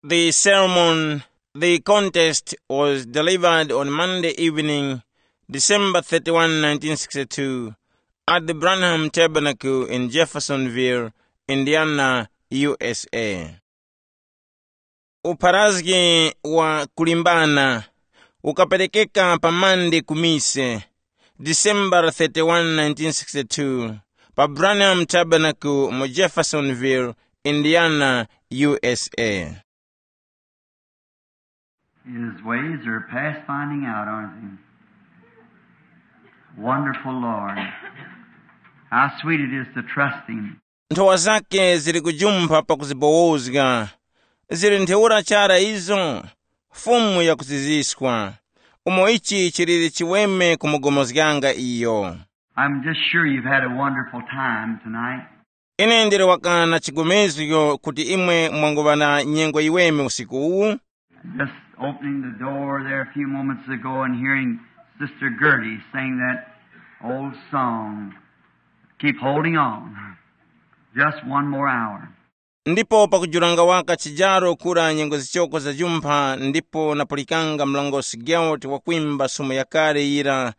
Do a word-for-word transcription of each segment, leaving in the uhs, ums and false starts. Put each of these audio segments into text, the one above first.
The sermon, the contest was delivered on Monday evening, December thirty-one, nineteen sixty-two, at the Branham Tabernacle in Jeffersonville, Indiana, U S A. Upharazgi wa kulimbana ukaperekeka pa Monday ku mise, December thirty-one, nineteen sixty-two, pa Branham Tabernacle mu Jeffersonville, Indiana, U S A. His ways are past finding out, aren't they? Wonderful Lord. How sweet it is to trust Him. Nthowa zake zili kujumpha pakuzibowozga. Zili ntheura chara izo, Fumu yakuziziswa. Umo ichi chiliri chiweme kumugomozganga iyo. I'm just sure you've had a wonderful time tonight. Ine ndili waka na chigomezgo kuti imwe mwanguŵa na nyengo yiweme usiku uwu. Just opening the door there a few moments ago and hearing Sister Gertie sing that old song, Keep Holding On. Just one more hour. Ndipo pakujuranga waka chijaro kura nyengo zichoko zajumpha, ndipo napulikanga mlongosi Gertie wakwimba sumu yakale yira,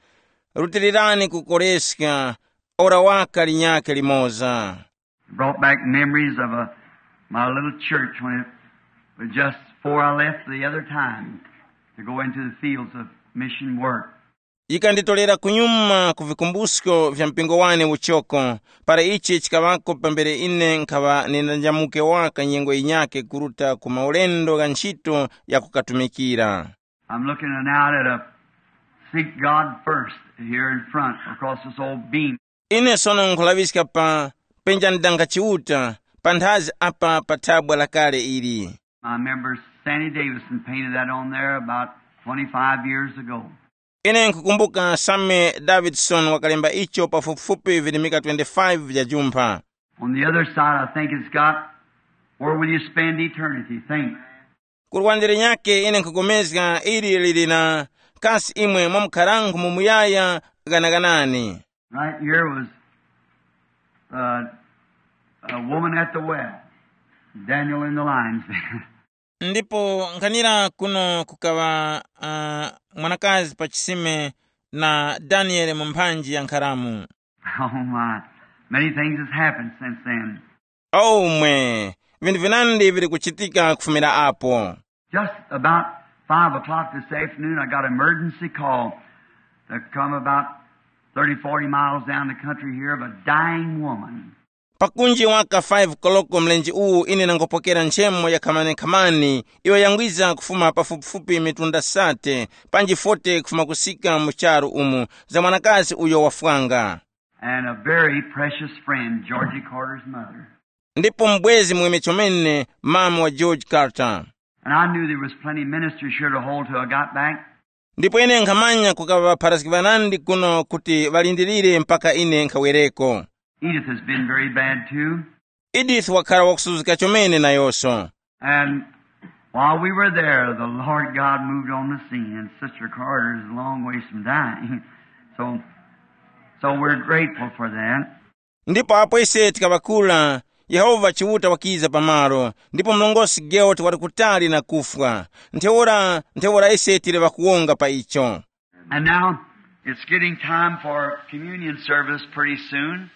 Rutilirani kukoreska, ora waka linyakhe limoza. It brought back memories of a, my little church when it was just before I left the other time to go into the fields of mission work. Yikanditorera kunyuma ku vikumbusko vya mpingo wane uchoko, para ichi chikaŵako pambere ine nkhaŵa nindanjamuke waka nyengo yinyakhe kuruta ku maulendo gha nchito ya kukatumikira. I'm looking out at a Seek God First here in front across this old beam. Ine sono nkhulaŵiska pa penja ndanga Chiuta panthazi apa pa thabwa lakale ili. I remember Sandy Davison painted that on there about twenty-five years ago. Ine nkhukumbuka Sammy Davidson wakalemba icho pafupifupi virimika twenty-five vya jumpha. On the other side, I think it's got, Where Will You Spend Eternity? Think. Ku lwande linyakhe ine nkhupulikana ili lili na, Kasi imwe mwamukharangu mu muyaya ghanaganani? Right here was uh, a woman at the well, Daniel in the lion's den. Ndipo nkhanira kuno kukaŵa uh, mwanakazi pa chisime na Daniele mu mphanji ya nkharamu. Oh my, many things has happened since then. Omwe, vinthu vinandi vili kuchitika kufumira apo. Just about five o'clock this afternoon, I got an emergency call to come about thirty, forty miles down the country here of a dying woman. Pakunji waka five koloko mlenje uwu ine nangopokera nchemo ya khamani-khamani iyo yangwiza kufuma pafupifupi mitunda sate panji forty kufuma kusika mu charu umu, za mwanakazi uyo wafwanga. And a very precious friend, Georgie Carter's mother. Ndipo mbwezi mweme chomene, mama wa George Carter. And I knew there was plenty ministers here to hold till I got back. Ndipo ine nkhamanya kukava ŵapharazgi ŵanandi kuno kuti ŵalindirire mpaka ine nkhawereko. Edith has been very bad too. Edith wakhala wakusuzika chomene nayonso. And while we were there, the Lord God moved on the scene, and Sister Carter is a long ways from dying. So, so we're grateful for that. Ndipo apo ise tikaŵakula, Yehova Chiuta wakiza pamalo, ndipo mlongosi George wali kutali na kufwa. Ntheura, ntheura ise tili ŵakuwonga pa icho. And now it's getting time for communion service pretty soon.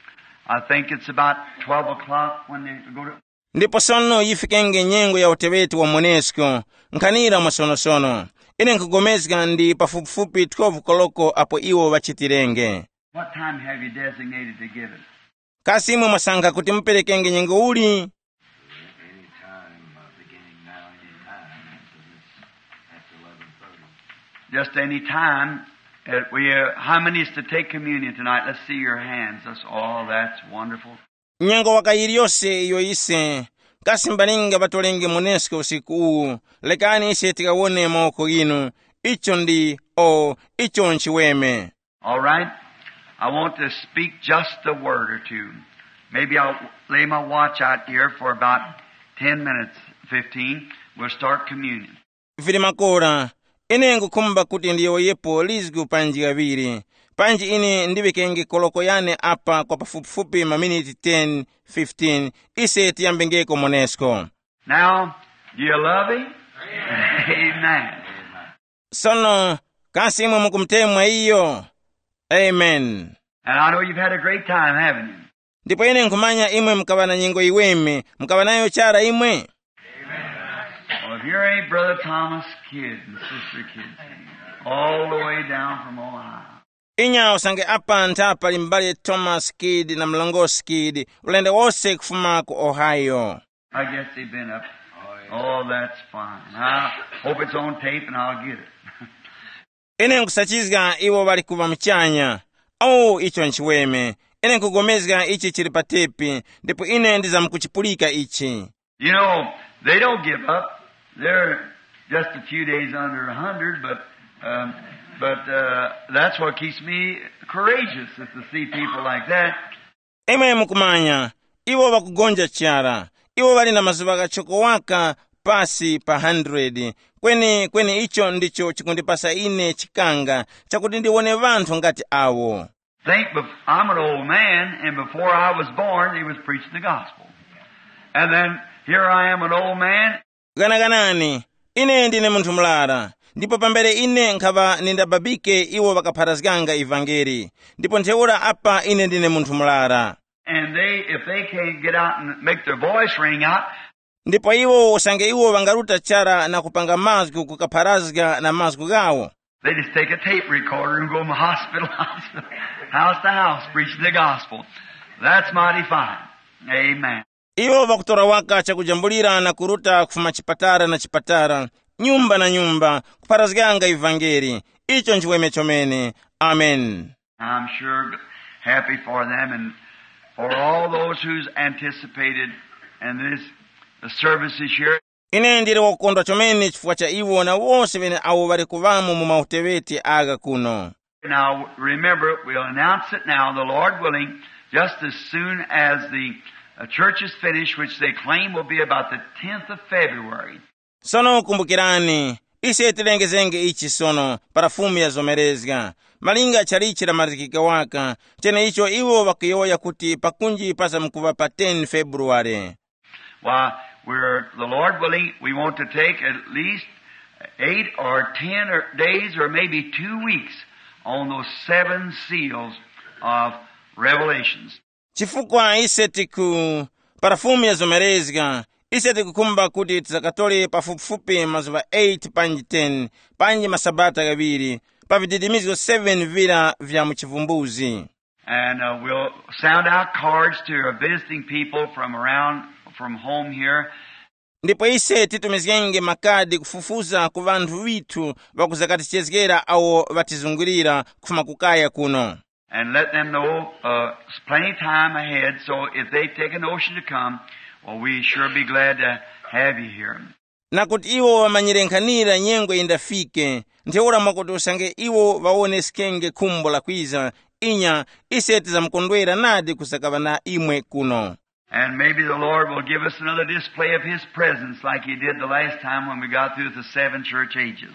I think it's about twelve o'clock when they go to. Ndipo sono yifikenge nyengo ya uteŵeti wa monesko, nkhanira mwasonosono. Ine nkugomezga ndi pafupifupi twelve koloko apo iwo ŵachitirenge. What time have you designated to give it? Kasi imwe mwasankha kuti muperekenge nyengo uli? Any time, uh, beginning now, any time after this, after eleven thirty. Just any time. Uh, we, uh, how many is to take communion tonight? Let's see your hands. That's all. That's wonderful. Nyengo waka yiliyose iyo ise. Kasi mbalinga ŵatolenge monesko usiku uwu? Lekani ise tikawone mawoko ghinu. Icho ndi, o, icho nchiweme. All right. I want to speak just a word or two. Maybe I'll lay my watch out here for about ten minutes, fifteen. We'll start communion. Vili makora, ine ngukhumba kuti ndiyowoyepo lizgu panji ghaŵiri, panji ine ndiŵikenge koloko yane apa kwa pafupifupi maminiti ten, fifteen, ise tiyambengeko monesko. Now, Do you love him? Amen. Sono, kasi imwe mukumutemwa iyo? Amen. And I know you've had a great time, haven't you? Ndipo ine nkhumanya imwe mukaŵa na nyengo iweme, mukaŵa nayo chara imwe? Well, if here ain't Brother Thomas Kidd and Sister Kidd, all the way down from Ohio. Inya usange apa ntha pali m'bale Thomas Kidd na mlongosi Kidd, ulendo wose kufuma ku Ohio. I guess they've been up. Oh, that's fine. I hope it's on tape and I'll get it. Ine nkusachizga iwo ŵali kuŵa muchanya. Oh, icho nchiweme. Ine nkugomezga ichi chili pa tepi, ndipo ine ndizamkuchipulika ichi. You know, they don't give up. They're just a few days under a hundred, but, um, but, uh, that's what keeps me courageous, is to see people like that. Imwe mukumanya, iwo ŵakugonja chara. Iwo ŵali na mazuŵa ghachoko waka pasi pa hundred. Kweni, kweni icho ndicho chikundipasa ine chikanga chakuti ndiwone ŵanthu ngati awo. Think, bef- I'm an old man, and before I was born, they was preaching the gospel. And then here I am, an old man. Ghanaganani, ine ndine munthu murara, ndipo pambere ine nkhaŵa nindababike iwo ŵakapharazganga ivangeli, ndipo ntheura apa ine ndine munthu murara. And they, if they can't get out and make their voice ring out, Ndipo iwo usange iwo ŵangaruta chara na kupanga mazgu kukapharazga na mazgu ghawo, they just take a tape recorder and go from hospital to hospital, house to house, preaching the gospel. That's mighty fine. Amen. Iwo ŵakutora waka chakujambulira na kuruta kufuma chipatara na chipatara, nyumba na nyumba, kupharazganga ivangeli. Icho nchiweme chomene. Amen. I'm sure happy for them and for all those who's anticipated in this, the services here. Ine ndili wakukondwa chomene chifukwa cha iwo na wose ŵene awo ŵali kuŵamo mu mauteŵeti agha kuno. Now, remember, we'll announce it now, the Lord willing, just as soon as the uh, church is finished, which they claim will be about the tenth of February. Sono kumbukirani, ise tilengezenge ichi sono para Fumu yazomerezga, malinga chalichi lamalizikika waka, cheneicho iwo ŵakuyowoya kuti pakunji pazamkuŵa pa ten February. Why, we're, the Lord willing, we want to take at least eight or ten or days or maybe two weeks on those seven seals of Revelations. Chifukwa ise tiku, para Fumu yazomerezga, ise tikukhumba kuti tizakatore pafupifupi mazuŵa eight panji ten, panji masabata ghaŵiri, pa vididimizgo seven vira vya mu chivumbuzi. And uh, we'll sound out cards to our visiting people from around, from home here. Ndipo ise titumizgenge makadi kufufuza ku ŵanthu ŵithu ŵakuzakatichezgera awo ŵatizungulira kufuma kukaya kuno. And let them know uh, plenty time ahead, so if they take a notion to come, well, we sure be glad to have you here. Na kuti iwo ŵamanyire nkhanira nyengo yindafike, ntheura mwakuti usange iwo ŵawoneskenge khumbo la kwiza, inya, ise tizamkondwera nadi kusakaŵa na imwe kuno. And maybe the Lord will give us another display of His presence like He did the last time when we got through with the seven church ages.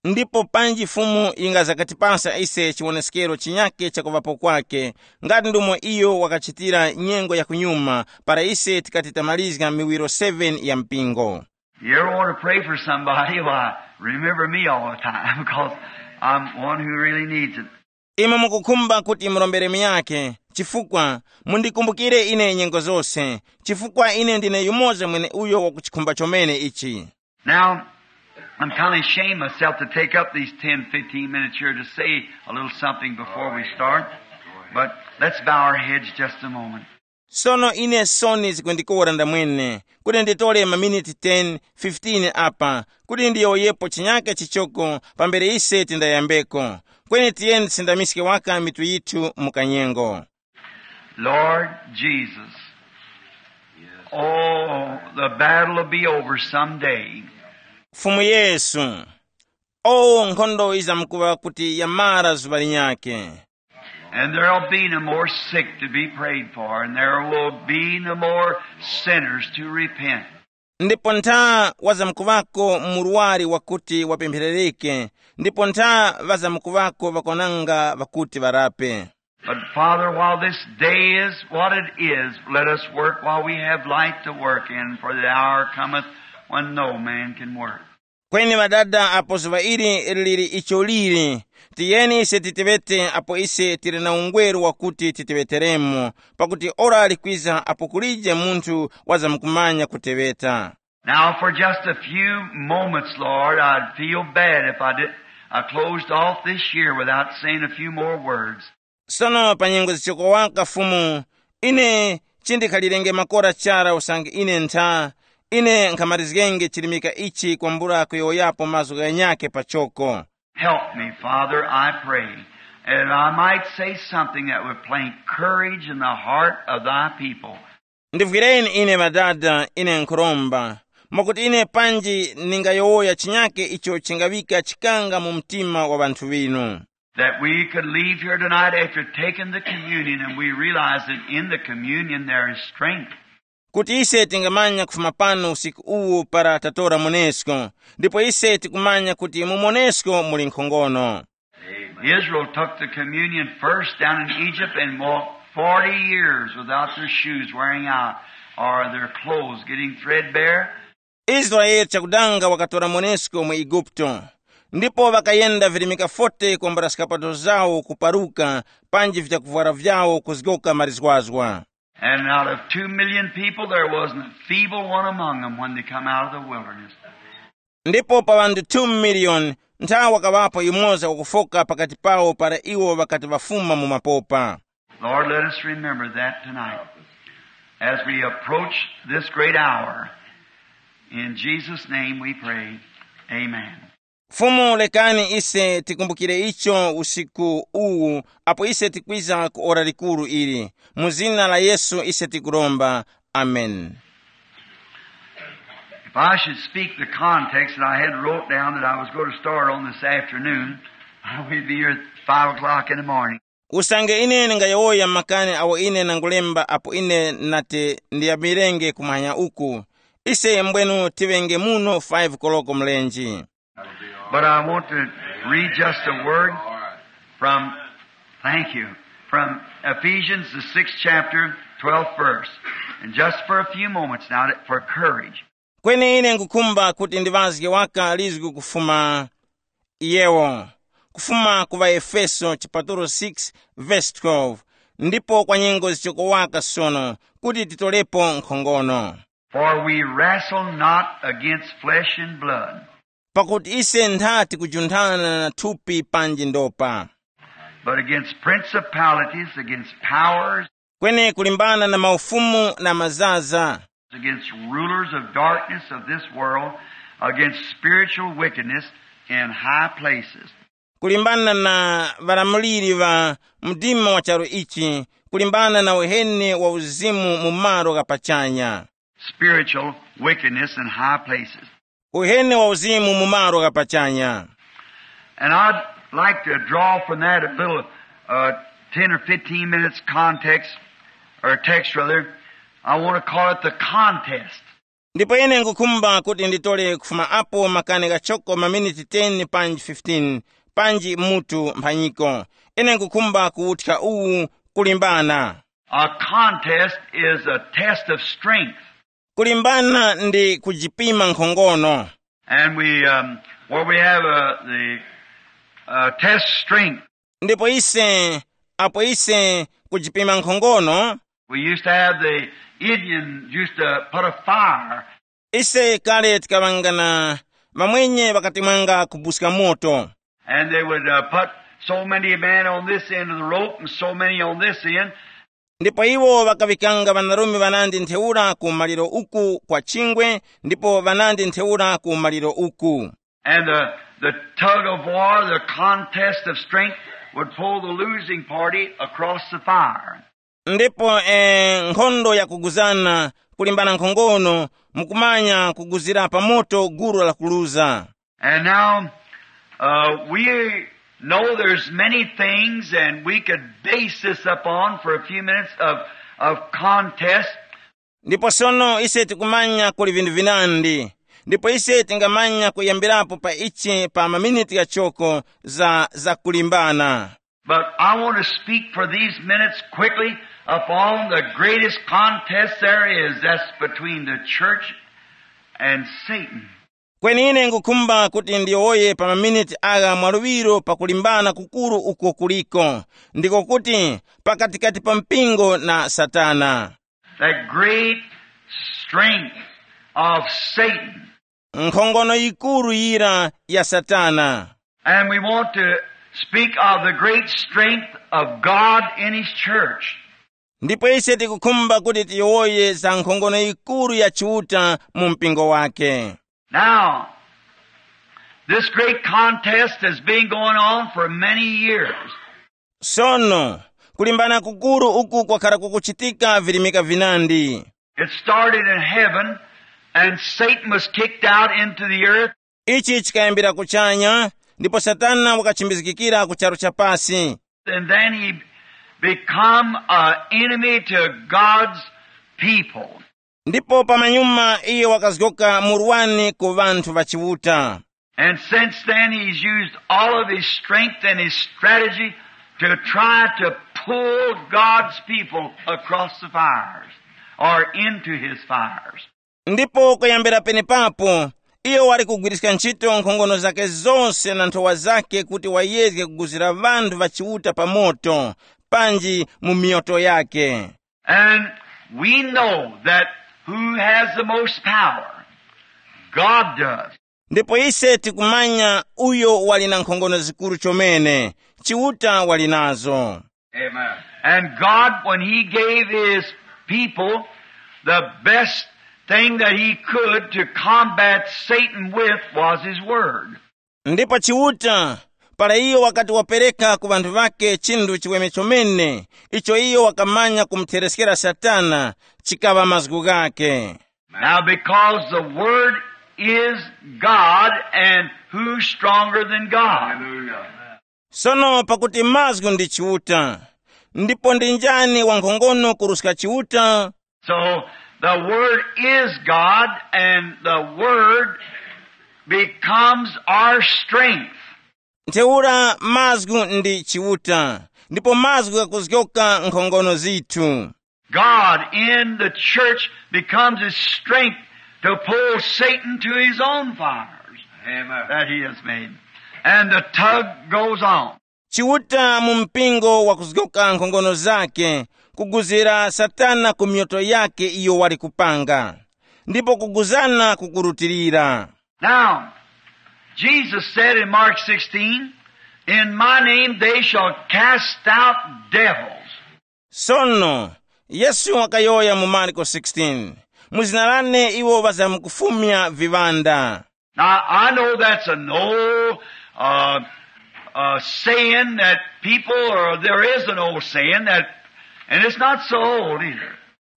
Ndipo panji Fumu yingazakatipasa ise chiwoneskero chinyake cha kuŵapo kwake, ngati ndomwe iyo wakachitira nyengo ya kunyuma para ise tikati tamalizga miwiro seven ya mpingo. You ever want to pray for somebody? Why, remember me all the time because I'm one who really needs it. Imwe mukukhumba kuti murombere miyake, chifukwa mundikumbukire ine nyengo zose, chifukwa ine ndine yumoza mwene uyo wakuchikhumba chomene ichi. Now, I'm kind of ashamed myself to take up these ten, fifteen minutes here to say a little something before we start, but let's bow our heads just a moment. Sono ine soni zikundikora ndamwene kuti nditore maminiti ten, fifteen apa kuti ndiyowoyepo chinyake chichoko pambere ise tindayambeko. Kweni tiyeni tisindamiske waka mitu yithu mu kanyengo. Lord Jesus, oh, the battle will be over someday. Fumu Yesu, o nkhondo izamkuŵa kuti yamara zuŵa linyake. And there'll be no more sick to be prayed for, and there will be no more sinners to repent. Ndipo ntha wazamkuŵako murwari wakuti wapempherereke, ndipo ntha ŵazamkuŵako ŵakwananga ŵakuti ŵarape. But Father, while this day is what it is, let us work while we have light to work in, for the hour cometh when no man can work. Kweni ŵadada, apo zuŵa ili lili icho lili, tiyeni ise titeŵete apo ise tili na ungweru wakuti titeŵeteremo, pakuti ora likwiza apo kulije munthu wazamkumanya kuteŵeta. Now, for just a few moments, Lord, I'd feel bad if I did, I closed off this year without saying a few more words. Sono pa nyengo zichoko waka Fumu, ine chindikhalirenge makora chara usange ine ntha, ine nkhamarizgenge chilimika ichi kwambula kuyowoyapo mazgu ghanyakhe pachoko. Help me, Father, I pray, that I might say something that would plant courage in the heart of thy people. Ndivwireni ine ŵadada, ine nkhuromba, mwakuti ine panji ningayowoya chinyake icho chingaŵika chikanga mu mtima wa ŵanthu ŵinu. That we could leave here tonight after taking the communion and we realize that in the communion there is strength. Kuti ise tingamanya kufuma pano usiku uwu para tatora monesko, ndipo ise tikumanya kuti mu monesko muli nkhongono. Israel took the communion first down in Egypt and walked forty years without their shoes wearing out or their clothes getting threadbare. Israeli chakudanga wakatora monesko mu Eguputo, ndipo ŵakayenda virimika forte kwambula skapato zawo kuparuka, panji vyakuvwara vyawo kuzgoka marizgwazgwa. And out of two million people, there wasn't a feeble one among them when they come out of the wilderness. Ndipo pa ŵanthu two million, nthawa wakaŵapo yumoza wakufoka pakati pawo para iwo ŵakati ŵafuma mu mapopa. Lord, let us remember that tonight as we approach this great hour. In Jesus' name we pray. Amen. Fumu, lekani ise tikumbukire icho usiku uwu, apo ise tikwiza ku ora likuru ili. Mu zina la Yesu ise tikuromba. Amen. If I should speak the context that I had wrote down that I was going to start on this afternoon, I would be here at five o'clock in the morning. Usange ine ndingayowoya makani awo ine nangulemba apo ine nati ndiyambirenge kumanya uku, ise mbwenu tiŵenge muno five koloko mlenji. But I want to read just a word from, thank you, from Ephesians, the sixth chapter, twelfth verse. And just for a few moments now, for courage. Kweni ine nkukhumba kuti ndiŵazge waka lizgu kufuma iyewo, kufuma ku ŵaefeso chipatulo six, verse twelve, ndipo kwa nyengo zichoko waka sono, kuti titolepo nkhongono. For we wrestle not against flesh and blood, Pakuti ise ntha tikujunthana na thupi panji ndopa, but against principalities, against powers, kweni kulimbana na maufumu na mazaza, against rulers of darkness of this world, against spiritual wickedness in high places. Kulimbana na ŵalamuliri ŵa mdima wa charu ichi, kulimbana na uheni wa uzimu mu malo gha pachanya. Spiritual wickedness in high places. Uheni wa uzimu mu malo gha pachanya. And I'd like to draw from that a little, uh, ten or fifteen minutes context, or text rather. I want to call it the contest. Ndipo ine nkukhumba kuti nditole kufuma apo makani ghachoko maminiti ten panji fifteen, panji mutu mphanyiko. Ine nkukhumba kuwuthya uwu, kulimbana. A contest is a test of strength. Kulimbana ndi kujipima nkhongono. And we, um, where we have, uh, the, uh, test strength. Ndipo ise, apo ise kujipima nkhongono, we used to have the Indian used to put a fire. Ise kale tikaŵanga na ŵamwenye ŵakatemwanga kubuska moto. And they would, uh, put so many men on this end of the rope and so many on this end. Ndipo iwo ŵakaŵikanga ŵanarume ŵanandi ntheura ku maliro uku kwa chingwe, ndipo ŵanandi ntheura ku maliro uku. And the, the tug of war, the contest of strength, would pull the losing party across the fire. Ndipo eh, nkhondo yakuguzana, kulimbana nkhongono, mukumanya kuguzira pa moto gulu lakuluza. And now, uh, we know there's many things, and we could base this upon for a few minutes of, of contest. Ndipo sono ise tikumanya kuli vinthu vinandi, ndipo ise tingamanya kuyambirapo pa ichi pa maminiti ghachoko za, za kulimbana. But I want to speak for these minutes quickly upon the greatest contest there is. That's between the church and Satan. Kweni ine ngukhumba kuti ndiyowoye pa maminiti agha mwaluŵiro pakulimbana kukuru uko kuliko, ndiko kuti pakatikati pa mpingo na Satana. The great strength of Satan. Nkhongono yikuru yira ya Satana. And we want to speak of the great strength of God in His church. Ndipo ise tikukhumba kuti tiyowoye za nkhongono yikuru ya Chiuta mu mpingo wake. Now, this great contest has been going on for many years. Sono, kulimbana kukuru uku kwakhala kukuchitika virimika vinandi. It started in heaven, and Satan was kicked out into the earth. Ichi chikayambira kuchanya, ndipo Satana wakachimbizgikira ku charu cha pasi. And then he become an enemy to God's people. Ndipo pamanyuma iye wakazgoka murwani ku ŵanthu ŵa Chiuta. And since then, he's used all of his strength and his strategy to try to pull God's people across the fires or into his fires. Ndipo kuyambira penepapo, iyo wali kugwiriska ntchito nkhongono zake zose na nthowa zake kuti wayezge kuguzira ŵanthu ŵa Chiuta pa moto, panji mu miyoto yake. And we know that who has the most power? God does. Ndipo ise tikumanya uyo wali na nkhongono zikuru chomene, Chiuta wali nazo. Amen. And God, when he gave his people, the best thing that he could to combat Satan with was his word. Ndipo Chiuta, para iyo wakati wapereka ku ŵanthu ŵake chinthu chiweme chomene, icho iyo wakamanya kumuthereskera Satana, chikaŵa mazgu ghake. Now, because the word is God, and who's stronger than God? Sono pakuti mazgu ndi Chiuta, ndipo ndi njani wankhongono kuruska Chiuta? So the word is God, and the word becomes our strength. Ntheura mazgu ndi Chiuta, ndipo mazgu ghakuzgoka nkhongono zithu. God in the church becomes his strength to pull Satan to his own fires. Amen. That he has made. And the tug goes on. Chiuta mu mpingo wakuzgoka nkhongono zake, kuguzira Satana ku myoto yake iyo wali kupanga, ndipo kuguzana kukurutilira. Now, Jesus said in Mark sixteen, "In my name they shall cast out devils." Sono, Yesu wakayowoya mu Marko sixteen, "Mu zina lane iwo ŵazamkufumya viŵanda." Now, I know that's an old uh, uh, saying that people, or there is an old saying that, and it's not so old either.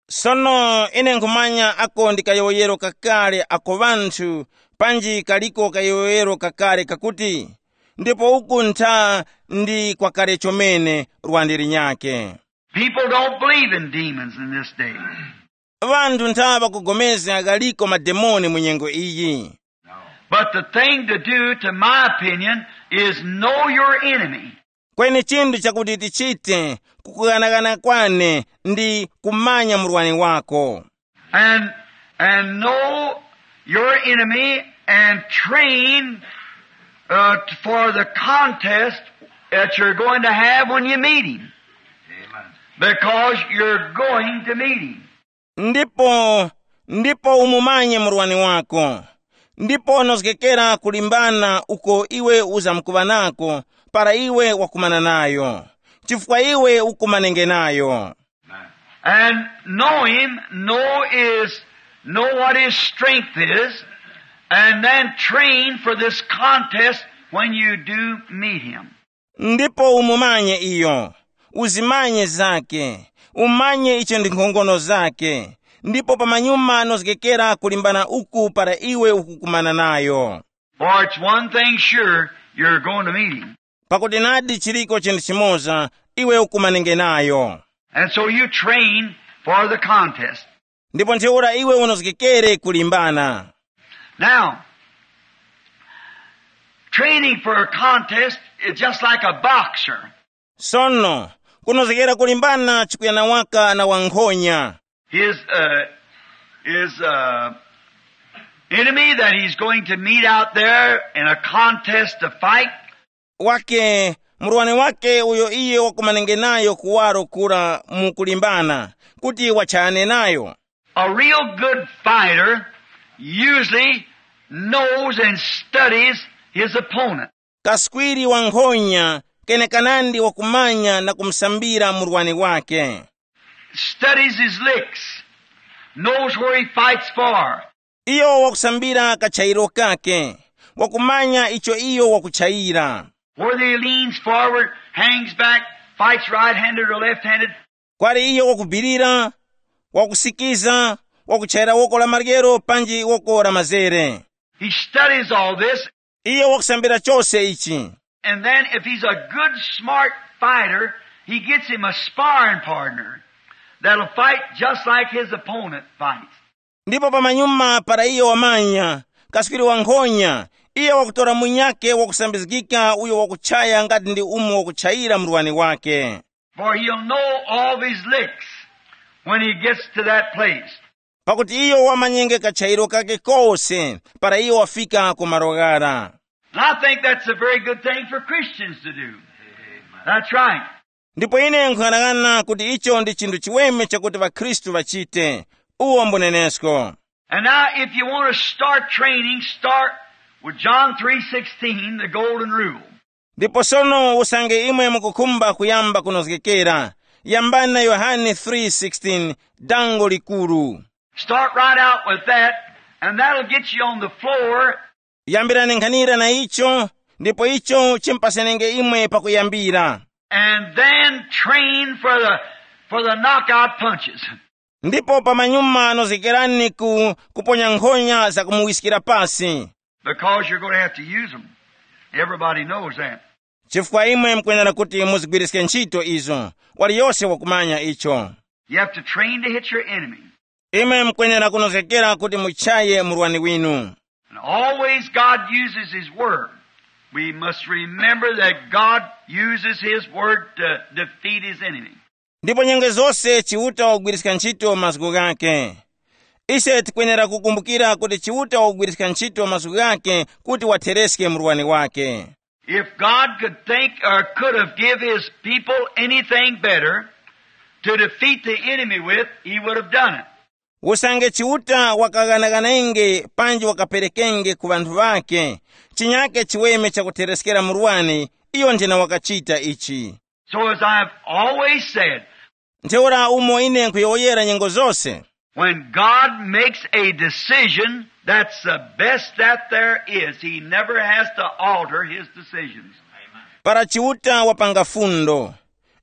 Sono ine nkhumanya ako ndi kayowoyero kakale ako ŵanthu, panji kaliko kayowoyero kakale kakuti, ndipo uku ntha ndi kwakale chomene lwandi linyake. People don't believe in demons in this day. Ŵanthu ntha ŵakupulikana ghaliko mademoni mu nyengo iyi. But the thing to do, to my opinion, is know your enemy. Kweni chinthu chakuti tichite kukughanaghana kwane ndi kumanya murwani wako. And, and know your enemy and train uh, for the contest that you're going to have when you meet him. Because you're going to meet him. Ndipo ndipo umumanye murwani wako, ndipo nozgekera kulimbana uko iwe uzamkuŵa nako para iwe wakumana nayo, chifukwa iwe ukumanenge nayo. And know him, know is, know what his strength is, and then train for this contest when you do meet him. Ndipo umumanye iyo, uzimanye zake, umanye icho ndi nkhongono zake, ndipo pamanyuma nozgekera kulimbana uku para iwe ukukumana nayo. For it's one thing sure, you're going to meet him. Pakuti nadi chiliko chinthu chimoza, iwe ukumanenge nayo. And so you train for the contest. Ndipo ntheura iwe unozgekere kulimbana. Now, training for a contest is just like a boxer. Sono, kunozgekera kulimbana chikuyana waka na wankhonya. His, uh, his, uh, enemy that he's going to meet out there in a contest to fight. Wake, murwani wake uyo iye wakumanenge nayo kuwaro kura mu kulimbana, kuti wachayane nayo. A real good fighter usually knows and studies his opponent. Kaswiri wa nkhonya kenekanandi wakumanya na kumusambira murwani wake. Studies his licks, knows where he fights for. Iyo wakusambira kachayiro kake, wakumanya icho iyo wakuchayira. Whether he leans forward, hangs back, fights right-handed or left-handed. Kwali iyo wakubirira, wakusikiza, wakuchayira woko la maryero panji woko la mazere. He studies all this. Iyo wakusambira chose ichi. And then if he's a good, smart fighter, he gets him a sparring partner that'll fight just like his opponent fights. Ndipo pamanyuma para iyo wamanya, kaswiri wa nkhonya, iyo wakutora munyake wakusambizgika uyo wakuchaya ngati ndi umo wakuchayira murwani wake. For he'll know all of his licks when he gets to that place. Pakuti iyo wamanyenge kachayiro kake kose para iyo wafika ku malo ghara. And I think that's a very good thing for Christians to do. That's right. Ndipo ine nkhung'anang'ana kuti icho ndi chinthu chiweme chakuti ŵakhristu ŵachite. Uwo mbunenesko. And now, if you want to start training, start with John three sixteen, the golden rule. Ndipo sono usange imwe mukukhumba kuyamba kunozgekera, yambani na Yohane three sixteen, dango likuru. Start right out with that, and that'll get you on the floor. Yambirani nkhanira na icho, ndipo icho chimpasenenge imwe pakuyambira. And then train for the, for the knockout punches. Ndipo pamanyuma nozgekerani ku kuponya nkhonya za kumuwiskira pasi. Because you're going to have to use them. Everybody knows that. Chifukwa imwe mukwenera kuti muzigwiriske ntchito izo. Waliyose wakumanya icho. You have to train to hit your enemy. Imwe mukwenera kunozgekera kuti muchaye murwani winu. And always God uses his word. We must remember that God uses his word to defeat his enemy. Ndipo nyengo zose Chiuta wagwiriska ntchito mazgu ghake. Ise tikwenera kukumbukira kuti Chiuta wagwiriska ntchito mazgu ghake kuti wathereske murwani wake. If God could think or could have give his people anything better to defeat the enemy with, he would have done it. Usange Chiuta wakaghanaghanenge panji wakaperekenge ku ŵanthu ŵakhe chinyake chiweme chakuthereskera murwani, iyo nthena wakachita ichi. So as I've always said, ntheura umo ine nkhuyowoyera nyengo zose, when God makes a decision, that's the best that there is. He never has to alter his decisions. Para Chiuta wapanga fundo,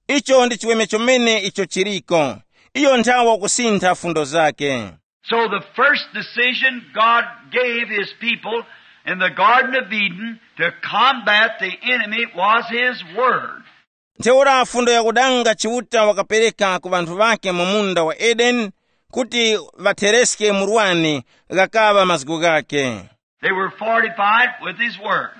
icho ndi chiweme chomene icho chiriko. Iyo nthawa kusintha fundo zake. So the first decision God gave his people in the Garden of Eden to combat the enemy was his word. Ntheura fundo yakudanga Chiuta wakapereka ku ŵanthu ŵake mu munda wa Edeni kuti ŵathereske murwani ghakaŵa mazgu ghake. They were fortified with his word.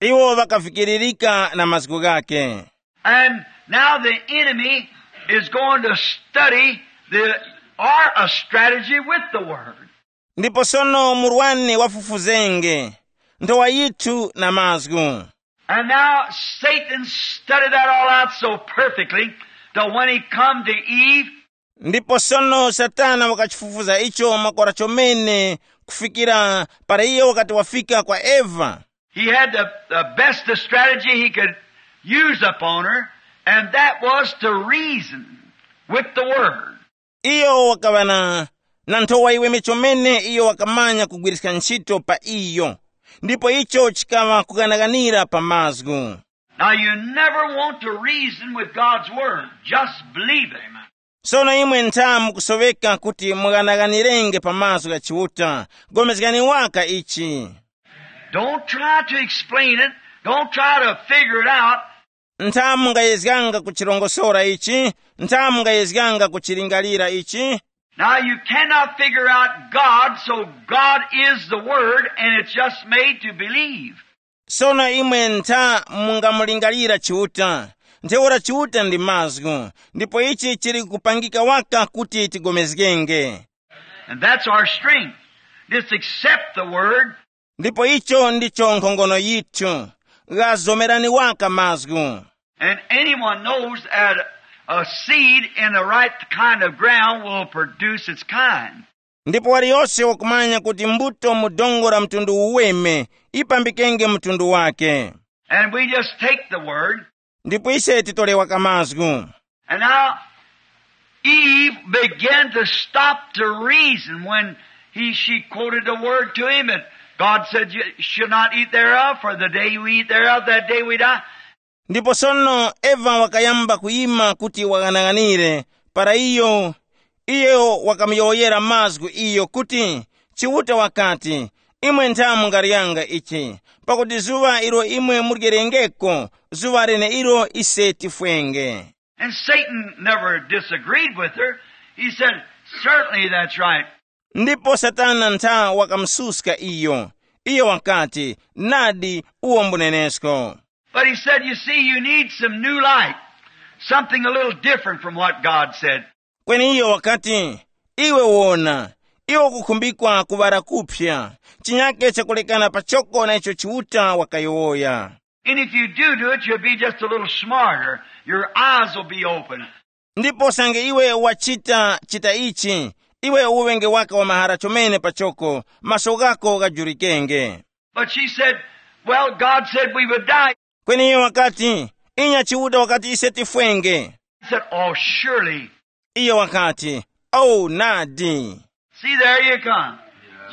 Iwo ŵakavikiririka na mazgu ghake. And now the enemy is going to study the, or a strategy with the word. Ndipo sono murwani wafufuzenge nthowa yithu na mazgu. And now Satan studied that all out so perfectly that when he come to Eve, ndipo sono Satana wakachifufuza icho makora chomene kufikira para iyo wakati wafika kwa Eva. He had the, the best of strategy he could use upon her, and that was to reason with the word. Iyo wakaŵa na, na nthowa yiweme chomene iyo wakamanya kugwiriska ntchito pa iyo, ndipo icho chikaŵa kughanaghanira pa mazgu. Now you never want to reason with God's word. Just believe it. Sono imwe ntha mukusoweka kuti mughanaghanirenge pa mazgu gha Chiuta, gomezgani waka ichi. Don't try to explain it. Don't try to figure it out. Ntha mungayezganga kuchirongosora ichi, ntha mungayezganga kuchilingalira ichi. Now you cannot figure out God, so God is the Word, and it's just made to believe. Sono imwe ntha mungamulingalira Chiuta, ntheura Chiuta ndi mazgu, ndipo ichi chili kupangika waka kuti tigomezgenge. And that's our strength. Just accept the word. Ndipo icho ndicho nkhongono yithu. Ghazomerani waka mazgu. And anyone knows that a seed in the right kind of ground will produce its kind. Ndipo waliyose wakumanya kuti mbuto mu dongo la mtundu uweme ipambikenge mtundu wake. And we just take the word. Ndipo ise titolewa kamazgu. And now Eve began to stop to reason when he, she quoted the word to him, and God said, "You should not eat thereof, for the day you eat thereof, that day we die." Ndipo sono Eva wakayamba kuyima kuti waghanaghanire, para iyo, iyo wakamuyowoyera mazgu iyo kuti, Chiuta wakati, imwe ntha mungaryanga ichi, pakuti zuŵa ilo imwe muryerengeko, zuŵa leneilo ise tifwenge. And Satan never disagreed with her. He said, "Certainly that's right." Ndipo Satana ntha wakamususka iyo. Iyo wakati, nadi, uwo mbunenesko. But he said, "You see, you need some new light, something a little different from what God said." Kweni iyo wakati, iwe wona, iwe ukukhumbikwa kuŵala kuphya, chinyake chakulekana pachoko na icho Chiuta wakayowoya. And if you do do it, you'll be just a little smarter. Your eyes will be open. Ndipo sange iwe wachita chita ichi, iwe uŵenge waka wa mahara chomene pachoko, maso ghako ghajulikenge. But she said, "Well, God said we would die." Kweni iye wakati, inya Chiuta wakati ise tifwenge. He said, "Oh, surely." Iye wakati, oh nadi. See, there you come.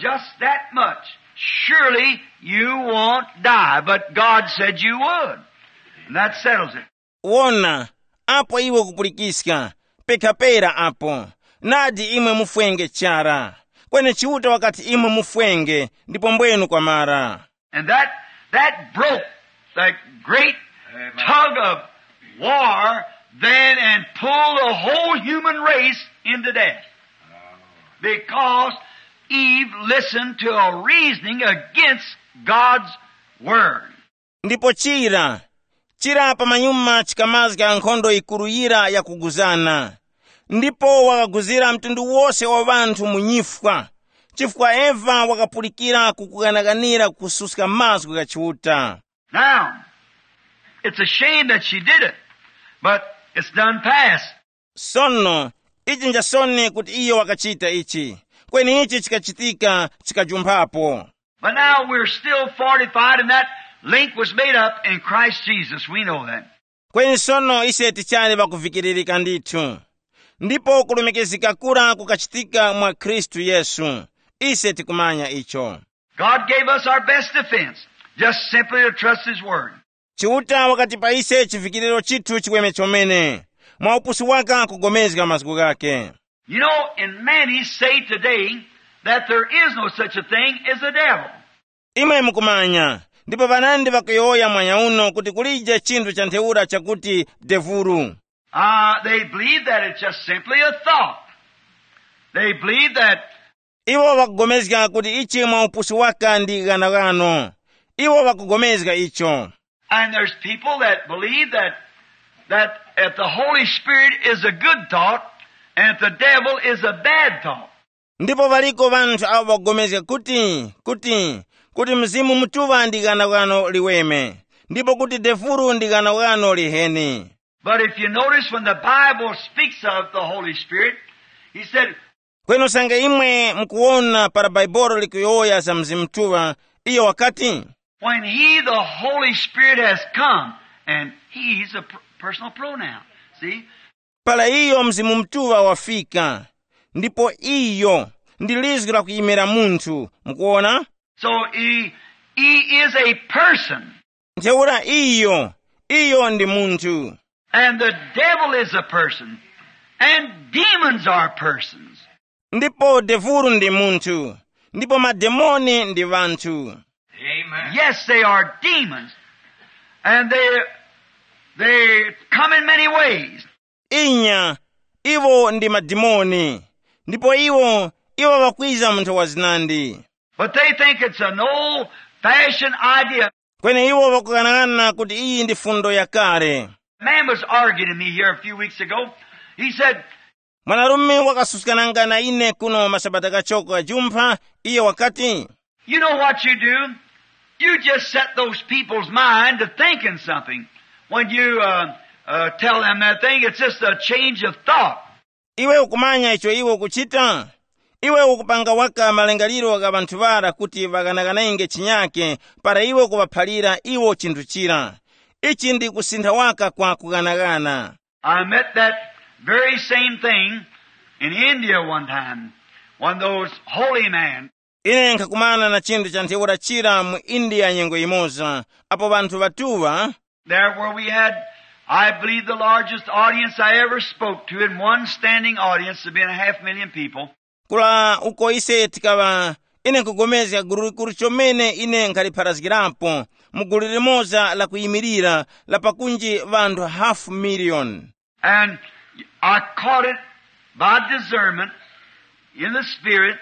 Just that much. Surely you won't die, but God said you would. And that settles it. Wona, apo iwe ukupulikiska, pekhapera apo. Nadi imwe mufwenge chara. Kweni Chiuta wakati imwe mufwenge, ndipo mbwenu kwamara. And that, that broke that great tug of war then and pulled the whole human race into death. Because Eve listened to a reasoning against God's word. Ndipo chira, chira pamanyuma chikamazga nkhondo yikuru yira yakuguzana. Ndipo wakaguzira mtundu wose wa ŵanthu mu nyifwa, chifukwa Eva wakapulikira kukughanaghanira kususka mazgu gha Chiuta. Now, it's a shame that she did it, but it's done past. Sono, ichi njasoni kuti iyo wakachita ichi, kweni ichi chikachitika chikajumphapo. But now we're still fortified, and that link was made up in Christ Jesus. We know that. Kweni sono ise tichali ŵakuvikiririka ndithu, ndipo kulumikizika kura kukachitika mwa Khristu Yesu. Ise tikumanya icho. God gave us our best defense, just simply to trust His Word. Chiuta wakatipa ise chivikiriro chithu chiweme chomene, mwa upusi waka kugomezga mazgu ghake. You know, and many say today that there is no such a thing as a devil. Imwe mukumanya, ndipo ŵanandi ŵakuyowoya mwanya uno kuti kulije chinthu cha ntheura chakuti devulu. Uh, they believe that it's just simply a thought. They believe that. Iwo ŵakugomezga kuti ichi mwa upusi waka ndi ghanaghano. Iwo ŵakugomezga icho. And there's people that believe that, that, that the Holy Spirit is a good thought and that the devil is a bad thought. Ndipo ŵaliko ŵanthu awo ŵakugomezga kuti, kuti, kuti Mzimu Mutuŵa ndi ghanaghano liweme, ndipo kuti devulu ndi ghanaghano liheni. But if you notice, when the Bible speaks of the Holy Spirit, he said, Kweni usange imwe mukuwona para Bhaibuli likuyowoya za Mzimu Mutuŵa, iyo wakati, when he, the Holy Spirit, has come, and he's a per-, personal pronoun. See? Para iyo Mzimu Mutuŵa wafika, ndipo iyo ndi lizgu lakuyimira munthu, mukuwona? So he, he is a person. Ntheura iyo, iyo ndi munthu. And the devil is a person. And demons are persons. Ndipo devulu ndi munthu, ndipo mademoni ndi ŵanthu. Amen. Yes, they are demons. And they, they come in many ways. Inya, iwo ndi madimoni, ndipo iwo, iwo ŵakwiza mu nthowa zinandi. But they think it's an old-fashioned idea. Kweni iwo ŵakughanaghananga kuti iyi ndi fundo yakale. A man was arguing to me here a few weeks ago. He said, Mwanarume wakasuskananga na ine kuno masabata kachoko ghajumpha, iye wakati, You know what you do? You just set those people's mind to thinking something. When you uh, uh, tell them that thing, it's just a change of thought. Iwe ukumanya icho iwe ukuchita? Iwe ukupanga waka malingaliro gha ŵanthu ŵara kuti ŵaghanaghanaenge chinyake, para iwe ukuŵaphalira iwo chinthu chira. Ichi ndi kusintha waka kwa kughanaghana. I met that very same thing in India one time. One of those holy men. Ine nkhakumana na chinthu cha ntheura chira mu India nyengo yimoza, apo ŵanthu ŵatuŵa. There where we had, I believe, the largest audience I ever spoke to in one standing audience of being a half million people. Kula uko ise tikaŵa, ine nkugomezga gulu likuru chomene ine nkhalipharazgirapo, mu gulu limoza la kuyimirira la pakunji ŵanthu hafu miliyoni. And I caught it by discernment in the spirit.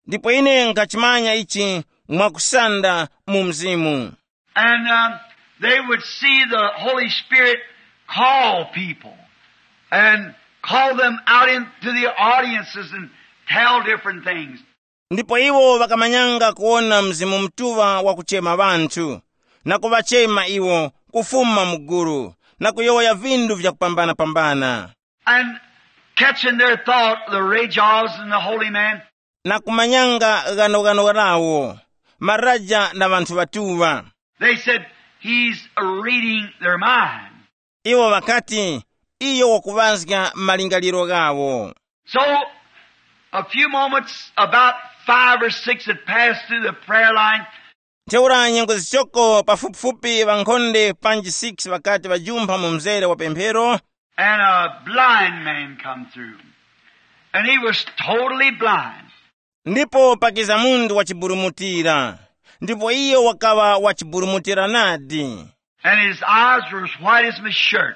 Ndipo ine nkachimanya ichi mwakusanda mu mzimu. And um, they would see the Holy Spirit call people and call them out into the audiences and tell different things. Ndipo iwo ŵakamanyanga kuwona Mzimu Mutuŵa wakuchema ŵanthu, na kuŵachema iwo kufuma mu gulu, na kuyowoya vindu vyakupambana-pambana. And catching their thought, the Ray Charles and the holy man, Na kumanyanga ghanoghano lawo, maraja na ŵanthu ŵatuŵa. They said, He's reading their mind. Iwo ŵakati, iyo wakuŵazga malingaliro ghawo. So, a few moments, about five or six had passed through the prayer line. Ntheura nyengo zichoko pafupifupi ŵankhonde panji six ŵakati ŵajumpha mu mzere wa pemphero. And a blind man come through. And he was totally blind. Ndipo pakiza munthu wachiburumutira, ndipo iyo wakaŵa wachiburumutira nadi. And his eyes were as white as my shirt.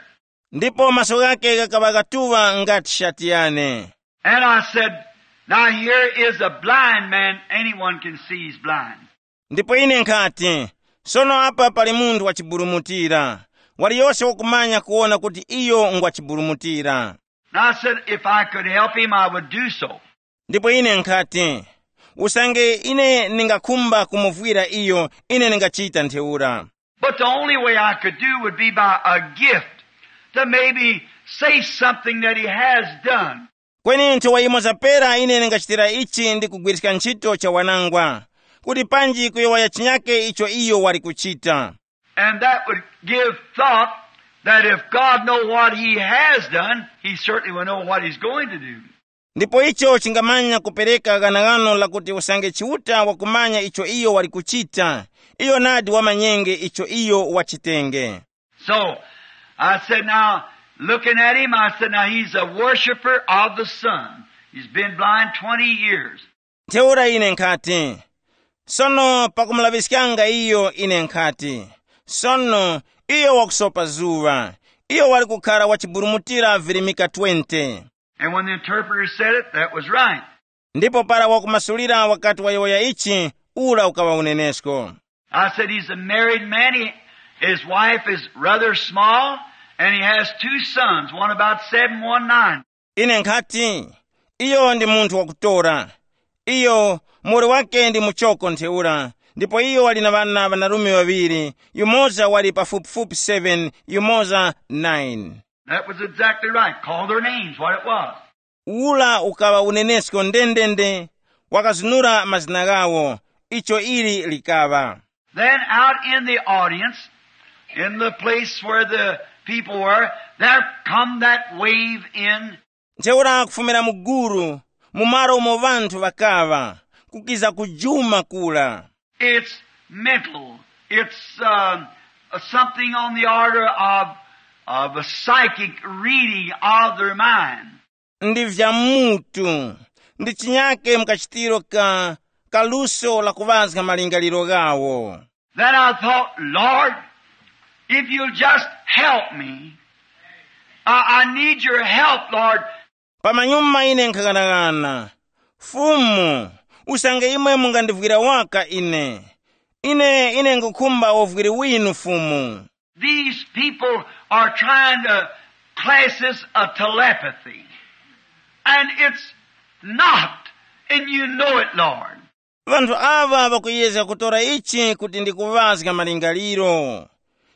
Ndipo maso ghake ghakaŵa ghatuŵa ngati shati yane. And I said, Now here is a blind man, anyone can see he's blind. Ndipo ine nkhati, sono apa pali munthu wachiburumutira, waliyose wakumanya kuwona kuti iyo ngwachiburumutira. And I said, If I could help him, I would do so. Ndipo ine nkhati, usange ine ndingakhumba kumuvwira iyo, ine ndingachita ntheura. But the only way I could do would be by a gift to maybe say something that he has done. Kweni nthowa imoza pera ine ndingachitira ichi ndi kugwiriska ntchito cha wanangwa, kuti panji kuyowoya chinyake icho iyo wali kuchita. And that would give thought that if God know what he has done, he certainly will know what he's going to do. Ndipo icho chingamanya kupereka ghanaghano lakuti usange Chiuta wakumanya icho iyo wali kuchita, iyo nadi wamanyenge icho iyo wachitenge. So I said, Now, looking at him, I said, Now he's a worshiper of the sun. He's been blind twenty years. Ntheura ine nkhati, sono pakumulaŵiskanga iyo ine nkhati, sono iyo wakusopa zuŵa, iyo wali kukhala wachiburumutira virimika twenty. And when the interpreter said it, that was right. Ndipo para wakumasulira wakati wayowoya ichi, ura ukaŵa unenesko. I said, He's a married man. He, his wife is rather small, and he has two sons, one about seven, one nine. Ine nkhati, iyo ndi munthu wakutora. Iyo, muwoli wake ndi muchoko ntheura, ndipo iyo wali na ŵana ŵanarume ŵaŵiri, yumoza wali pafupifupi seven, yumoza nine. That was exactly right. Call their names, what it was. Ula ukaŵa unenesko ndendende, wakazunura mazina ghawo, icho ili likaŵa. Then out in the audience, in the place where the people were, there come that wave in. Ntheura kufumira mu gulu, mu malo umo ŵanthu ŵakaŵa, kukiza kujuma kula. It's mental. It's uh, something on the order of, of a psychic reading of their mind. Ndi vya mutu, ndi chinyake mkachitiro ka kaluso la kuŵazga malingaliro ghawo. Then I thought, Lord, if you'll just help me, I, I need your help, Lord. Pamanyuma ine nkhaghanaghana, Fumu, usange imwe mungandivwira waka ine, ine ine nkhukhumba uvwiri winu Fumu. These people are trying to class this a telepathy. And it's not. And you know it, Lord. Vanthu aŵa ŵakuyezga kutora ichi kuti ndi kuŵazga malingaliro,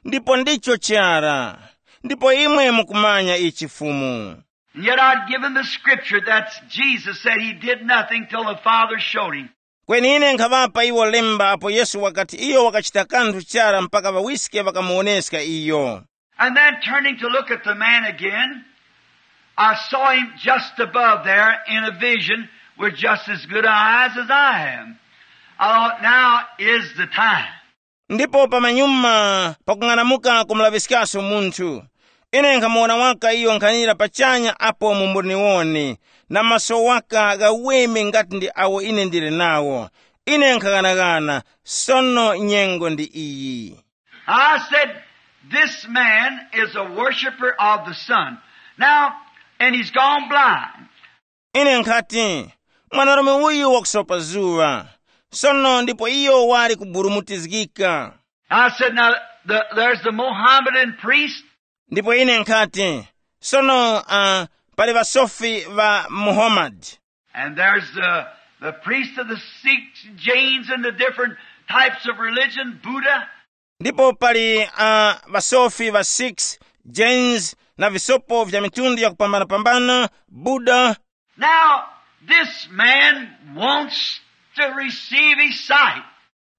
ndipo ndicho chara, ndipo imwe mukumanya ichi Fumu. And yet I'd given the scripture that Jesus said he did nothing till the Father showed him. Kweni ine nkhaŵapa iwo lemba apo Yesu wakati iyo wakachita kanthu chara mpaka ŵawiske ŵakamuwoneska iyo. And then turning to look at the man again, I saw him just above there in a vision with just as good eyes as I have. I thought, now is the time. Ndipo pamanyuma pakung'anamuka kumulaŵiskaso munthu, ine nkhamuwona waka iyo nkhanira pachanya apo mu mboniwoni, na maso waka ghaweme ngati ndi awo ine ndili nawo. Ine nkhaghanagana, sono nyengo ndi iyi. I said, this man is a worshiper of the sun. Now, and he's gone blind. Ine nkhati, mwanarume uyu wakusopa zuŵa, sono ndipo iyo wali kuburumutizgika. I said, now, the, there's the Mohammedan priest. Ndipo ine nkhati, sono uh, pali ŵasofi ŵa Muhammad. And there's the, the priest of the Sikhs, Jains, and the different types of religion, Buddha. Ndipo pali uh, ŵasofi ŵa Sikhs, Jains, na visopo vya mitundu yakupambanapambana, Buddha. Now, this man wants to receive his sight.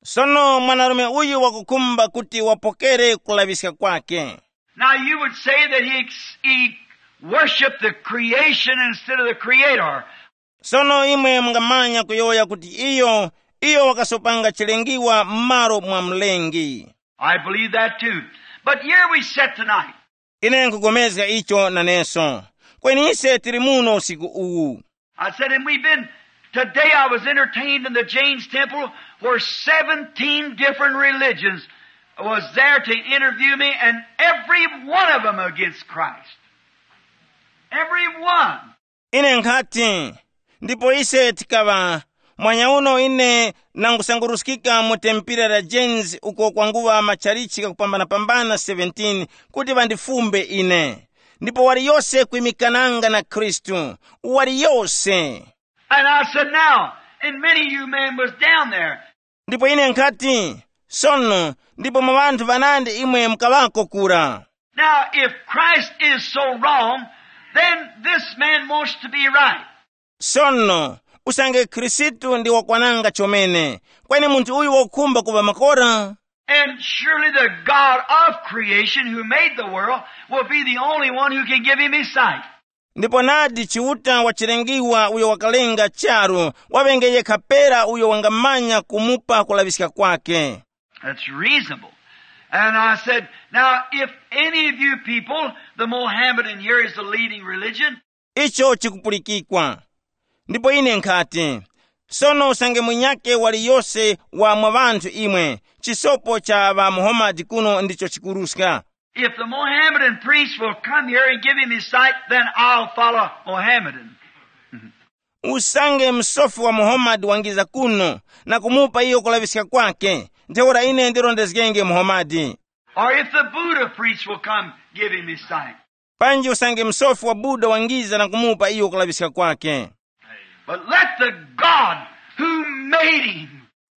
Sono mwanarume uyu wakukhumba kuti wapokere kulaŵiska kwake. Now, you would say that he, he worshiped the creation instead of the creator. Sono imwe mungamanya kuyowoya kuti iyo iyo wakasopanga chilengiwa m'malo mwa Mlengi. I believe that too. But here we sit tonight. Ine nkupulikana icho naneso. Kweni ise tili muno usiku uwu. I said, and we've been, today I was entertained in the James Temple where seventeen different religions was there to interview me, and every one of them against Christ. Every one. Ine nkhati, ndipo ise tikaŵa, mwanya uno ine nangusanguruskika mu tempira la James uko kwanguŵa matchalichi ghakupambanapambana seventeen kuti ŵandifumbe ine. Ndipo waliyose kwimikananga na Khristu, waliyose. And I said, now, and many of you men was down there. Ndipo ine nkhati, sono, ndipo mwa ŵanthu ŵanandi imwe mukaŵako kura. Now, if Christ is so wrong, then this man wants to be right. Sono, usange Khristu ndi wakwananga chomene, kweni munthu uyu wakukhumba kuŵa makora? And surely the God of creation who made the world will be the only one who can give him his sight. Ndipo nadi Chiuta wa chilengiwa uyo wakalenga charu waŵenge yekha pera uyo wangamanya kumupa kulaŵiska kwake. That's reasonable. And I said, now, if any of you people, the Mohammedan here is the leading religion. Icho chikupulikikwa. Ndipo ine nkhati, sono usange munyake waliyose wa mwa ŵanthu imwe, chisopo cha ŵa Muhammad kuno ndicho chikuruska. If the Mohammedan priest will come here and give him his sight, then I'll follow Mohammedan. Usange msofi wa Muhammad wangiza kuno na kumupa iyo kulaŵiska kwake, ntheura ine ndirondezgenge Muhammad. Or if the Buddha priest will come give him his sight. Panji usange msofi wa Buddha wangiza na kumupa iyo kulaŵiska kwake. But let the God who made him.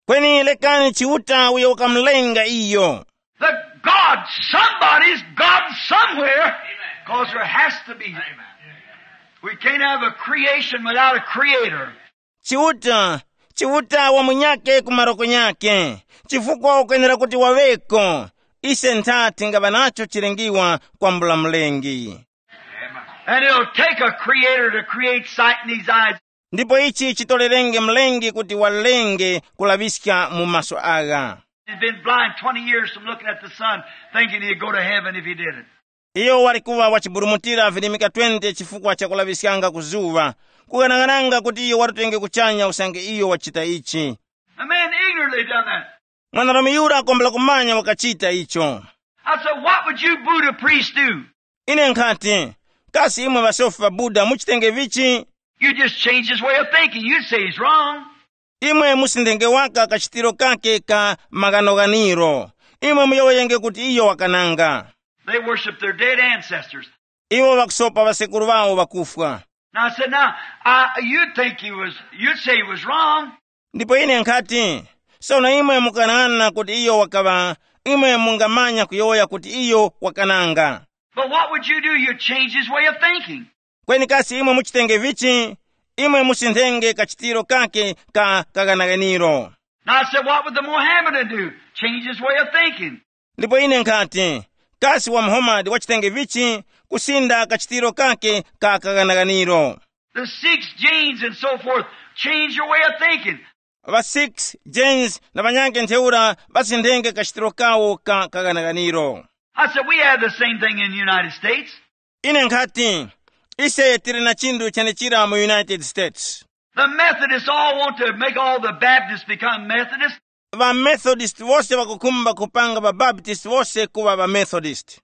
Kweni lekani Chiuta uyo wakamulenga iyo. The God, somebody's God somewhere, because there has to be. We can't have a creation without a creator. Chiuta, Chiuta wa munyake ku maroko nyake, chifukwa ukwenera kuti waŵeko. Ise ntha tingaŵa nacho chilengiwa kwambula Mlengi. And it'll take a creator to create sight in these eyes. Ndipo ichi chitolerenge Mlengi kuti walenge kulaŵiska mu maso agha. He's been blind twenty years from looking at the sun, thinking he'd go to heaven if he did it. Iyo wali kuŵa wachiburumutira virimika twenty chifukwa cha kulaŵiskanga ku zuŵa, kughanaghananga kuti iyo watenge kuchanya usange iyo wachita ichi. A man ignorantly done that. Mwanarume yura akombela kumanya wakachita icho. I said, what would you Buddha priests do? Ine nkhati, kasi imwe ŵasofi ŵa Buddha muchitenge vichi? You just change his way of thinking. You'd say he's wrong. Imwe musindenge waka kachitiro kake ka maghanoganiro. Imwe muyowoyenge kuti iyo wakananga. They worship their dead ancestors. Iwo ŵakusopa ŵasekuru ŵawo ŵakufwa. Now I said, now, I, you'd think he was, you'd say he was wrong. Ndipo ine nkhati, sono imwe mukanang'ana kuti iyo wakaŵa, imwe mungamanya kuyowoya kuti iyo wakananga. But what would you do? You'd change his way of thinking. Kweni kasi imwe muchitenge vichi? Imwe musinthenge kachitiro kake ka kaganaganiro. Now I said, what would the Mohammedan do? Change his way of thinking. Ndipo ine nkhati, kasi wa Muhammad wachitenge vichi? Kusinda kachitiro kake ka kaganaganiro. The Sikhs, Jains, and so forth, change your way of thinking. Va Sikhs, Jains na ŵanyakhe ntheura ŵasinthenge kachitiro kawo ka kaganaganiro. I said, we have the same thing in the United States. Ine nkhati, ise tili na chinthu chenechira mu United States. The Methodists all want to make all the Baptists become Methodists. Va Methodist wose ŵakukhumba kupanga va Baptist wose kuŵa va Methodist.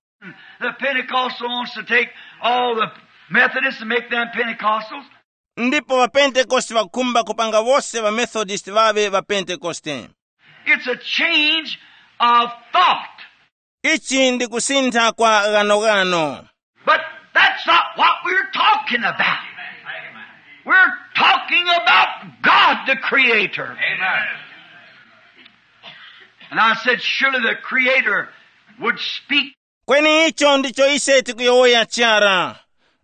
The Pentecostal wants to take all the Methodists and make them Pentecostals. Ndipo va Pentecost ŵakukhumba kupanga wose va Methodist ŵaŵe va Pentecost. It's a change of thought. Ichi ndi kusintha kwa ghanoghano. But that's not what we're talking about. We're talking about God, the Creator. Amen. And I said, surely the Creator would speak. Kweni icho ndicho ise tikuyowoya chara.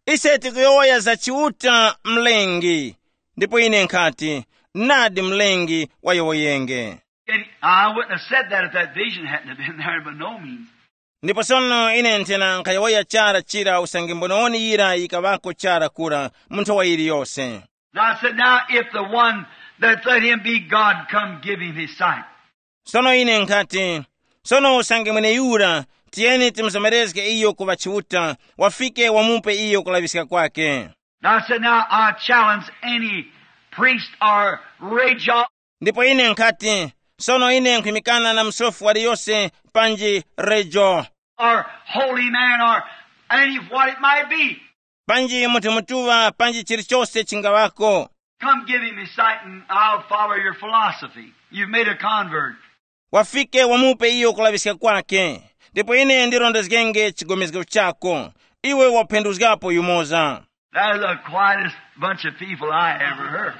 Ise tikuyowoya za Chiuta Mlengi. Ndipo ine nkhati, nadi Mlengi wayowoyenge. And I wouldn't have said that if that vision hadn't have been there, by no means. Ndipo sono ine nthena nkhayowoya chara chira usange mbonewoni yira yikaŵako chara kura mu nthowa yiliyose. Now I said, now if the one that let him be God come give him his sight. Sono ine nkhati, sono usange mweneyura, tiyeni timuzomerezge iyo kuŵa Chiuta, wafike wamupe iyo kulaŵiska kwake. Now I said, now I challenge any priest or region. Ndipo ine nkhati, sono ine nkhwimikana na msofi waliyose panji rejo or holy man or any what it might be. Panji munthu mutuŵa panji chilichose chingaŵako. Come give him his sight and I'll follow your philosophy. You've made a convert. Wafike wamupe iyo kulaŵiska kwake, ndipo ine ndirondezgenge chigomezgo chako. Iwe waphenduzgapo yumoza. That is the quietest bunch of people I ever heard.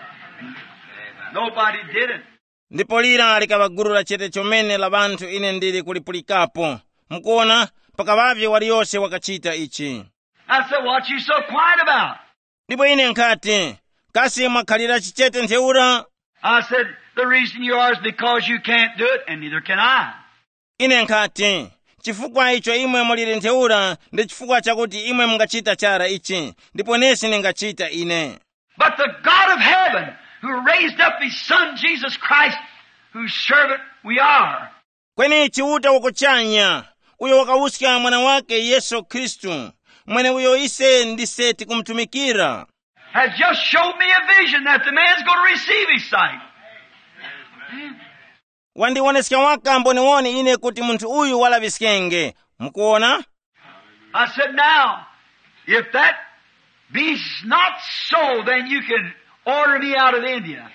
Nobody did it. Ndipo lira likaŵa gulu la chete chomene la ŵanthu ine ndili kulipulikapo. Mukuona, pakaŵavye waliyose wakachita ichi. I said, what you so quiet about? Ndipo ine nkhati, kasi mwakhalira chichete ntheura? I said, the reason you are is because you can't do it, and neither can I. Ine nkhati, chifukwa icho imwe muliri ntheura ndi chifukwa chakuti imwe mungachita chara ichi, ndipo nesi ningachita ine. But the God of heaven, who raised up his Son Jesus Christ, whose servant we are. Kweni Chiuta wakuchanya, uyo wakawuska mwana wake Yesu Khristu, mweneuyo ise ndise tikumutumikira, has just showed me a vision that the man's going to receive his sight. Wandiwoneska waka mboniwoni ine kuti munthu uyu walaŵiskenge. Mukuwona? I said, now, if that be not so, then you can order me out of India.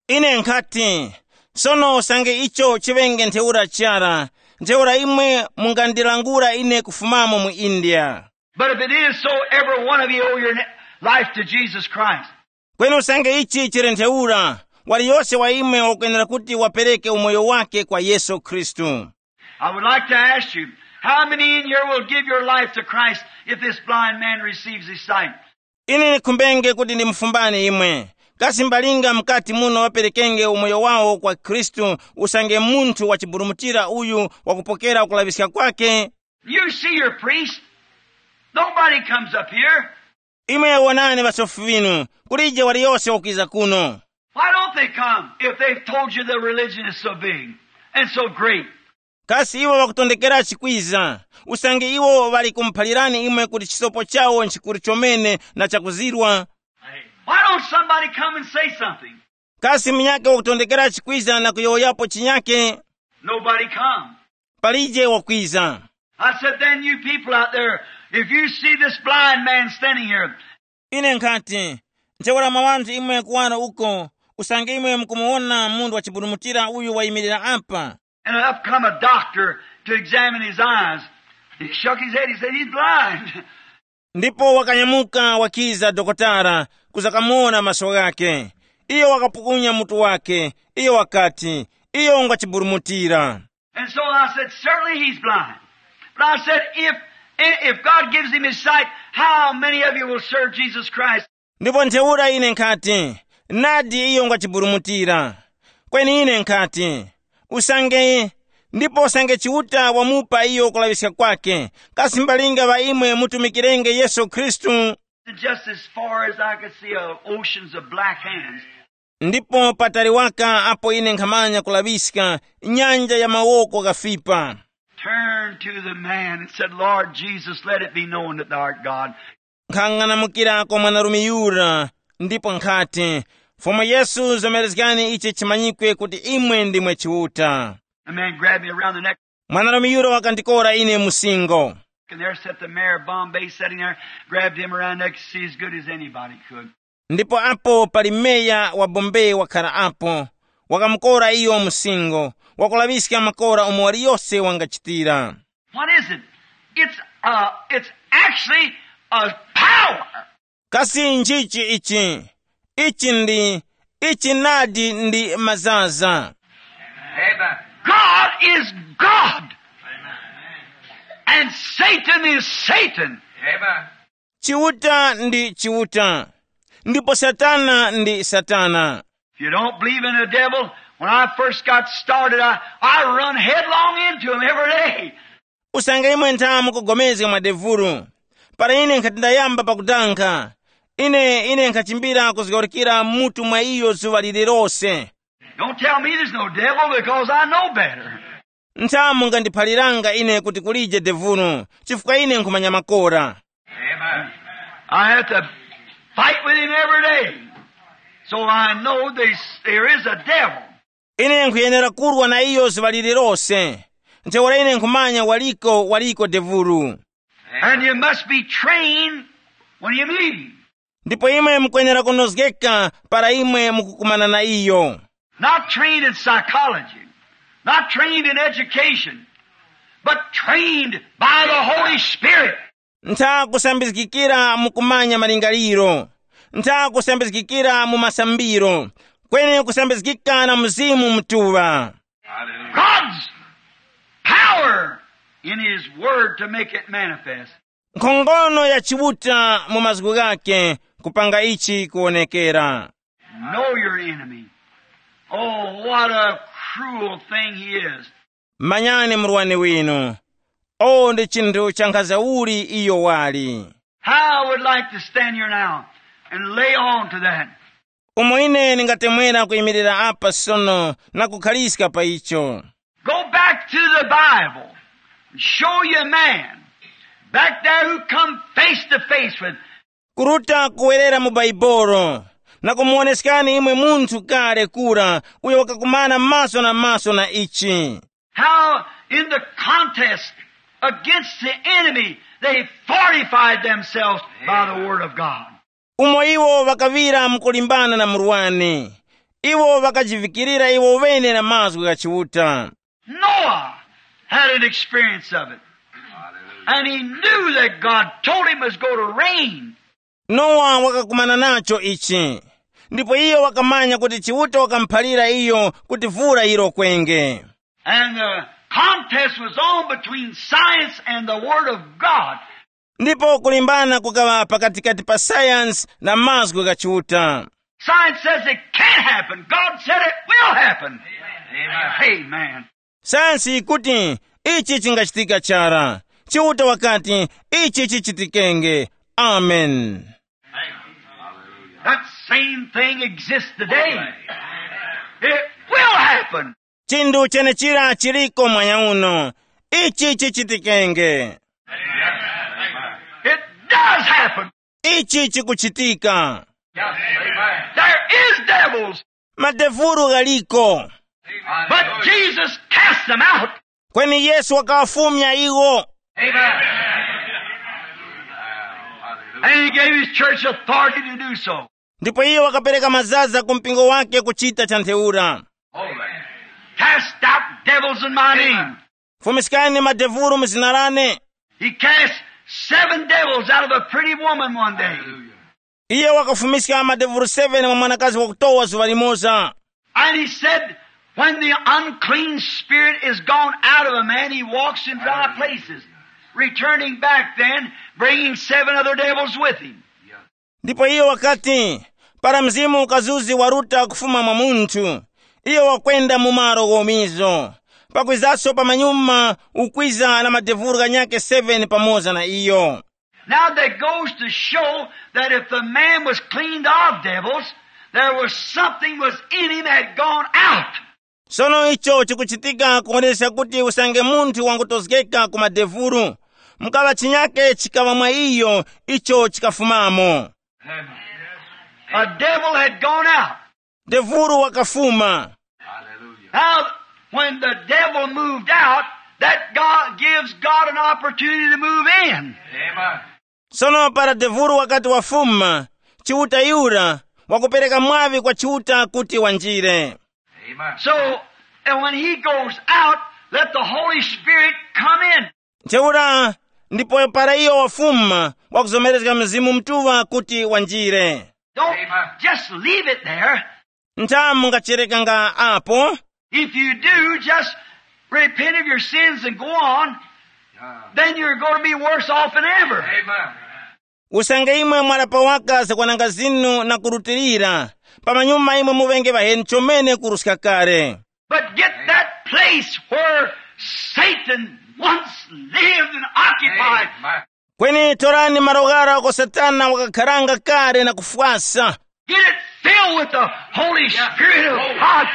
Ine nkhati, sono usange icho chiŵenge ntheura chara, ntheura imwe mungandilangula ine kufumamo mu India. But if it is so, every one of you owe your ne- life to Jesus Christ. Kweni usange ichi chili ntheura, waliyose wa imwe wakwenera kuti wapereke umoyo wake kwa Yesu Khristu. I would like to ask you, how many in here will give your life to Christ if this blind man receives his sight? Ine ndikhumbenge kuti ndimufumbani imwe, kasi mbalinga mkati muno ŵaperekenge umoyo wawo kwa Khristu usange munthu wachiburumutira uyu wakupokera kulaŵiska kwake? You see your priest. Nobody comes up here. Imwe wonani ŵasofi ŵinu, kulije waliyose wakwiza kuno. Why don't they come if they've told you the religion is so big and so great? Kasi iwo ŵakutondekerachi kwiza, usange iwo ŵali kumuphalirani imwe kuti chisopo chawo nchikuru chomene na chakuzirwa? Why don't somebody come and say something? Kasi munyakhe wakutondekerachi kwiza na kuyowoyapo chinyakhe? Nobody come. Palije wakwiza. I said, then you people out there, if you see this blind man standing here, Ine nkhati, ntheura mwa ŵanthu imwe kuwaro uko, usange imwe mukumuwona munthu wachiburumutira uyu wayimirira apa, and up come a doctor to examine his eyes. He shook his head. He said, he's blind. Ndipo wakanyamuka wakiza dokotala kuza kamuwona maso ghake. Iyo wakapukunya mutu wake. Iyo wakati, iyo ngwa chiburumutira. And so I said, certainly he's blind. But I said, if, if God gives him his sight, how many of you will serve Jesus Christ? Ndipo ntheura ine nkhati, nadi iyo ngwa chiburumutira. Kweni ine nkhati, usange, ndipo usange Chiuta wamupa iyo kulaŵiska kwake, kasi mbalinga ŵa imwe mutumikirenge Yesu Khristu? Just as far as I could see, uh, oceans of black hands. Ndipo patali waka apo ine nkhamanya kulaŵiska, nyanja ya mawoko ghafipa. Turned to the man and said, Lord Jesus, let it be known that thou art God. Nkhang'anamukirako mwanarume yura, ndipo nkhati, Fumu Yesu, zomerezgani ichi chimanyikwe kuti imwe ndimwe Chiuta. The man grabbed me around the neck. Mwanarume yura wakandikora ine musingo. And there sat the mayor of Bombay sitting there, grabbed him around the neck, see as good as anybody could. Ndipo apo pali meya wa Bombay wakhala apo, wakamukora iyo musingo, wakulaŵiska makora umo waliyose wangachitira. What is it? It's, uh, it's actually a power. Kasi nchichi ichi? Ichi ndi, ichi nadi ndi mazaza. Amen. God is God. And Satan is Satan. Amen. Chiuta ndi Chiuta, ndipo Satana ndi Satana. If you don't believe in the devil, when I first got started, I, I run headlong into him every day. Usange imwe ntha mukugomezga mwa devulu, para ine nkhati ndayamba pakutankha, ine, ine nkhachimbira kuzgawurikira mutu mwa iyo zuŵa lililose. Don't tell me there's no devil because I know better. Ntha mungandiphaliranga ine kuti kulije devulu, chifukwa ine nkhumanya makora. Amen. I have to fight with him every day. So I know they, there is a devil. Ine nkhuyenera kurwa na iyo zuŵa lililose. Ntheura ine nkhumanya waliko, waliko devulu. And you must be trained when you meet him. Ndipo imwe mukwenera kunozgeka para imwe mukukumana na iyo. Not trained in psychology, not trained in education, but trained by the Holy Spirit. Ntha kusambizgikira mu kumanya malingaliro, ntha kusambizgikira mu masambiro, kweni kusambizgika na Mzimu Mutuŵa. God's power in his word to make it manifest. Nkhongono ya Chiuta mu mazgu ghake kupanga ichi kuwonekera. Know your enemy. Oh, what a cruel thing he is. Manyani murwani winu. O, ndi chinthu cha nkhaza uli iyo wali. How I would like to stand here now and lay on to that. Umo ine ndingatemwera kuyimirira apa sono na kukhaliska pa icho. Go back to the Bible and show you a man back there who come face to face with. Kuruta kuwerera mu Baibolo na kumuwoneskani imwe munthu kale kura uyo wakakumana maso na maso na ichi. How in the contest against the enemy they fortified themselves by the word of God. Umo iwo ŵakaŵira mukulimbana na murwani, iwo ŵakajivikirira iwo ŵene na mazgu gha Chiuta. Noah had an experience of it. And he knew that God told him it was going to rain. Nowa wakakumana nacho ichi, ndipo iyo wakamanya kuti Chiuta wakamuphalira iyo kuti vura yirokwenge. And the contest was on between science and the Word of God. Ndipo kulimbana kukaŵa pakatikati pa sayansi na mazgu gha Chiuta. Science says it can't happen. God said it will happen. Amen. Sayansi yikuti ichi chingachitika chara. Chiuta wakati ichi chichitikenge. Amen. That same thing exists today. It will happen. Chinthu chenechira chiliko mwanya uno. Ichi chichitikenge. It does happen. Ichi chikuchitika. There is devils, madevulu ghaliko, but Jesus cast them out. Kweni Yesu wakawafumya iwo. And he gave his church authority to do so. Ndipo iye wakapereka mazaza ku mpingo wake kuchita cha ntheura. Cast out devils in my name. Fumiskani madevulu mu zina lane. He cast seven devils out of a pretty woman one day. Hallelujah. Iye wakafumiska madevulu seven mwa mwanakazi wakutowa zuŵa limoza. And he said, when the unclean spirit is gone out of a man, he walks in dry places, returning back then, bringing seven other devils with him. Ndipo iye wakati, para mzimu ukazuzi waruta kufuma mwa munthu, iye wakwenda mu malo ghomizo, pakwizaso pamanyuma ukwiza na madevulu ghanyakhe seven pamoza na iyo. Now that goes to show that if the man was cleaned of devils, there was something was in him had gone out. Sono icho chikuchitika kuoneska kuti usange munthu wangutozgeka ku madevulu, mukaŵa chinyake chikaŵa mwa iyo icho chikafumamo. A devil had gone out. Devulu wakafuma. Now, when the devil moved out, that God gives God an opportunity to move in. Amen. Sono para devulu wakati wafuma, Chiuta yura wakupereka mwaŵi kwa Chiuta kuti wanjire. Amen. So, and when he goes out, let the Holy Spirit come in. Ntheura, ndipo para iyo wafuma, wakuzomerezga Mzimu Mutuŵa kuti wanjire. Don't Amen. Just leave it there. Ntha mungacherekanga apo. If you do, just repent of your sins and go on, then you're going to be worse off than ever. Amen. Usange imwe mwalapa waka zakwananga zinu na kurutilira, pamanyuma imwe muŵenge ŵaheni chomene kuruska kale. But get that place where Satan once lived and occupied. Amen. Kweni torani malo ghara uko Satana wakakharanga kale na kufwasa. Get it filled with the Holy Spirit of God.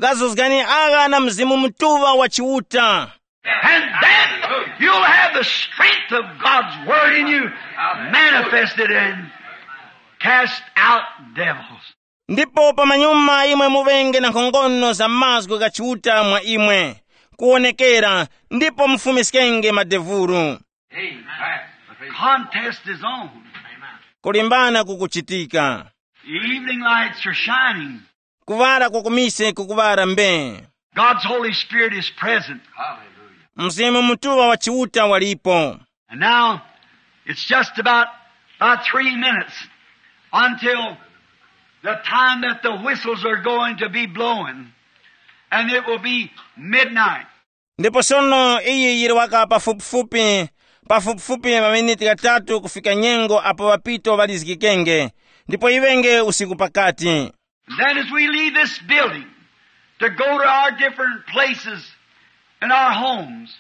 Ghazuzgani agha na Mzimu Mutuŵa wa Chiuta. And then you'll have the strength of God's word in you manifested and cast out devils. Ndipo pamanyuma imwe muŵenge na nkhongono za mazgu gha Chiuta mwa imwe, kuwonekera, ndipo mufumiskenge madevulu. Amen. Contest is on. Kulimbana kukuchitika. The evening lights are shining. Kuŵala kwa kumise kukuŵala mbe. God's Holy Spirit is present. Mzimu Mutuŵa wa Chiuta walipo. And now, it's just about, about three minutes until the time that the whistles are going to be blowing, and it will be midnight. Ndipo sono iyi yili waka pafupifupi, pafupifupi maminiti ghatatu kufika nyengo apo ŵapito ŵalizgikenge, ndipo yiŵenge usiku pakati. Then as we leave this building to go to our different places in our homes,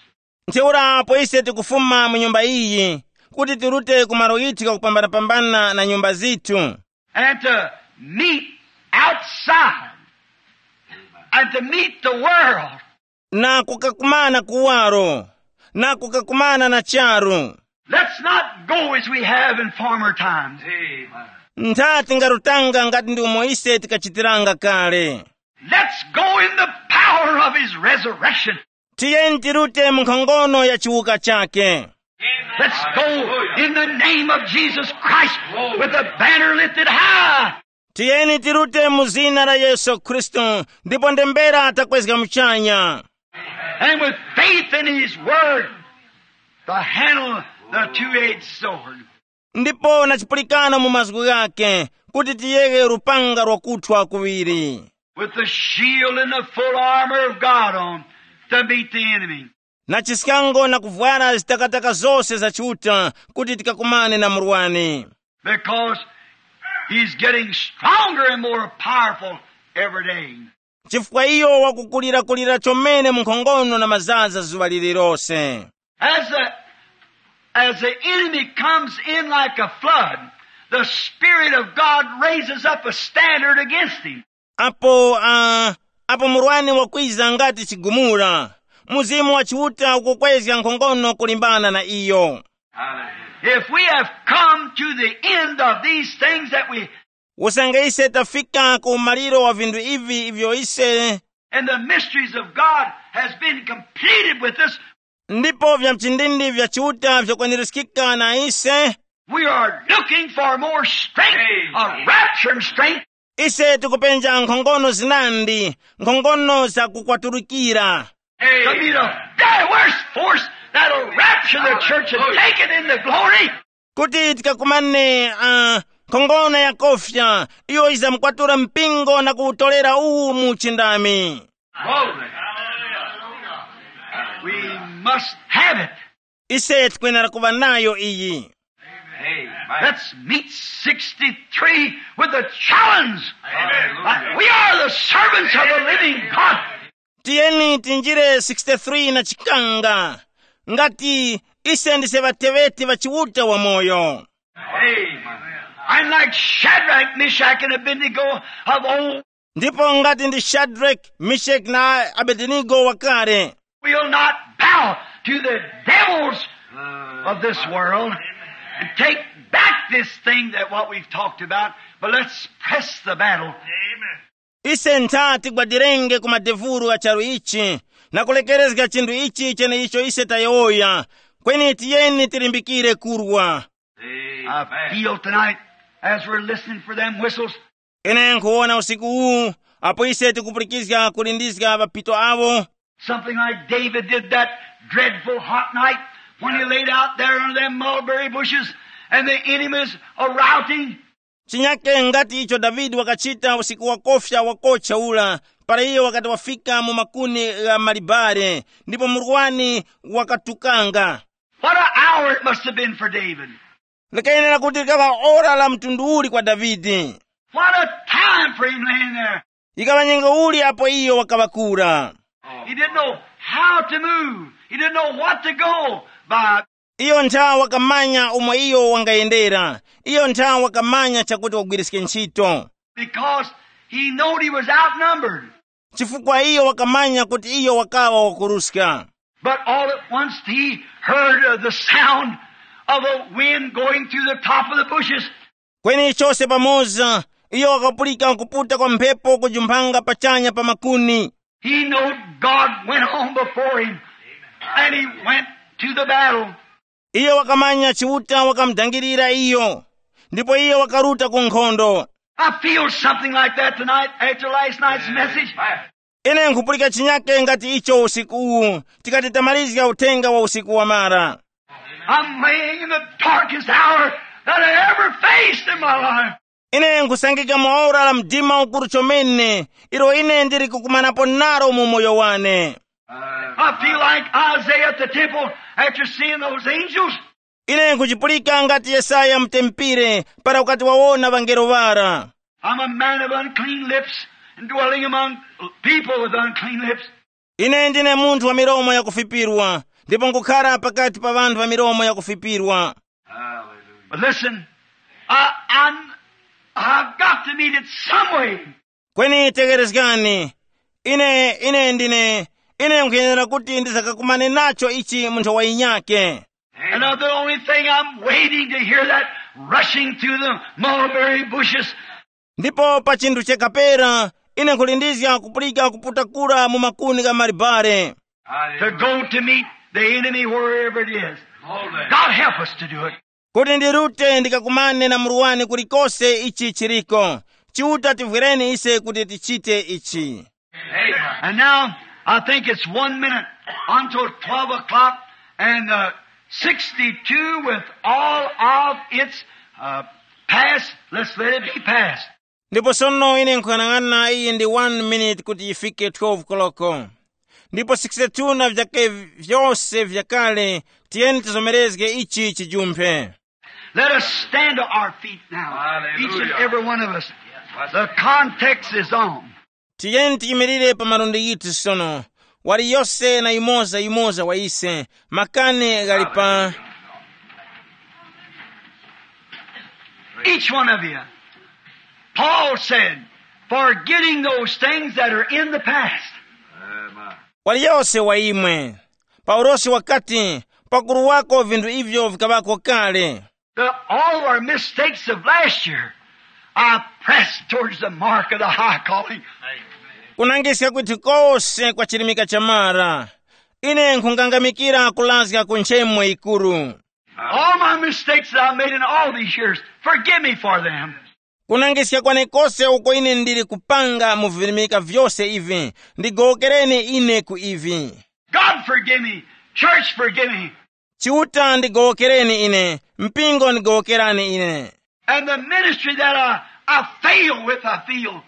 Ntheura apo ise tikufuma mu nyumba iyi, kuti tirute ku malo ghithu ghakupambanapambana na nyumba zithu, and to meet outside and to meet the world. Na kukakumana kuwaro, na kukakumana na charu. Let's not go as we have in former times. Ntha tingarutanga ngati ndi umo ise tikachitiranga kale. Let's go in the power of his resurrection. Tiyeni tirute mu nkhongono ya chiwuka chake. Let's go in the name of Jesus Christ with the banner lifted high. Tiyeni tirute mu zina la Yesu Khristu, ndipo ndembera takwezga muchanya. And with faith in his word, to handle the two-edged sword. Ndipo na chipulikano mu mazgu ghake, kuti tiyeghe lupanga lwakuthwa kuŵiri. With the shield and the full armor of God on to meet the enemy. Na chiskango na kuvwara zitakataka zose za Chiuta kuti tikakumane na murwani. Because he's getting stronger and more powerful every day. Chifukwa iyo wakukulirakulira chomene mu nkhongono na mazaza zuŵa lililose. As the, as the enemy comes in like a flood, the Spirit of God raises up a standard against him. Apo, uh, apo murwani wakwiza ngati chigumula, Mzimu wa Chiuta ukukwezga nkhongono kulimbana na iyo. If we have come to the end of these things that we Usange ise tafika ku umaliro wa vinthu ivi ivyo ise and the mysteries of God has been completed with us, ndipo vya mchindindi vya Chiuta vyakwanirizgika na ise, we are looking for more strength, a rapture strength. Ise tikupenja nkhongono zinandi, nkhongono za kukwaturukira. To be the very worst force that'll rapture The church had taken in the glory. Kuti tikakumane uh, nkhongono yakofya, iyo izamkwatura mpingo na kuwutolera uwu mu uchindami. Glory. We must have it. Ise tikwenera kuva nayo iyi. Amen. Let's meet sixty-three with the challenge. Amen. We are the servants of the living God. Tiyeni tinjire sixty-three na chikanga ngati ise ndise ŵateŵeti ŵa Chiuta wamoyo. Amen. I'm like Shadrach, Meshach, and Abednego of old. Ndipo ngati ndi Shadrach, Meshach na Abednego wakale. We'll not bow to the devils of this world and take back this thing that what we've talked about, but let's press the battle. Ise ntha tigwadirenge ku madevulu a charu ichi na kulekerezga chinthu ichi cheneicho ise tayowoya. Kweni tiyeni tilimbikire kurwa. I feel tonight, as we're listening for them whistles, ine nkhuwona usiku uwu apo ise tikupulikizga kulindizga mapito awo. Something like David did that dreadful hot night when he laid out there under them mulberry bushes and the enemies a routing. Chinyake ngati icho Davide wakachita usiku wakofya wakocha ula, para iyo wakati wafika mu makuni gha malibare ndipo murwani wakatukanga. What an hour it must have been for David. Likayenera kuti likaŵa ora la mtundu uli kwa Davide. What a time for him laying there. Yikaŵa nyengo uli apo iyo wakaŵa kura. He didn't know how to move. He didn't know what to go by. Iyo ntha wakamanya umo iyo wangayendera. Iyo ntha wakamanya chakuti wagwiriske ntchito. Because he knowed he was outnumbered. Chifukwa iyo wakamanya kuti iyo wakaŵa wakuruska. But all at once he heard uh, the sound of a wind going through the top of the bushes. Kweni chose pamoza, iyo wakapulika kuputa kwa mphepo kujumphanga pachanya pa makuni. He knowed God went on before him, and he went to the battle. Iyo wakamanya Chiuta wakamudangirira iyo, ndipo iyo wakaruta ku nkhondo. I feel something like that tonight after last night's message. Ine nkhupulika chinyake ngati icho usiku uwu, tikati tamalizga uthenga wa usiku wamara. I'm laying in the darkest hour that I ever faced in my life. Ine nkhusangika mu ora la mdima ukuru chomene ilo ine ndili kukumanapo nalo mu moyo wane. I feel like Isaiah at the temple after seeing those angels. Ine nkuchipulika ngati Yesaya mutempere para ukati wawona ŵangelo ŵara. I'm a man of unclean lips and dwelling among people with unclean lips. Ine ndine munthu wa milomo yakufipirwa ndipo nkukhara pakati pa ŵanthu ŵa milomo yakufipirwa. But listen, I, I'm, I've got to meet it some way. Kweni tegerezgani, ine ine ndine ine nkuyenera kuti ndizakakumane nacho ichi mu nthawi yinyake. And uh, the only thing I'm waiting to hear that rushing through the mulberry bushes. Ndipo pa chinthu chekapera ine nkhulindizga kupulika kuputakula mu makuni gha malibare. To go to meet the enemy wherever it is. God help us to do it. Kuti ndirute ndikakumane na murwani kulikose ichi chiriko. Chiuta tivwereni ise kuti tichite ichi. And now, I think it's one minute until twelve o'clock, and uh, sixty-two with all of its uh, past, let's let it be past. Ndipo sono ine nkuyang'ana iyi ndi one minute kuti yifike twelve koloko. Ndipo sixty-two na vyake vyose vyakale, tiyeni tizomerezge ichi chijumphe. Let us stand to our feet now, each and every one of us. The context is on. Tiyeni tiyimirire pa malundi yithu sono. Wali yose na yumoza yumoza wa ise, makani ghali pa. Each one of you. Paul said, forgetting those things that are in the past. Wali yose wa imwe. Paulosi wakati, pakuruwako vinthu ivyo vikaŵako kale. The, all of our mistakes of last year, I press towards the mark of the high calling. Kunangiska kwithu kose kwa chilimika cha mara, ine nkhukangamikira kulazga ku nchemo yikuru. All my mistakes that I made in all these years, forgive me for them. Kunangiska kwane kose uko ine ndili kupanga mu vilimika vyose ivi, ndigowokereni ine ku ivi. God forgive me. Church forgive me. Chiuta ndigowokereni ine, mpingo ndigowokerani ine. And the ministry that I, I fail with, I feel.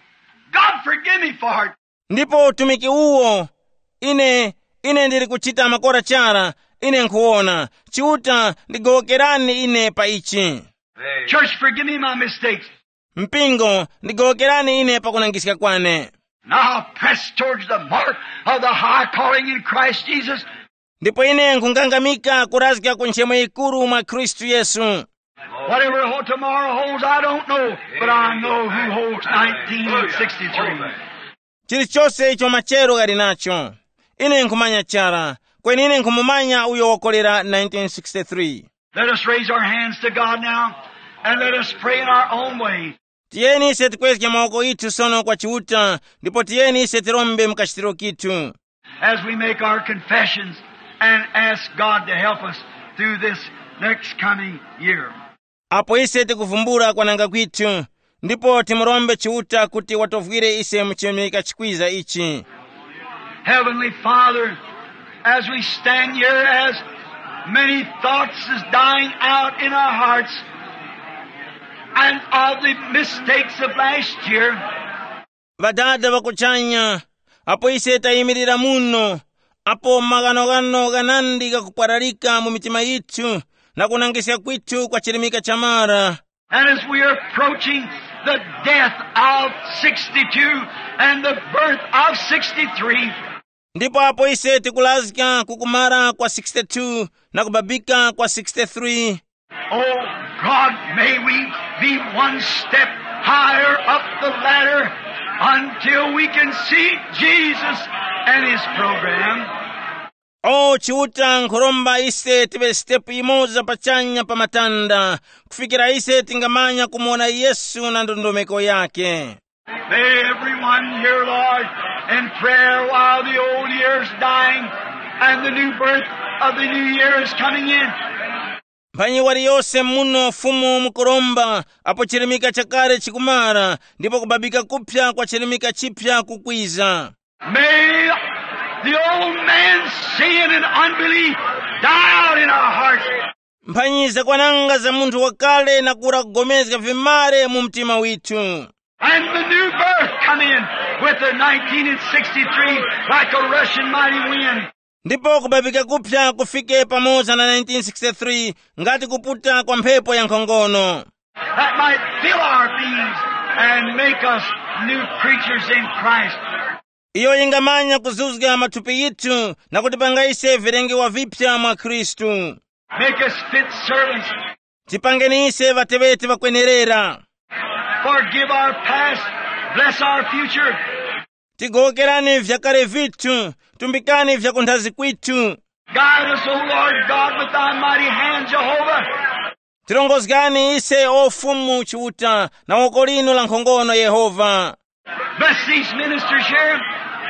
God forgive me for it. Ndipo utumiki uwo, ine, ine ndili kuchita makora chara, ine nkhuwona. Chiuta ndigowokerani ine pa ichi. Church, forgive me my mistakes. Mpingo, ndigowokerani ine pakunangiska kwane. Now I press towards the mark of the high calling in Christ Jesus. Ndipo ine nkhungangamika kurazga ku nchemo yikuru mwa Khristu Yesu. Whatever ho-, tomorrow holds, I don't know, but I know who holds nineteen sixty-three. Chilichose icho machero ghali nacho, ine nkhumanya chara, kweni ine nkhumumanya uyo wakolera nineteen sixty-three. Let us raise our hands to God now, and let us pray in our own way. Tiyeni ise tikwezge mawoko ithu sono kwa Chiuta, ndipo tiyeni ise tirombe mu kachitiro kithu. As we make our confessions and ask God to help us through this next coming year. Apo ise tikuvumbula kwananga kwithu, ndipo timurombe Chiuta kuti watovwire ise mu chimika chikwiza ichi. Heavenly Father, as we stand here, as many thoughts is dying out in our hearts and of the mistakes of last year, Ŵadada ŵakuchanya, apo ise tayimirira muno, apo maghanoghano ghanandi ghakupwararika mu mitima yithu na kunangiska kwithu kwa chirimika chamara. And as we are approaching the death of sixty-two and the birth of sixty-three, Ndipo apo ise tikulazga ku kumara kwa sixty-two na kubabika kwa sixty-three. Oh God, may we be one step higher up the ladder until we can see Jesus and his program. O Chiuta, nkhuromba ise tive sitepu yimoza pachanya pa matanda kufikira ise tingamanya kumuwona Yesu na ndondomeko yake. May everyone here, Lord, in prayer while the old year is dying and the new birth of the new year is coming in. Mphanyi waliyose muno Fumu mukuromba apo chirimika chakale chikumara ndipo kubabika kuphya kwa chirimika chiphya kukwiza. May the old man's sin and unbelief die out in our hearts. Mphanyi zakwananga za munthu wakale na kura kugomezga vimare mu mtima withu. And the new birth come in with the nineteen sixty-three like a rushing mighty wind. Ndipo kubabika kuphya kufike pamoza na nineteen sixty-three ngati kuputa kwa mphepo ya nkhongono. That might fill our beings and make us new creatures in Christ. Iyo yingamanya kuzuzga mathupi yithu na kutipanga ise vilengewa vipya mwa Khristu. Make us fit servants. Tipangeni ise ŵateŵeti ŵakwenerera. Forgive our past. Bless our future. Tigowokerani vyakale vithu, tumbikani vyakunthazi kwithu. Guide us, O Lord God, with thy mighty hand, Jehovah. Tirongozgani ise o Fumu Chiuta na woko linu la nkhongono Yehova. Bless these ministers here.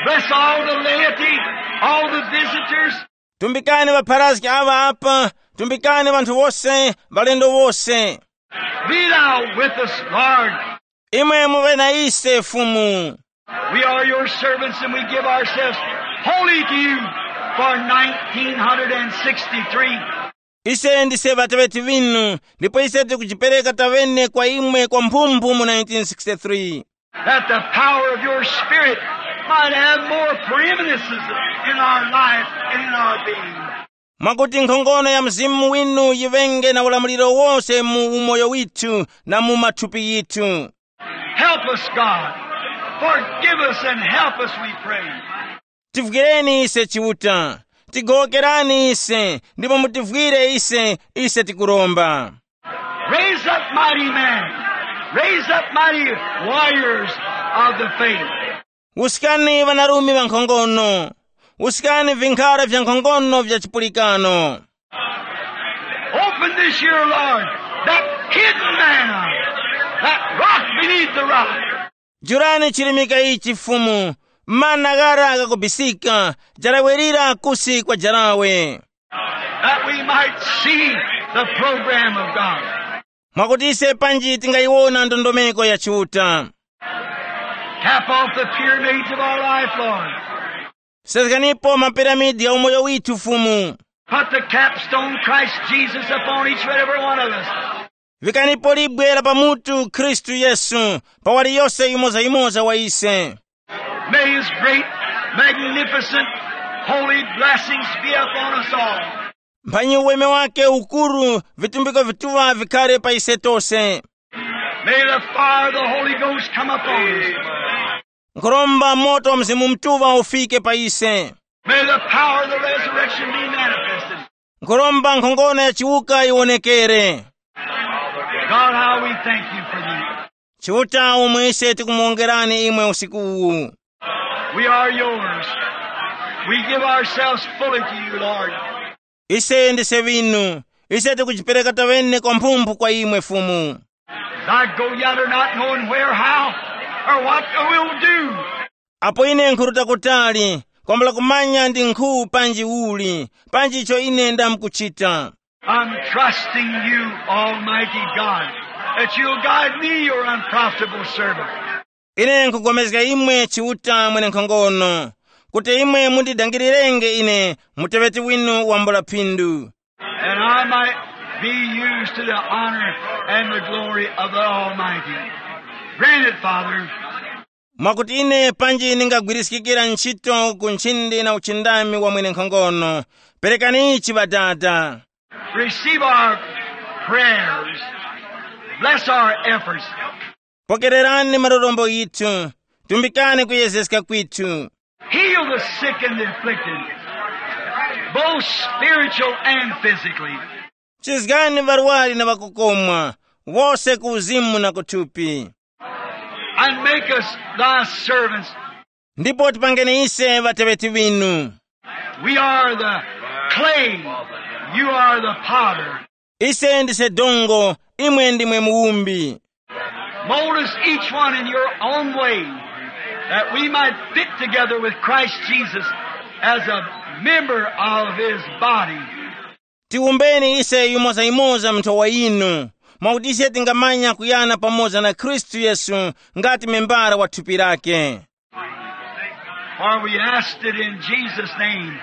Bless all the laity, all the visitors. Tumbikani ŵapharazgi aŵa apa, tumbikani ŵanthu wose, ŵalendo wose. Be thou with us, Lord. Imwe muŵe na ise Fumu. We are your servants and we give ourselves wholly to you for nineteen sixty-three. Ise ndise ŵateŵeti ŵinu, ndipo ise tikujipereka taŵene kwa imwe kwa mphumphu mu nineteen sixty-three. That the power of your spirit might have more preeminences in our life and in our being. Mwakuti nkhongono ya Mzimu winu yiŵenge na ulamuliro wose mu umoyo withu na mu mathupi yithu. Help us, God. Forgive us and help us, we pray. Tivwireni ise Chiuta, tigowokerani ise, ndipo mutivwire ise, ise tikuromba. Raise up mighty men. Raise up mighty warriors of the faith. Wuskani ŵanarume ŵa nkhongono, wuskani vinkhara vya nkhongono vya chipulikano. Open this year, Lord, that hidden manna, that rock beneath the rock. Jurani chirimika ichi Fumu, mana ghara ghakubisika, jarawe lira kusi kwa jarawe. That we might see the program of God. Mwakuti ise panji tingayiwona ndondomeko ya Chiuta. Tap off the pyramids of our life, Lord. Sezganipo mapiramidi ya umoyo withu Fumu. Put the capstone, Christ Jesus, upon each and every one of us. Vikanipo libwe la pamutu Khristu Yesu pa waliyose yimoza-yimoza wa ise. May his great, magnificent, holy blessings be upon us all. Mphanyi uweme wake ukuru, vitumbiko vituŵa vikhare pa ise tose. May the fire of the Holy Ghost come upon us. Nkhuromba moto wa Mzimu Mutuŵa ufike pa ise. May the power of the resurrection be manifested. Nkhuromba nkhongono ya chiwuka yiwonekere. God, how we thank you for these. Chiuta, umwe ise tikumuwongerani imwe usiku uwu. We are yours. We give ourselves fully to you, Lord. Ise ndise vinu. Ise tikujipereka tawene kwa mphumphu kwa imwe Fumu. As I go yonder not knowing where, how, or what we'll do. Apo ine nkhuruta kutali, kwambula kumanya ndi nkhu panji uli, panji icho ine ndamkuchita. I'm trusting you, Almighty God, that you'll guide me, your unprofitable servant. Ine nkupulikana imwe Chiuta mwenenkhongono, kuti imwe mundidangilirenge ine muteŵeti winu wambula phindu. And I might be used to the honor and the glory of the Almighty. Grant it, Father. Mwakuti ine panji ningagwiriskikira ntchito ku nchindi na uchindami wa mwenenkhongono, perekani ichi Ŵadada. Receive our prayers. Bless our efforts. Pokererani malombo ghithu, tumbikani kuyezeska kwithu. Heal the sick and the afflicted, both spiritual and physically. Chizgani ŵarwari na ŵakukomwa, wose ku uzimu na ku thupi. And make us thy servants. Ndipo tipangeni ise ŵateŵeti ŵinu. We are the clay, you are the potter. Ise ndise dongo, imwe ndimwe muwumbi. Mold us each one in your own way, that we might fit together with Christ Jesus as a member of his body. Tiwumbeni ise yimoza-yimoza mu nthowa yinu, mwakuti ise tingamanya kuyana pamoza na Khristu Yesu ngati membara wa thupi lake. For we asked it in Jesus' name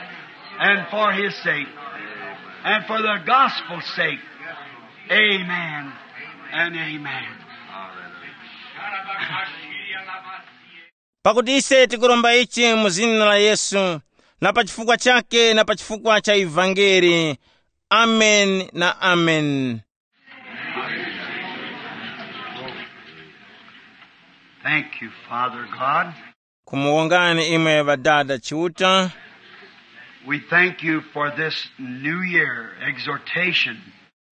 and for his sake and for the gospel's sake. Amen and amen. Pakuti ise tikuromba ichi mu zina la Yesu, na pa chifukwa chake na pa chifukwa cha ivangeli. Amen na amen. Thank you, Father God. Kumuwongani imwe Ŵadada Chiuta. We thank you for this new year exhortation.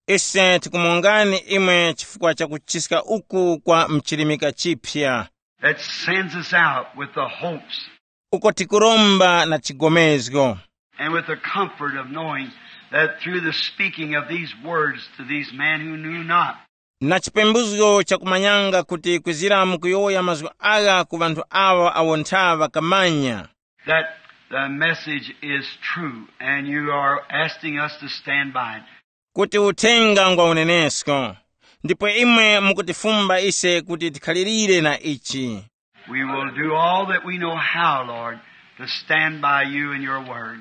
Ise tikumuwongani imwe chifukwa cha kuchiska uku kwa mchilimika chipya. That sends us out with the hopes uko tikuromba na chigomezgo. And with the comfort of knowing that through the speaking of these words to these men who knew not, na chipembuzgo chakumanyanga kuti kwizira mukuyowoya mazgu agha ku ŵanthu awa awo ntha ŵakamanya, that the message is true and you are asking us to stand by it. Kuti uthenga ngwa unenesko, ndipo imwe mukutifumba ise kuti tikhalirire na ichi. We will do all that we know how, Lord, to stand by you and your word.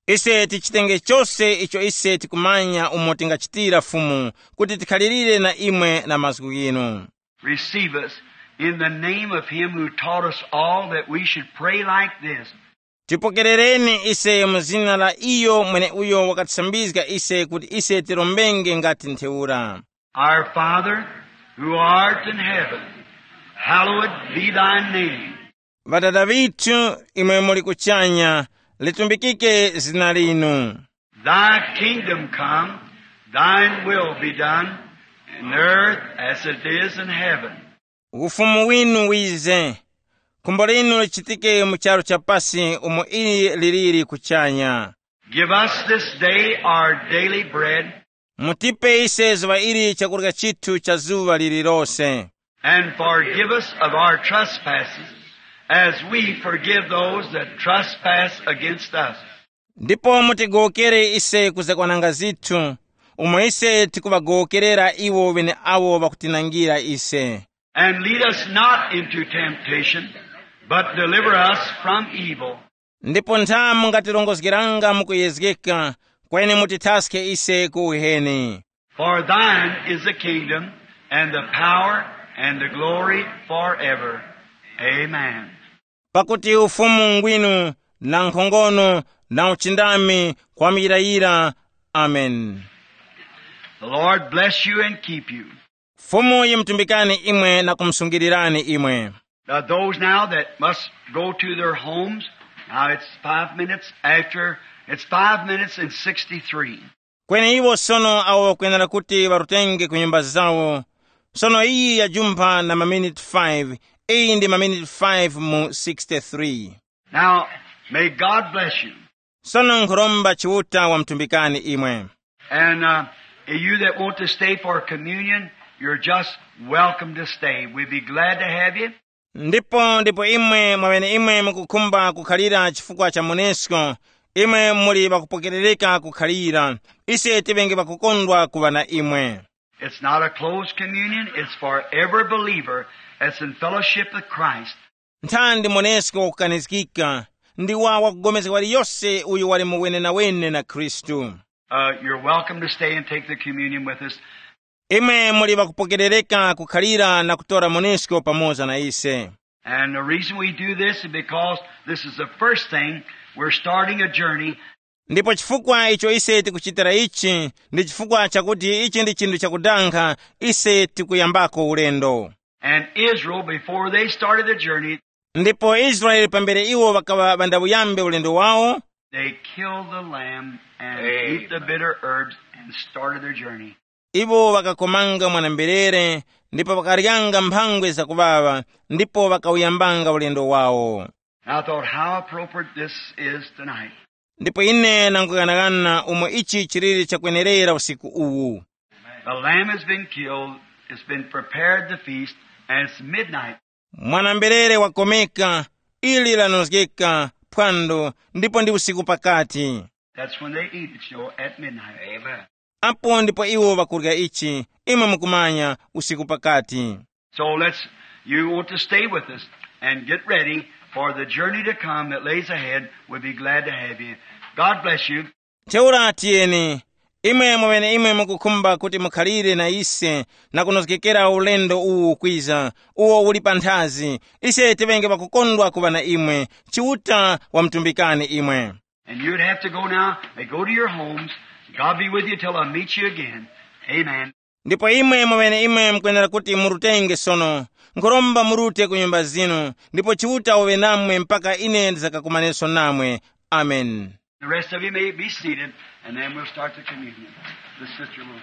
Ise tichitenge chose icho ise tikumanya umo tingachitira Fumu, kuti tikhalirire na imwe na mazgu ghinu. Receive us in the name of him who taught us all that we should pray like this. Tipokerereni ise mu zina la iyo mweneuyo wakatisambizga ise kuti ise tirombenge ngati ntheura. Our Father, who art in heaven, hallowed be thy name. Ŵadada ŵithu, imwe muli kuchanya, litumbikike zina linu. Thy kingdom come, thine will be done, in earth as it is in heaven. Ufumu winu wize, khumbo linu lichitike mu charu cha pasi umo ili liliri kuchanya. Give us this day our daily bread. Mutipe ise zuŵa ili chakurya chithu cha zuŵa lililose. And forgive us of our trespasses, as we forgive those that trespass against us. Ndipo mutigowokere ise kuzakwananga zithu, umo ise tikuŵagowokerera iwo ŵeneawo ŵakutinangira ise. And lead us not into temptation, but deliver us from evil. Ndipo ntha mungatirongozgeranga mu kuyezgeka, Kweni mutithaske ise ku uheni. For thine is the kingdom, and the power, and the glory forever. Amen. Pakuti ufumu ngwinu, na nkhongono, na uchindami, kwa muyirayira. Amen. The Lord bless you and keep you. Fumu yimutumbikani imwe na kumusungilirani imwe. Now, those now that must go to their homes, now it's five minutes after, it's five minutes and sixty-three. Kweni iwo sono awo ŵakwenera kuti ŵarutenge ku nyumba zawo. Sono iyi yajumpha na maminiti five. Iyi ndi maminiti five mu sixty-three. Now, may God bless you. Sono nkhuromba Chiuta wamutumbikani imwe. And uh, you that want to stay for communion, you're just welcome to stay. We'd be glad to have you. Ndipo ndipo imwe mwaŵeneimwe mukukhumba kukhalira chifukwa cha monesko, imwe muli ŵakupokerereka kukhalira. Ise tiŵenge ŵakukondwa kuŵa na imwe. It's not a closed communion, it's for every believer that's in fellowship with Christ. Nthandi monesko wakukanizgika, ndi wa wakupulikana waliyose uyo wali mu wenenawene na Khristu. Uh, you're welcome to stay and take the communion with us. Imwe muli ŵakupokerereka kukhalira na kutora monesko pamoza na ise. And the reason we do this is because this is the first thing. We're starting a journey. Ndipo chifukwa icho ise tikuchitira ichi, ndi chifukwa chakuti ichi ndi chinthu chakudanga, ise tikuyambako ulendo. And Israel, before they started the journey, Ndipo Israeli pambere iwo ŵakaŵa ŵandawuyambe ulendo wawo, they killed the lamb and Amen. Ate the bitter herbs and started their journey. Iwo ŵakakomanga mwana-mberere, ndipo ŵakaryanga mphangwe zakuŵaŵa, ndipo ŵakawuyambanga ulendo wawo. And I thought, how appropriate this is tonight. Ndipo ine nanguyang'ana umo ichi chiliri chakwenerera usiku uwu. The lamb has been killed, it's been prepared the feast, and it's midnight. Mwana-mberere wakomeka, ili lanozgeka phwando, ndipo ndi usiku pakati. That's when they eat it, you know, at midnight. Amen. Apo ndipo iwo ŵakurya ichi, imwe mukumanya, usiku pakati. So let's, you want to stay with us and get ready for the journey to come that lays ahead. We'll be glad to have you. God bless you. Ntheura tiyeni, imwe mweneimwe mukukhumba kuti mukhalire na ise na kunozgekera ulendo uwu ukwiza, uwo uli panthazi. Ise tiŵenge ŵakukondwa kuŵa na imwe. Chiuta wamutumbikani imwe. And you'd have to go now and go to your homes. God be with you till I meet you again. Amen. Ndipo imwe mweneimwe mukwenera kuti murutenge sono. Nkhuromba murute ku nyumba zinu, ndipo Chiuta waŵe namwe mpaka ine ndizakakumaneso namwe. Amen. The rest of you may be seated, and then we'll start the communion. The sister will.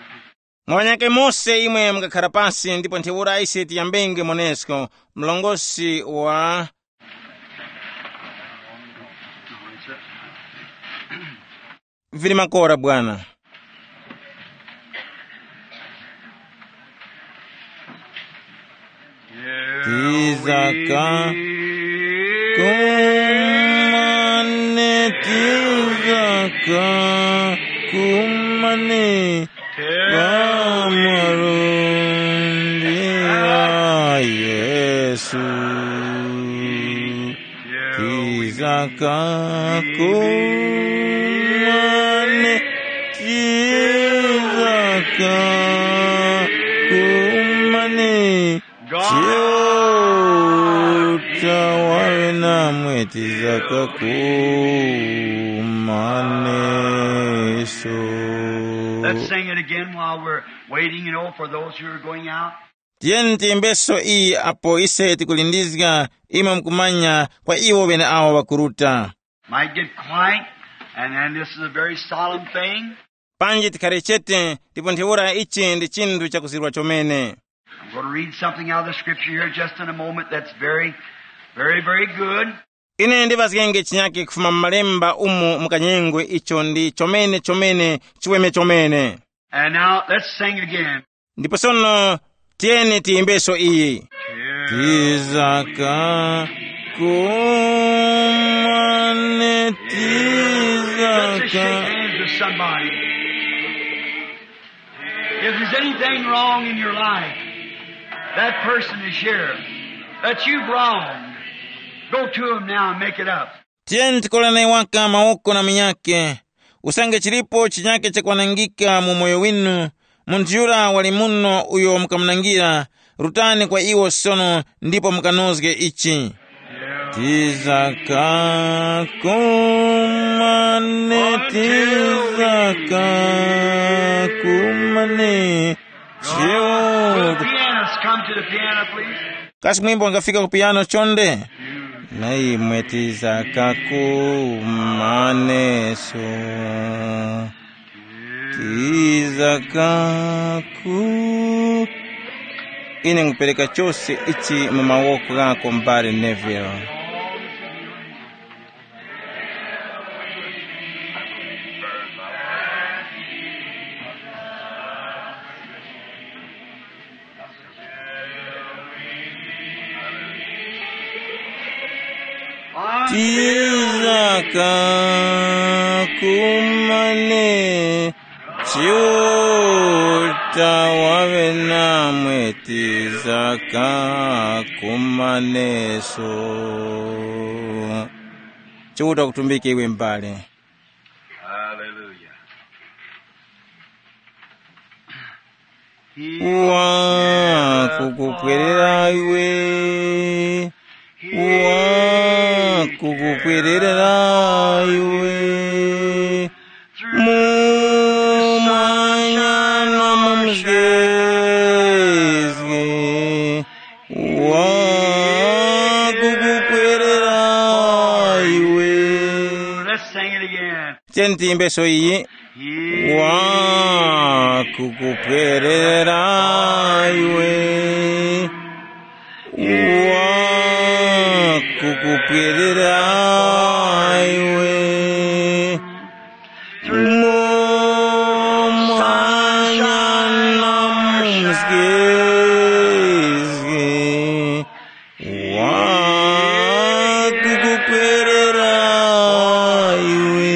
Mwanyake mose imwe mukakhara pasi, ndipo ntheura ise tiyambenge monesko. Mlongosi wa vili makora bwana. Tizaka kumane, tizaka kumane, pa malundi a Yesu. Tizaka kumane, tizaka kumane. Chiuta waŵe namwe, tizaka kumaneso. Let's sing it again while we're waiting, you know, for those who are going out. Tiyeni tiyimbeso iyi apo ise tikulindizga, imwe mukumanya, kwa iwo ŵeneawo ŵakuruta. Might get quiet, and then this is a very solemn thing. Panji tikhare chete, ndipo ntheura ichi ndi chinthu chakuzirwa chomene. I'm going to read something out of the scripture here just in a moment that's very, very, very good. Ine ndiŵazgenge chinyake kufuma mu malemba umu mu kanyengwe icho ndi chomene chomene, chiweme chomene. And now let's sing again. Ndipo sono tiyeni tiyimbeso iyi. Tizaka kumane, let's just shake tizaka hands with somebody. If there's anything wrong in your life, that person is here, that you've wronged, go to him now and make it up. Tiyeni tikolane waka mawoko na munyake. Usange chilipo chinyake chakwanangika mu moyo winu, munthu yura wali muno uyo mukamunangira, rutani kwa iwo sono ndipo mukanozge ichi. Tizaka kumane, tizaka kumane, chiuta. Pianists, come to the piano, please. Kasi mwimbo wangafika ku piano chonde? Na imwe tizaka kumaneso. Tizaka ku. Ine ngupereka chose ichi mu mawoko ghako, m'bale Neville. Tizaka kumane, Chiuta waŵe namwe, tizaka kumaneso. Chiuta kutumbike iwe m'bale. Hallelujah. Wakukupwerera iwe, wakukupwerera iwe. Mu manya na mu mzgezge, wakukupwerera iwe. Let's sing it again. Tiyeni tiyimbeso iyi. Wakukupwerera iwe, wakukupwerera iwe. Mu manya na mu mzgezge, wakukupwerera iwe.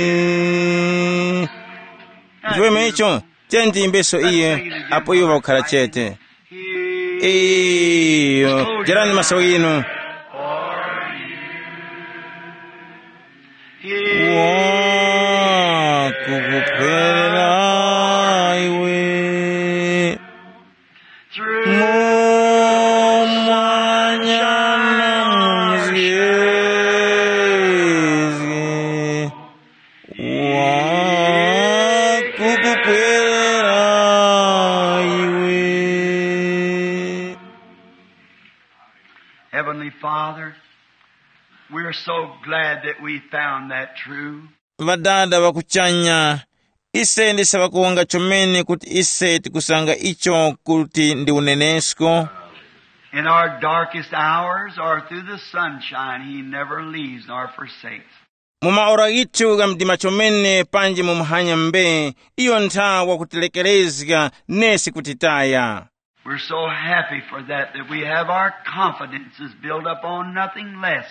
Ndiweme icho, tiyeni tiyimbeso iye, apo iwo ŵakukhala chete. Iyo, jerani maso ghinu. Wakukupwerera iwe. Mu manya na mu mzgezge, wakukupwerera iwe. Heavenly Father, we are so glad that we found that true. Ŵadada ŵa kuchanya, ise ndise ŵakuwonga chomene kuti ise tikusanga icho kuti ndi unenesko. In our darkest hours or through the sunshine, he never leaves nor forsakes. Mu maora ghithu gha mdima chomene panji mu muhanya mbe, iyo ntha wakutilekerezga nesi kutitaya. We're so happy for that, that we have our confidences built up on nothing less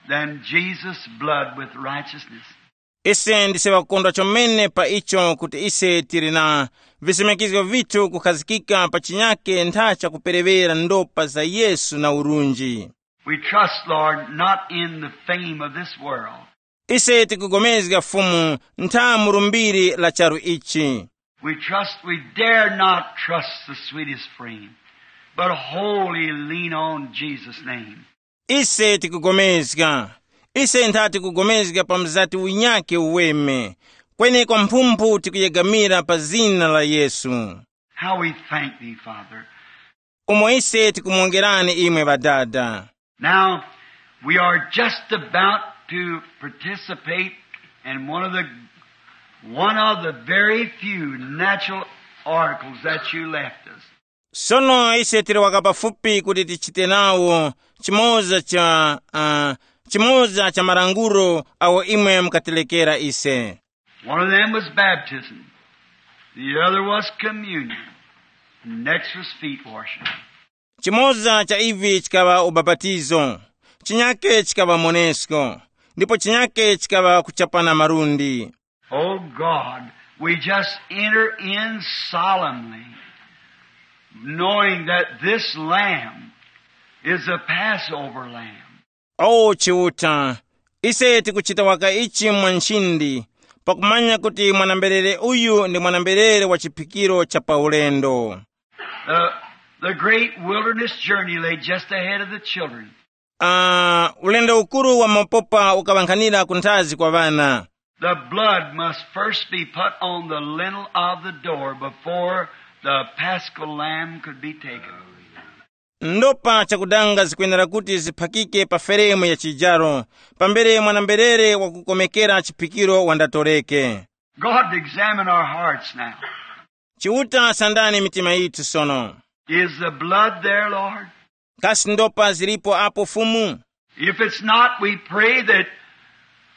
than Jesus' blood with righteousness. Ise ndise ŵakukondwa chomene pa icho kuti ise tili na visemekizgo vithu kukhazikika pa chinyake ntha chakupereŵera ndopa za Yesu na urunji. We trust, Lord, not in the fame of this world. Ise tikugomezga Fumu ntha mu lumbiri la charu ichi. We trust, we dare not trust the sweetest frame, but wholly lean on Jesus' name. Ise tikugomezga, ise ntha tikugomezga pa mzati unyake uweme, kweni kwa mphumphu tikuyegamira pa zina la Yesu. How we thank thee, Father. Umo ise tikumuwongerani imwe Ŵadada. Now, we are just about to participate in one of the, one of the very few natural oracles that you left us. Sono ise tili waka pafupi kuti tichite nawo chimoza cha uh, chimoza cha malangulo awo imwe mukatilekera ise. One of them was baptism. The other was communion. The next was feet washing. Chimoza cha ivi chikaŵa ubapatizo, chinyake chikaŵa monesko, ndipo chinyake chikaŵa kuchapana malundi. Oh God, we just enter in solemnly, knowing that this Lamb is a Passover Lamb. O Chiuta, ise tikuchita waka ichi mwa nchindi, pakumanya kuti mwanamberere uyu ndi mwanamberere wa chiphikiro cha paulendo. The, the great wilderness journey lay just ahead of the children. Uh, ulendo ukuru wa mapopa ukaŵankhanira ku nthazi kwa ŵana. The blood must first be put on the lintel of the door before the paschal lamb could be taken. Ndopa chakudanga zikwenera kuti ziphakike pa feremu ya chijaro, pambere mwanamberere wakukomekera chiphikiro wandatoreke. God, examine our hearts now. Chiuta, sandani mitima yithu sono. Is the blood there, Lord? Kasi ndopa zilipo apo, Fumu? If it's not, we pray that,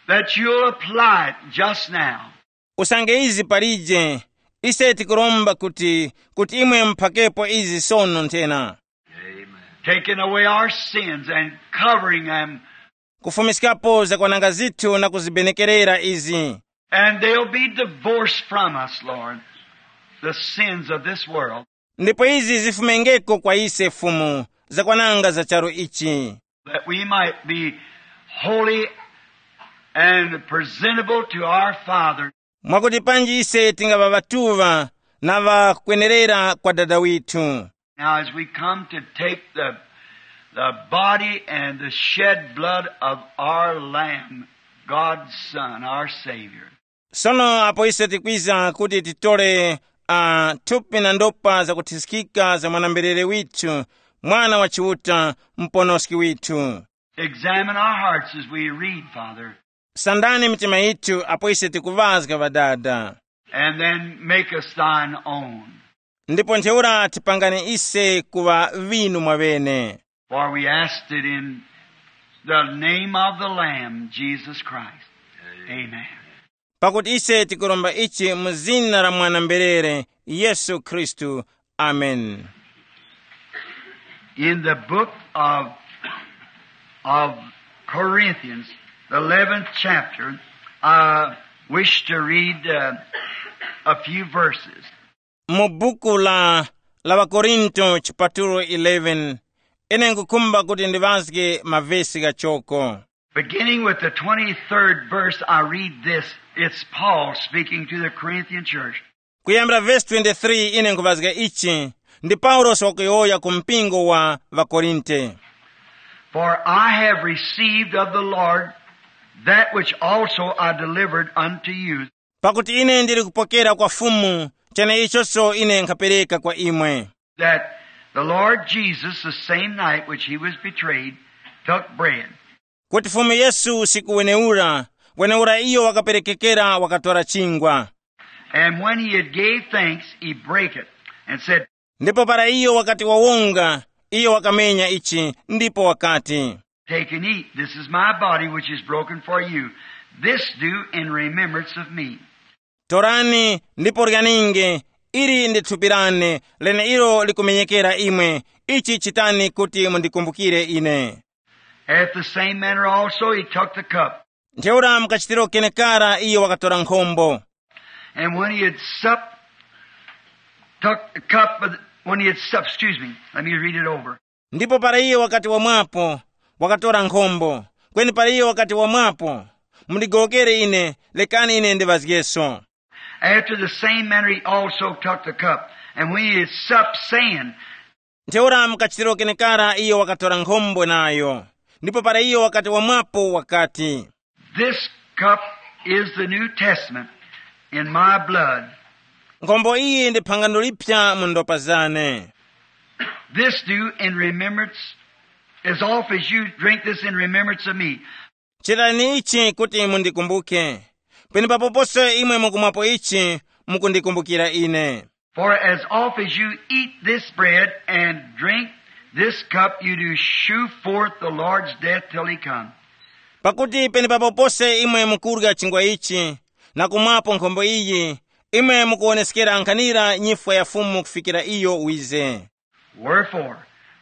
that you'll apply it just now. Usange izi palije, ise tikuromba kuti, kuti imwe muphakepo izi sono nthena. Taking away our sins and covering them. Kufumiskapo zakwananga zithu na kuzibenekerera izi. And they'll be divorced from us, Lord, the sins of this world. Ndipo izi zifumengeko kwa ise, Fumu, zakwananga za charu ichi. That we might be holy and presentable to our Father. Mwakuti panji ise tingaŵa ŵatuŵa na ŵakwenerera kwa Dada withu. Now, as we come to take the, the body and the shed blood of our Lamb, God's Son, our Savior. Sono apo ise tikwiza kuti titole uh, thupi na ndopa zakuthiskika za mwanamberere withu, Mwana wa Chiuta, Muponoski withu. Examine our hearts as we read, Father. Sandani mitima yithu apo ise tikuŵazga, Ŵadada. And then make us thine own. Ndipo ntheura tipangani ise kuŵa ŵinu mwaŵene. For we asked it in the name of the Lamb, Jesus Christ. Amen. Pakuti ise tikuromba ichi mu zina la mwanamberere, Yesu Khristu. Amen. In the book of, of Corinthians, the eleventh chapter, I wish to read uh, a few verses. Mu buku la, la ŵakorinto chipatulo eleven, ine nkukhumba kuti ndiŵazge mavesi ghachoko. Beginning with the twenty-third verse, I read this. It's Paul speaking to the Corinthian church. Kuyambira vesi twenty-three ine nkuŵazga ichi, ndi Paulosi wakuyowoya ku mpingo wa ŵakorinte. For I have received of the Lord that which also I delivered unto you. Pakuti ine ndili kupokera kwa Fumu cheneichoso ine nkhapereka kwa imwe. That the Lord Jesus, the same night which he was betrayed, took bread. Kuti Fumu Yesu usiku weneura, weneura iyo wakaperekekera, wakatora chingwa. And when he had gave thanks, he brake it and said, Ndipo para iyo wakati wawonga, iyo wakamenya ichi, ndipo wakati, Take and eat. This is my body, which is broken for you. This do in remembrance of me. Torani ndipo ryaninge, ili ndi thupi lane, leneilo likumenyekera imwe. Ichi chitani kuti mundikumbukire ine. At the same manner also he took the cup. Ntheura mukachitiro kenekara iyo wakatora nkhombo. And when he had supped, took the cup, of the- when he had supped, excuse me, let me read it over. Ndipo para iyo wakati wamwapo, wakatora nkhombo. Kweni para iyo wakati wamwapo, mundigowokere ine, lekani ine ndiŵazgeso. After the same manner he also took the cup, and when he had supped, saying, Ntheura mukachitiro kenekara iyo wakatora nkhombo nayo. Ndipo para iyo wakati wamwapo wakati, This cup is the New Testament in my blood. Nkhombo iyi ndi phangano lipya mu ndopa zane. This do in remembrance, as oft as you drink this in remembrance of me. Chitani ichi kuti mundikumbuke. Penepapo pose imwe mukumwapo ichi, mukundikumbukira ine. For as oft as you eat this bread and drink this cup, you do shew forth the Lord's death till he come. Pakuti penepapo pose imwe mukurya chingwa ichi na kumwapo nkhombo iyi, imwe mukuwoneskera nkhanira nyifwa ya Fumu kufikira iyo wize. Wherefore,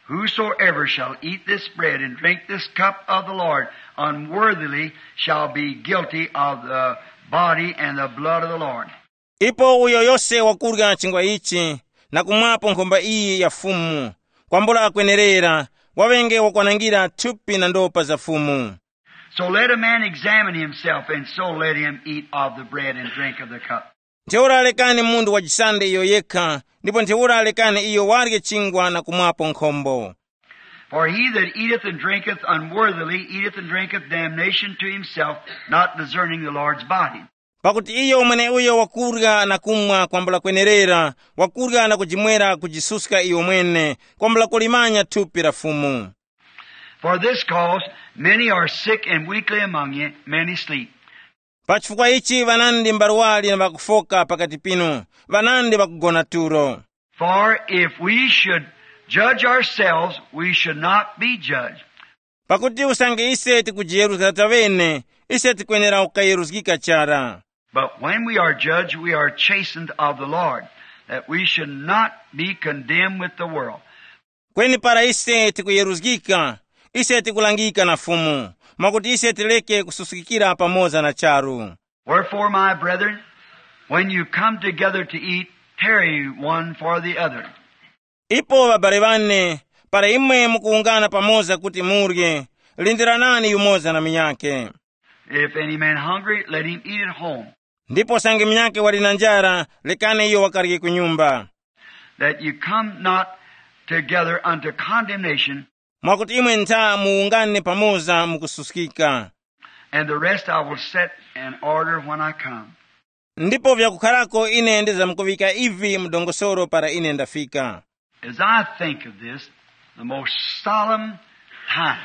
whosoever shall eat this bread and drink this cup of the Lord unworthily shall be guilty of the body and the blood of the Lord. Ipo uyo yose wakurya chingwa ichi na kumwapo nkhombo iyi ya Fumu, kwambula akwenerera, waŵenge wakwanangira thupi na ndopa za Fumu. So let a man examine himself, and so let him eat of the bread and drink of the cup. Ntheura lekani munthu wajisande iyo yekha, ndipo ntheura lekani iyo warye chingwa na kumwapo nkhombo. For he that eateth and drinketh unworthily eateth and drinketh damnation to himself, not discerning the Lord's body. Pakuti iyo mweneuyo wakurya na kumwa kwambula kwenerera, wakurya na kujimwera kujisuska iyo mwene, kwambula kulimanya thupi la Fumu. For this cause many are sick and weakly among you, many sleep. Pa chifukwa ichi ŵanandi mbarwali na ŵakufoka pakati pinu, ŵanandi ŵakugona tulo. For if we should judge ourselves, we should not be judged. Pakuti usange ise tikujiyeruzga taŵene, ise tikwenera kukayeruzgika chara. But when we are judged, we are chastened of the Lord, that we should not be condemned with the world. Kweni para ise tikuyeruzgika, ise tikulangika na Fumu, mwakuti ise tireke kususkikira pamoza na charu. Wherefore, my brethren, when you come together to eat, tarry one for the other. Ipo ŵabale ŵane, para imwe mukuwungana pamoza kuti murye, lindiranani yumoza na munyakhe. If any man hungry, let him eat at home. Ndipo sange munyakhe wali na njara, lekani iyo wakarye ku nyumba. That you come not together unto condemnation. Mwakuti imwe ntha muwungane pamoza mukususkika. And the rest I will set in order when I come. Ndipo vyakukharako ine ndizamkuŵika ivi mu dongosolo para ine ndafika. As I think of this, the most solemn time.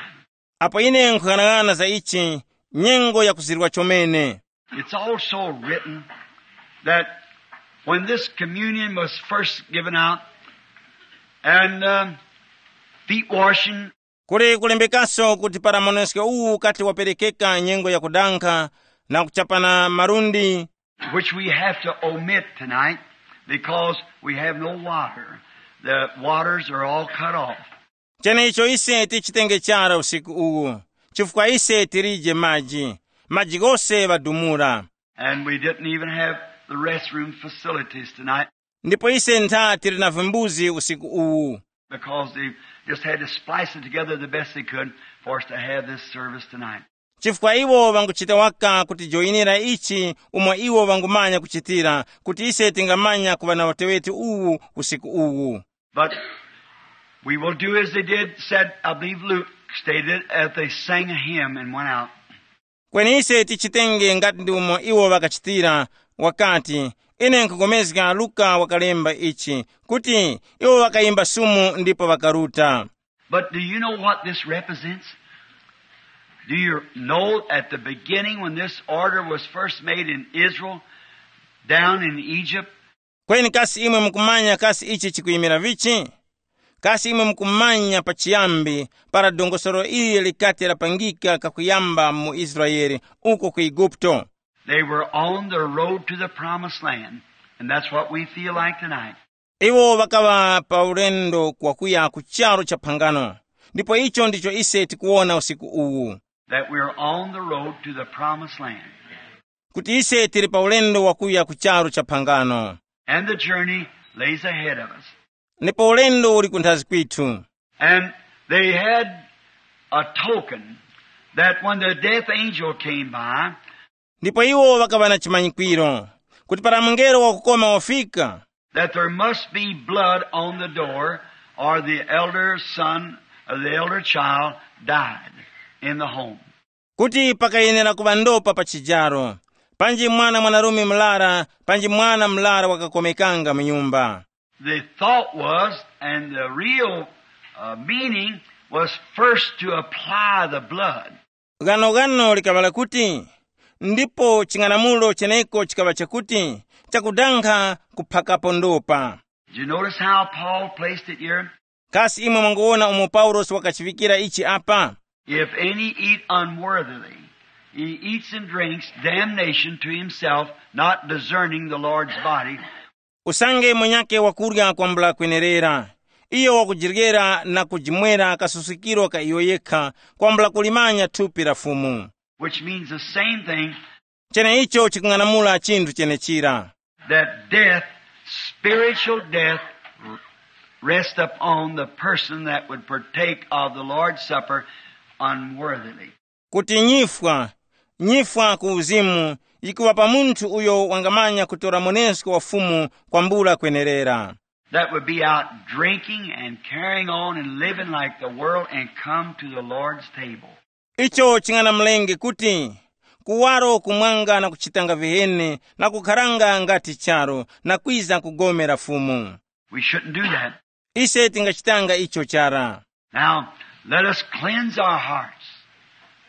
Apo ine nkhughanagana za ichi, nyengo yakuzirwa chomene. It's also written that when this communion was first given out and um, feet washing, kuli kulembekaso kuti para monesko uwu ukati waperekeka nyengo yakudankha na kuchapana malundi, which we have to omit tonight because we have no water. The waters are all cut off. Chenecho ise tichitenge chara usiku uwu, chifukwa ise tilije maji, maji ghose ŵadumula. And we didn't even have the restroom facilities tonight. Ndipo ise ntha tili na vimbuzi usiku uwu. Because they just had to splice it together the best they could for us to have this service tonight. Chifukwa iwo ŵanguchita waka kutijoyinira ichi umo iwo ŵangumanya kuchitira, kuti ise tingamanya kuŵa na uteŵeti uwu usiku uwu. But we will do as they did, said, I believe Luke stated it, that they sang a hymn and went out. Kweni ise tichitenge ngati ndi umo iwo ŵakachitira, wakati, ine nkupulikana Luka wakalemba ichi, kuti iwo ŵakayimba sumu ndipo ŵakaruta. But do you know what this represents? Do you know at the beginning when this order was first made in Israel, down in Egypt, kweni kasi imwe mukumanya kasi ichi chikuyimira vichi? Kasi imwe mukumanya pachiyambi para dongosolo ili likati lapangika kakuyamba mu Israele uko ku Eguputo? They were on the road to the promised land, and that's what we feel like tonight. Iwo ŵakaŵa pa ulendo wakuya ku charu cha phangano, ndipo icho ndicho ise tikuwona usiku uwu. That we are on the road to the promised land. Kuti ise tili pa ulendo wakuya ku charu cha phangano. And the journey lays ahead of us. Ndipo ulendo uli kunthazi kwithu. And they had a token that when the death angel came by, ndipo iwo ŵakaŵa na chimanyikwiro kuti para mungelo wakukoma wafika, that there must be blood on the door, or the elder son or the elder child died in the home. Kuti pakayenera kuŵa ndopa pa chijaro, panji mwana mwanarume mlara, panji mwana mlara wakakomekanga mu nyumba. The thought was, and the real uh, meaning was first to apply the blood. Ghanoghano likaŵa lakuti, ndipo ching'anamulo cheneko chikaŵa chakuti, chakudankha kuphakapo ndopa. Did you notice how Paul placed it here? Kasi imwe mwanguwona umo Paulosi wakachivikira ichi apa? If any eat unworthily, he eats and drinks damnation to himself, not discerning the Lord's body. Usange mwenyake wakurya kwambula kwenerera, iyo wakujiryera na kujimwera kasusikiro ka iyo yekha, kwambula kulimanya thupi la Fumu. Which means the same thing. Cheneicho chikung'anamula chinthu chenechira. That death, spiritual death, rest upon the person that would partake of the Lord's Supper unworthily. Kuti nyifwa, nyifwa ku uzimu, yikuŵa pa munthu uyo wangamanya kutora mwenesko wa Fumu kwambula kwenerera. That would be out drinking and carrying on and living like the world and come to the Lord's table. Icho chinganamulenge kuti kuwaro kumwanga na kuchitanga viheni na kukharanga ngati charu na kwiza kugomera Fumu. We shouldn't do that. Ise tingachitanga icho chara. Now, let us cleanse our hearts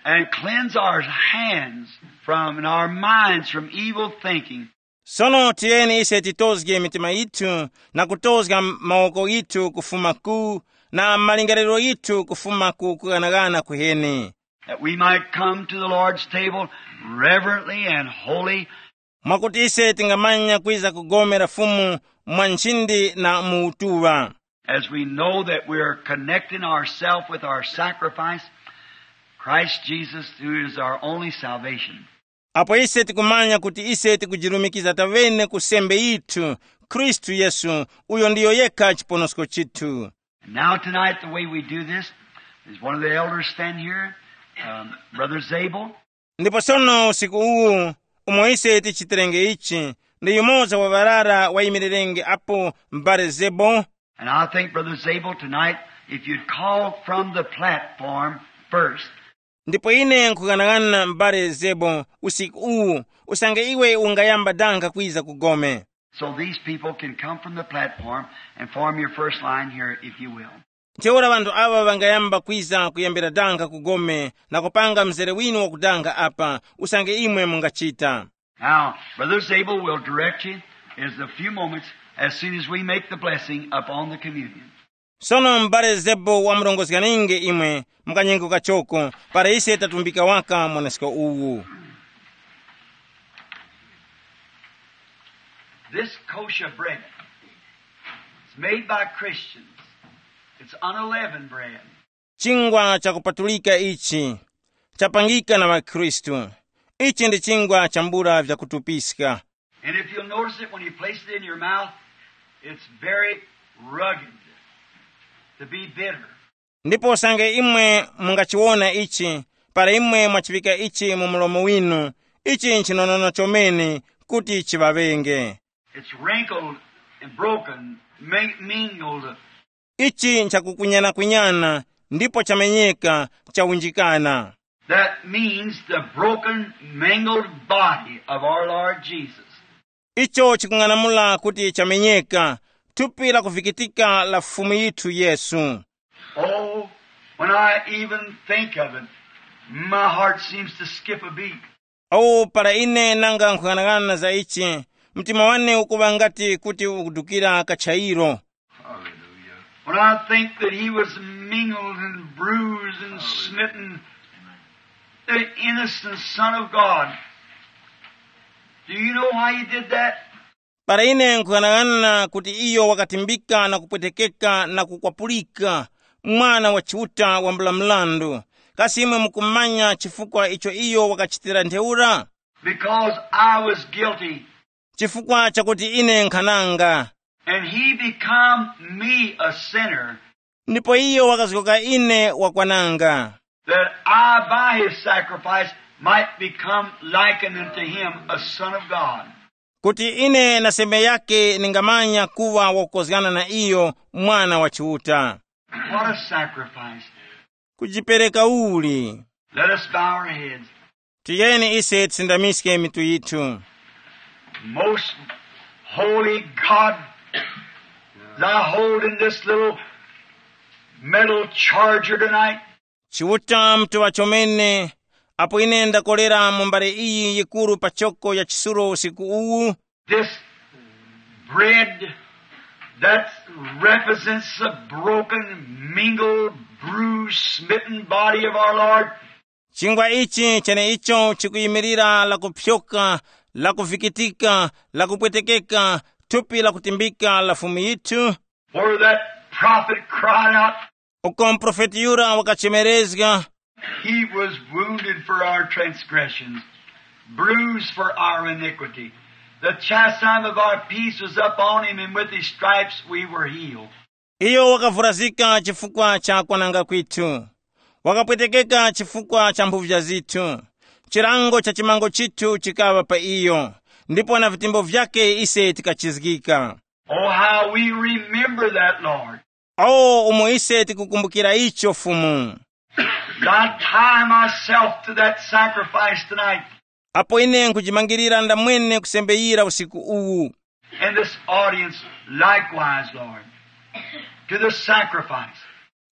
and cleanse our hands from and our minds from evil thinking. Sono tiyeni ise titozge mitima yithu na kutozga mawoko yithu kufuma ku na malingaliro yithu kufuma ku kughanaghana kuheni, That we might come to the Lord's table reverently and holy. Mwakuti ise tingamanya kwiza kugomera Fumu mwa nchindi na mu utuŵa. As we know that we are connecting ourselves with our sacrifice, Christ Jesus, who is our only salvation. Apo ise tikumanya kuti ise tikujirumikiza tavene ku sembe yithu, Khristu Yesu, uyo ndiyo yekha chiponosko chithu. And now tonight, the way we do this is one of the elders stand here, um, Brother Zabel. Ndipo sono usiku uwu, umo ise tichiterenge ichi, ndi yumoza wa ŵarara wayimirirenge apo, m'bale Zebo. And I think, Brother Zabel, tonight, if you'd call from the platform first. Ndipo ine nkughanaghanana m'bale Zebo usiku uwu, usange iwe ungayamba danga kwiza ku gome. So these people can come from the platform and form your first line here, if you will. Ntheura ŵanthu aŵa ŵangayamba kwiza kuyambira danga ku gome na kupanga mzere winu wakudanga apa, usange imwe mungachita. Now, Brother Zabel will direct you in a few moments as soon as we make the blessing upon the communion. Sono m'bale Zebo wamurongozganinge imwe mu kanyengo kachoko, para ise tatumbika waka mwanesko uwu. This kosher bread is made by Christians. It's unleavened bread. Chingwa chakupatulika ichi chapangika na ŵakhristu. Ichi ndi chingwa chambula vyakutupiska. And if you'll notice it, when you place it in your mouth, it's very rugged, to be bitter. Ndipo usange imwe mungachiwona ichi, para imwe mwachiŵika ichi mu mlomo winu, ichi nchinonono chomene kuti chiŵaŵenge. It's wrinkled and broken, mi- mingled. Ichi nchakukunyana-kunyana ndipo chamenyeka, chawunjikana. That means the broken, mingled body of our Lord Jesus. Icho chikung'anamula kuti chamenyeka, thupi lakuvikitika la Fumu yithu Yesu. Oh, when I even think of it, my heart seems to skip a beat. Awo para ine nanga nkhung'anang'ana za ichi, mtima wane ukuŵa ngati kuti ukudukira kachayiro. Hallelujah. When I think that he was mingled and bruised and smitten, the innocent Son of God. Do you know why he did that? Para ine nkhughanaghanana kuti iyo wakatimbika na kupwetekeka na kukwapulika, mwana wa Chiuta wambula mrandu. Kasi imwe mukumanya chifukwa icho iyo wakachitira ntheura? Because I was guilty. Chifukwa chakuti ine nkhananga. And he become me a sinner. Ndipo iyo wakazgoka ine wakwananga. That I by his sacrifice might become likened unto him, a son of God. Kuti ine na sembe yake ningamanya kuŵa wakukozgana na iyo, mwana wa Chiuta. What a sacrifice. Kujipereka uli. Let us bow our heads. Tiyeni ise tisindamiske mitu yithu. Most holy God, as I hold in this little metal charger tonight, Chiuta mutuŵa chomene, apo ine ndakolera mu mbale iyi yikuru pachoko ya chisulo usiku uwu, this bread that represents the broken, mingled, bruised, smitten body of our Lord. Chingwa ichi cheneicho chikuyimirira lakupyoka, lakuvikitika, lakupwetekeka, thupi lakutimbika la Fumu yithu. Where that prophet cried out, Uko muprofeti yura wakachemerezga, He was wounded for our transgressions, bruised for our iniquity. The chastisement of our peace was upon him, and with his stripes we were healed. Iyo wakavurazika chifukwa cha kwananga kwithu, Wakapwetekeka chifukwa cha mphuvya zithu. Chilango cha chimango chithu chikaŵa pa iyo, ndipo na vitembo vyake ise tikachizgika. Oh, how we remember that, Lord. O, umo ise tikukumbukira icho, Fumu. I tie myself to that sacrifice tonight. Apo ine nkujimangirira ndamwene kusembeyira usiku uwu. And this audience likewise, Lord, to the sacrifice.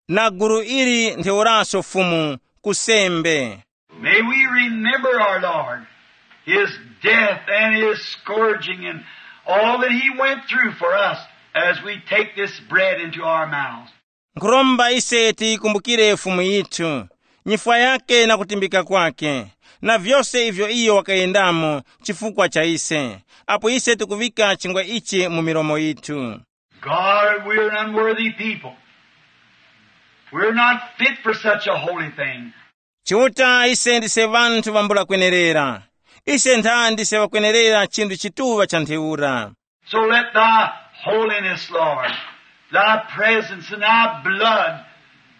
Na gulu ili ntheuraso, Fumu, kusembe. May we remember our Lord, his death and his scourging and all that he went through for us as we take this bread into our mouths. Nkhuromba ise tiyikumbukire Fumu yithu, nyifwa yake na kutimbika kwake, na vyose ivyo iyo wakayendamo chifukwa cha ise, apo ise tikuŵika chingwa ichi mu milomo yithu. God, we're an unworthy people. We're not fit for such a holy thing. Chiuta, ise ndise ŵanthu ŵambula kwenerera. Ise ntha ndise ŵakwenerera chinthu chituŵa cha ntheura. So let thy holiness, Lord, thy presence and thy blood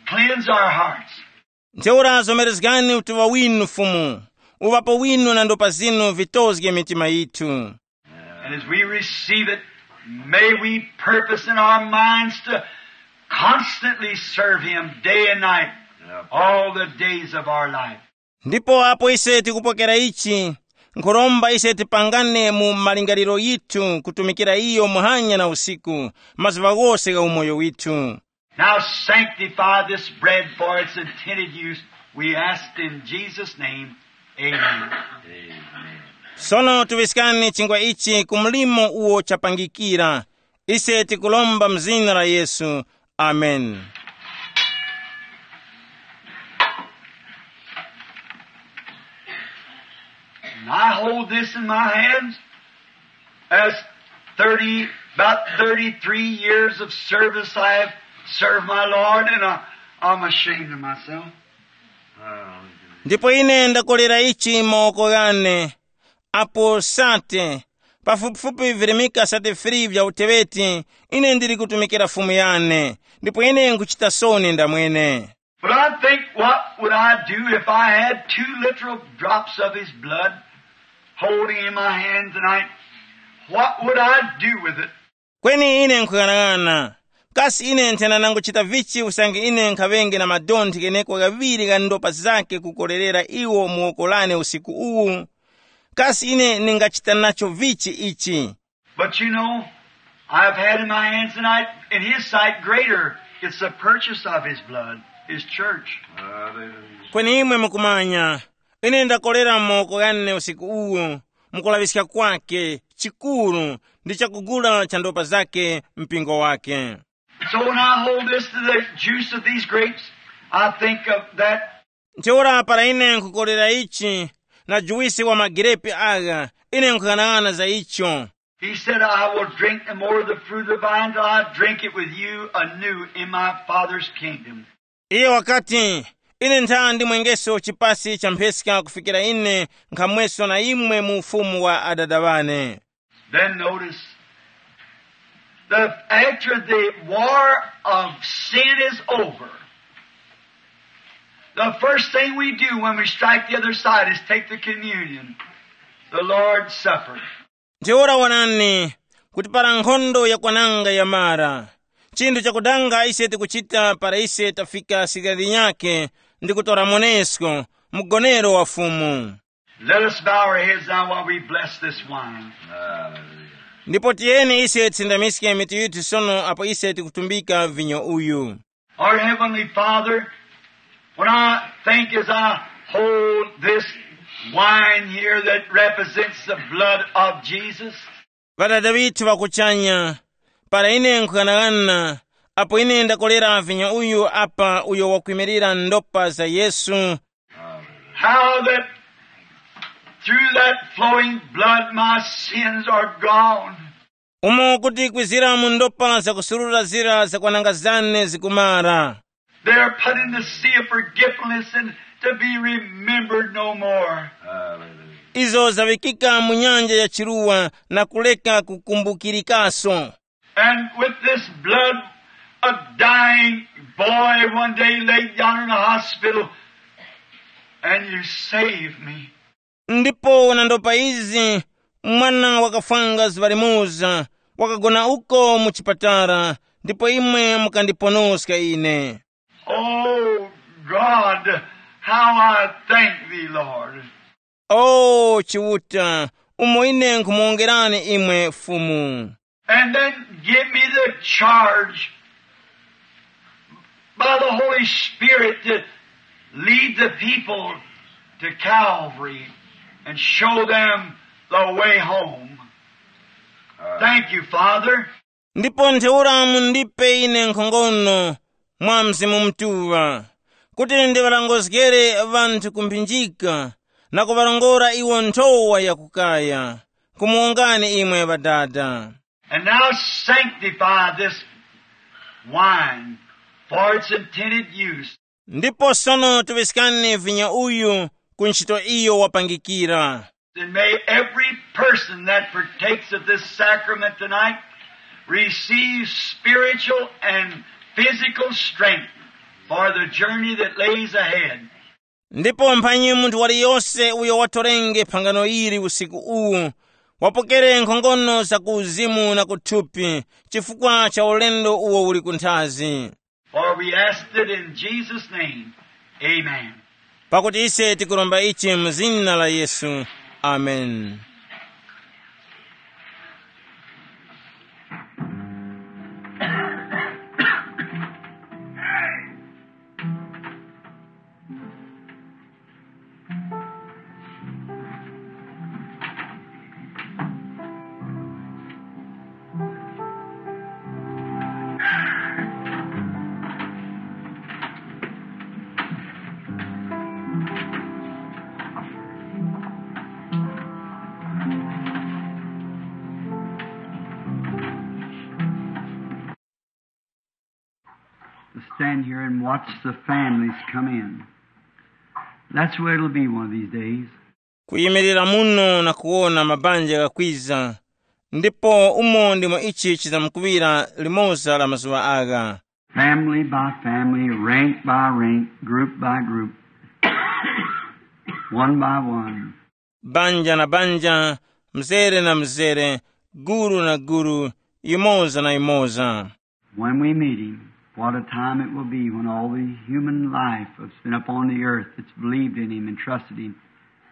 cleanse our hearts. Ntheura zomerezgani utuŵa winu, Fumu. Uŵapo winu na ndopa zinu vitozge mitima yithu. And as we receive it, may we purpose in our minds to constantly serve him day and night, all the days of our life. Ndipo apo ise tikupokera ichi, nkhuromba ise tipangane mu malingaliro yithu kutumikira iyo muhanya na usiku, mazuŵa ghose gha umoyo withu. Now sanctify this bread for its intended use, we ask in Jesus' name. Amen. Sono tuŵiskani chingwa ichi ku mlimo uwo chapangikira. Ise tikulomba mu zina la Yesu. Amen. And I hold this in my hands as thirty, about thirty-three years of service I have served my Lord, and I, I'm ashamed of myself. Ndipo ine ndakolera ichi m'mawoko ghane, apo sate, pafupifupi virimika sate free vya uteŵeti, ine ndili kutumikira Fumu yane, ndipo ine nkuchita soni ndamwene. But I think, what would I do if I had two little drops of his blood holding in my hand tonight? What would I do with it? Kweni ine nkhuyang'ana, kasi ine nthena nanguchita vichi usange ine nkhaŵenge na madonthe gheneko ghaŵiri gha ndopa zake kukolerera iwo mu woko lane usiku uwu? Kasi ine ningachita nacho vichi ichi? But you know, I've had in my hands tonight, in his sight greater, it's the purchase of his blood, his church. Kweni imwe mukumanya, ine ndakolera m'mawoko ghane usiku uwu, mukulaŵiska kwake chikuru ndi chakugula cha ndopa zake mpingo wake. So when I hold this to the juice of these grapes, I think of that. Ntheura para ine nkhukolera ichi na juwisi wa magirepi agha, ine nkhuyang'ana za icho. He said, I will drink the more of the fruit of the vine till I drink it with you anew in my Father's kingdom. Iye wakati, ine ntha ndimwengeso chipasi cha mpheska kufikira ine nkhamweso na imwe mu ufumu wa Adada ŵane. Then notice, the, after the war of sin is over, the first thing we do when we strike the other side is take the communion, the Lord's Supper. Ntheura wonani, kuti para nkhondo yakwananga yamara, chinthu chakudanga ise tikuchita para ise tafika sirya linyakhe ndi kutora monesko, mgonero wa Fumu. Let us bow our heads now while we bless this wine. Ndipo tiyeni ise tisindamiske mitu yithu sono apo ise tikutumbika vinyo uyu. Our Heavenly Father, when I think as I hold this wine here that represents the blood of Jesus, Ŵadada ŵithu ŵa kuchanya, para ine nkhughanaghana, apo ine ndakolera vinyo uyu apa uyo wakwimirira ndopa za Yesu, how that through that flowing blood my sins are gone. Umo kuti kwizira mu ndopa zakusurura zira zakwananga zane zikumara. They are put in the sea of forgetfulness and to be remembered no more. Izo zaŵikika mu nyanja ya chiruwa na kuleka kukumbukirikaso. And with this blood, A dying boy one day laid down in a hospital, and you saved me. Ndipo na ndopa izi, mwana wakafwanga zuŵa limoza, wakagona uko mu chipatala, ndipo imwe mukandiponoska ine. Oh God, how I thank thee, Lord. O Chiuta, umo ine nkhumuwongerani imwe Fumu. And then give me the charge by the Holy Spirit to lead the people to Calvary and show them the way home. Thank you, Father. Ndipo ntheura mundipe ine nkhongono mwa Mzimu Mutuŵa, kuti ndiŵalongozgere ŵanthu ku mphinjika na kuŵarongora iwo nthowa yakukaya. Nkumuwongani imwe Ŵadada. And now sanctify this wine for its intended use. Ndipo sono tuŵiskani vinyo uyu ku ntchito iyo wapangikira. And may every person that partakes of this sacrament tonight receive spiritual and physical strength for the journey that lays ahead. Ndipo mphanyi munthu waliyose uyo watorenge phangano ili usiku uwu, wapokere nkhongono za ku uzimu na ku thupi chifukwa cha ulendo uwo uli kunthazi. For we ask it in Jesus' name. Amen. Pakuti ise tikuromba ichi mu zina la Yesu. Amen. To stand here and watch the families come in. That's where it'll be one of these days. Kuyimirira muno na kuwona mabanja ghakwiza, ndipo umo ndimo ichi chizamkuŵira limoza la mazuŵa agha. Family by family, rank by rank, group by group, one by one. Banja na banja, mzere na mzere, gulu na gulu, yumoza na yumoza. When we meet him, what a time it will be when all the human life that's been upon the earth that's believed in him and trusted him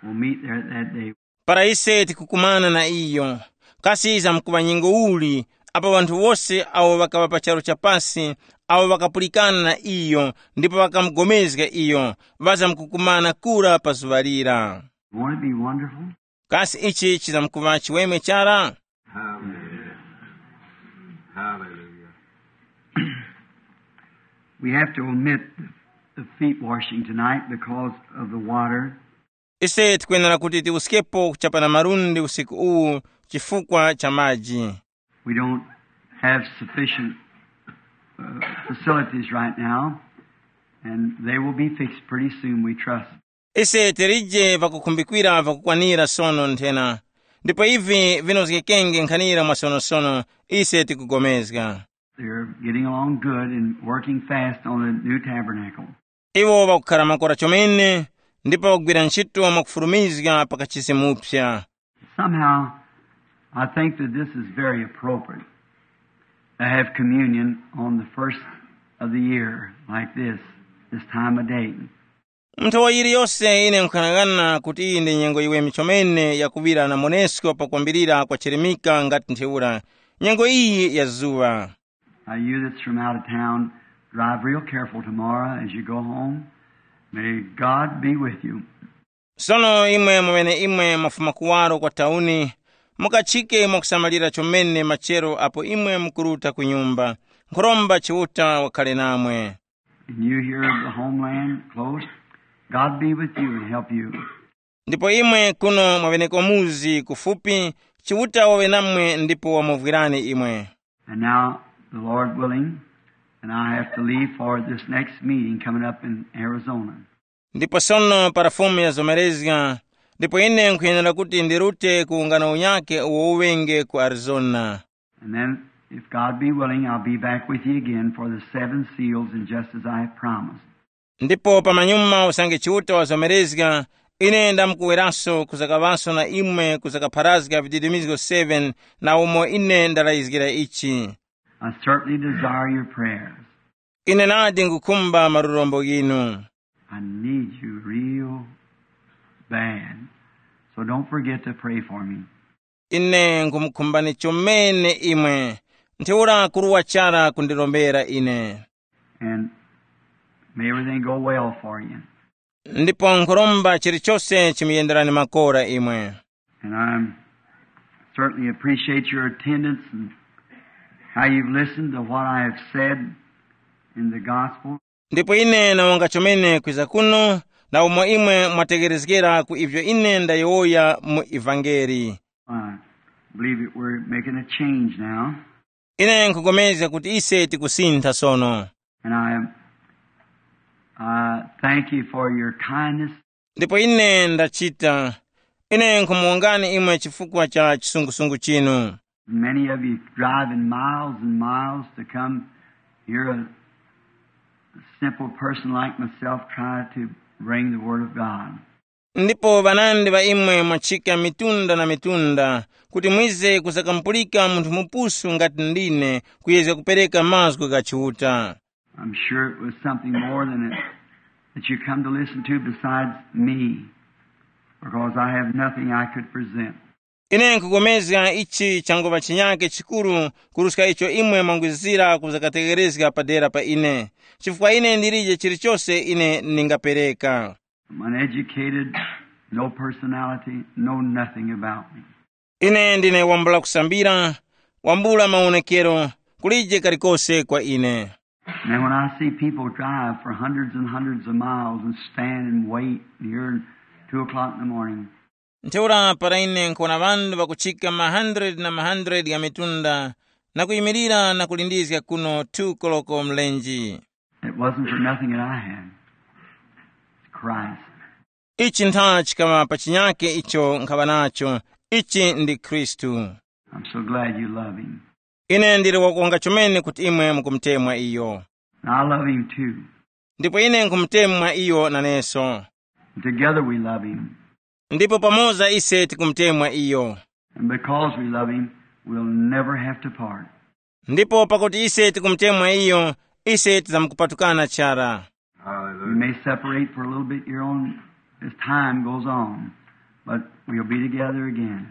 will meet there at that day. Para ise tikukumana na iyo, kasi yizamkuŵa nyengo uli apo ŵanthu wose awo ŵakaŵa pa charu cha pasi, awo ŵakapulikana na iyo ndipo ŵakamugomezga iyo, ŵazamkukumana kura pa zuŵa lira? Won't it be wonderful? Kasi ichi chizamkuŵa chiweme chara? Hallelujah. Hallelujah. We have to omit the, the feet washing tonight because of the water. Ise tikwenera kuti tiwuskepo kuchapana malundi usiku uwu chifukwa cha maji. We don't have sufficient uh, facilities right now, and they will be fixed pretty soon, we trust. Ise tilije vakukhumbikira vakukwanira sono nthena, ndipo ivi vinozgekenge nkhanira mwasonosono, ise tikugomezga. They're getting along good and working fast on the new tabernacle. Iwo vakukhala makora chomene, ndipo vakugwira ntchito mwakufulumizga pa kachisi muphya. Somehow, I think that this is very appropriate to have communion on the first of the year like this, this time of day. Mu nthowa yiliyose ine nkhanang'ana kuti iyi ndi nyengo yiweme chomene yakuŵira na monesko pakwambirira kwa chirimika ngati ntheura, nyengo iyi ya zuŵa. Now, you that's from out of town, drive real careful tomorrow as you go home. May God be with you. Sono imwe mweneimwe mwafuma kuwaro kwa tauni, mukachike mwakusamalira chomene machero apo imwe mukuruta ku nyumba. Nkhuromba Chiuta wakhale namwe. And you here in the homeland close, God be with you and help you. Ndipo imwe kuno mwaŵeneko muzi kufupi, Chiuta waŵe namwe ndipo wamuvwirani imwe. And now, the Lord willing, and I have to leave for this next meeting coming up in Arizona. Ndipo sono para Fumu yazomerezga, ndipo ine nkhuyenera kuti ndirute ku ungano unyakhe uwo uŵenge ku Arizona. And then If God be willing, I'll be back with you again for the seven seals, and just as I have promised. Ndipo pamanyuma usange Chiuta wazomerezga, ine ndamkuweranso kuzakaŵanso na imwe kuzakapharazga vididimizgo seven, na umo ine ndalayizgira ichi. I certainly desire your prayers. Ine nadi ngukhumba malurombo ghinu. I need you real bad. So don't forget to pray for me. Ine nkhumukhumbani chomene imwe. Ntheura kuruwa chara kundirombera ine. And may everything go well for you. Ndipo nkhuromba chilichose chimuyenderani makora imwe. And I certainly appreciate your attendance and how you've listened to what I have said in the gospel. Ndipo ine nawonga chomene kwiza kuno, na umo imwe mwategherezgera ku ivyo ine ndayowoya mu ivangeli. I believe that we're making a change now. Ine nkupulikana kuti ise tikusintha sono. And I, I thank you for your kindness. Ndipo ine ndachita. Ine nkhumuwongani imwe chifukwa cha chisungusungu chinu. Many of you driving miles and miles to come hear a simple person like myself try to bring the Word of God. Ndipo ŵanandi ŵa imwe mwachika mitunda na mitunda kuti mwize kuzakamupulika munthu mupusu ngati ndine kuyezga kupereka mazgu gha Chiuta. I'm sure it was something more than it that you come to listen to besides me, because I have nothing I could present. Ine nkupulikana ichi changuŵa chinyake chikuru kuruska icho imwe mwangwizira kuzakategherezga padera pa ine, chifukwa ine ndilije chilichose ine ndingapereka. I'm uneducated, no personality, no nothing about me. Ine ndine wambula kusambira, wambula mawonekero, kulije kalikose kwa ine. And then when I see people drive for hundreds and hundreds of miles and stand and wait here at two o'clock in the morning, ntheura para ine nkuwona ŵanthu ŵakuchika ma hundred na ma hundred gha mitunda na kuyimirira na kulindizga kuno two koloko mlenji. It wasn't for nothing that I had. It's Christ. Ichi ntha chikaŵa pa chinyake icho nkhaŵa nacho. Ichi ndi Khristu. I'm so glad you love him. Ine ndili wakuwonga chomene kuti imwe mukumutemwa iyo. And I love him too. Ndipo ine nkhumutemwa iyo naneso. And together we love him. Ndipo pamoza ise tikumutemwa iyo. And because we love him, we'll never have to part. Ndipo pakuti ise tikumutemwa iyo, ise tizamukupatukana chara. We may separate for a little bit here on as time goes on, but we'll be together again.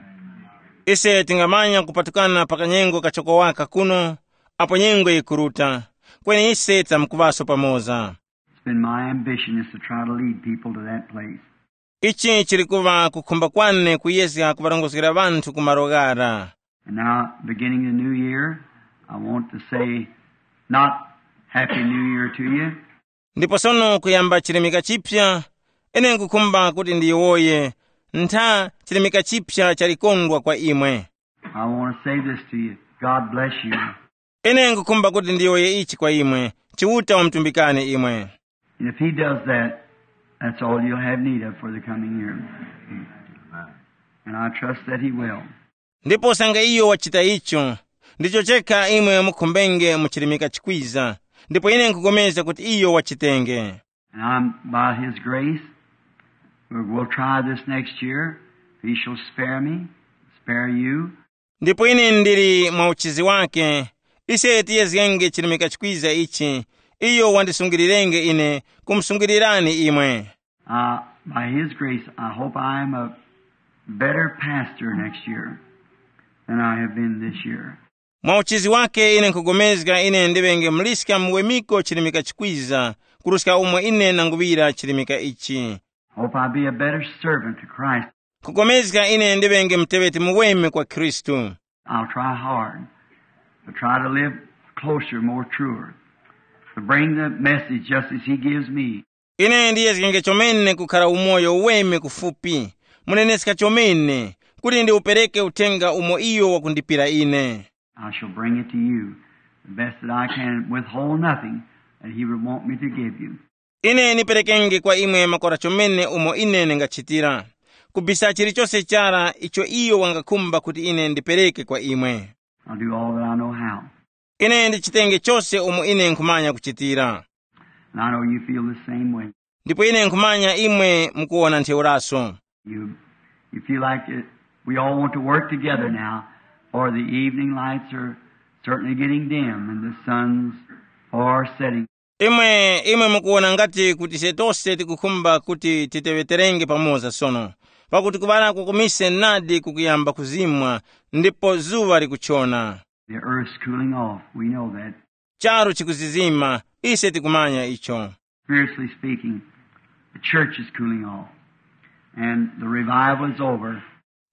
Ise tingamanya kupatukana pa kanyengo kachokowaka kuno, apo nyengo yikuruta, kweni ise tizamukuŵaso pamoza. It's been my ambition is to try to lead people to that place. Ichi chili kuŵa kukhumba kwane kuyezga kuŵarongozgera ŵanthu ku malo ghara. And now, beginning the new year, I want to say not Happy New Year to you. Ndipo sono kuyamba chilimika chipya, ine nkukhumba kuti ndiyowoye ntha chilimika chipya chalikondwa kwa imwe. I want to say this to you. God bless you. Ine nkukhumba kuti ndiyowoye ichi kwa imwe, Chiuta wamutumbikani imwe. And if he does that, that's all you'll have need of for the coming year. And I trust that he will. Ndipo sanga iyo wachita icho, ndicho chekha imwe mukhumbenge mu chilimika chikwiza, ndipo ine nkupulikana kuti iyo wachitenge. And I'm, by his grace, we'll, we'll try this next year. If he shall spare me, spare you. Ndipo ine ndili mwa uchizi wake, ise tiyezgenge chilimika chikwiza ichi, iyo wandisungilirenge ine kumusungilirani imwe. Uh, by his grace, I hope I am a better pastor next year than I have been this year. Mwa uchizi wake ine nkupulikana ine ndiŵenge muliska muwemiko chilimika chikwiza kuruska umo ine nanguŵira chilimika ichi. Hope I be a better servant to Christ. Nkupulikana ine ndiŵenge muteŵeti muweme kwa Khristu. I'll try hard to try to live closer, more truer, to bring the message just as he gives me. Ine ndiyezgenge chomene kukhara umoyo uweme kufupi, muneneska chomene, kuti ndiwupereke uthenga umo iyo wakundipira ine. I shall bring it to you the best that I can, withhold nothing that he would want me to give you. Ine niperekenge kwa imwe makora chomene umo ine ndingachitira, kubisa chilichose chara icho iyo wangakhumba kuti ine ndipereke kwa imwe. I'll do all that I know how. Ine ndichitenge chose umo ine nkhumanya kuchitira. And I know you feel the same way. Ndipo ine nkhumanya imwe mukuwona ntheuraso. You, you feel like it, we all want to work together now, for the evening lights are certainly getting dim and the sun's far setting. Imwe imwe mukuwona ngati kuti ise tose tikukhumba kuti titeŵeterenge pamoza sono, pakuti kuŵala kwa kumise nadi kukuyamba kuzimwa, ndipo zuŵa likuchona. The earth's cooling off. We know that. Charu chikuzizima, ise tikumanya icho. Spiritually speaking, the church is cooling off, and the revival is over.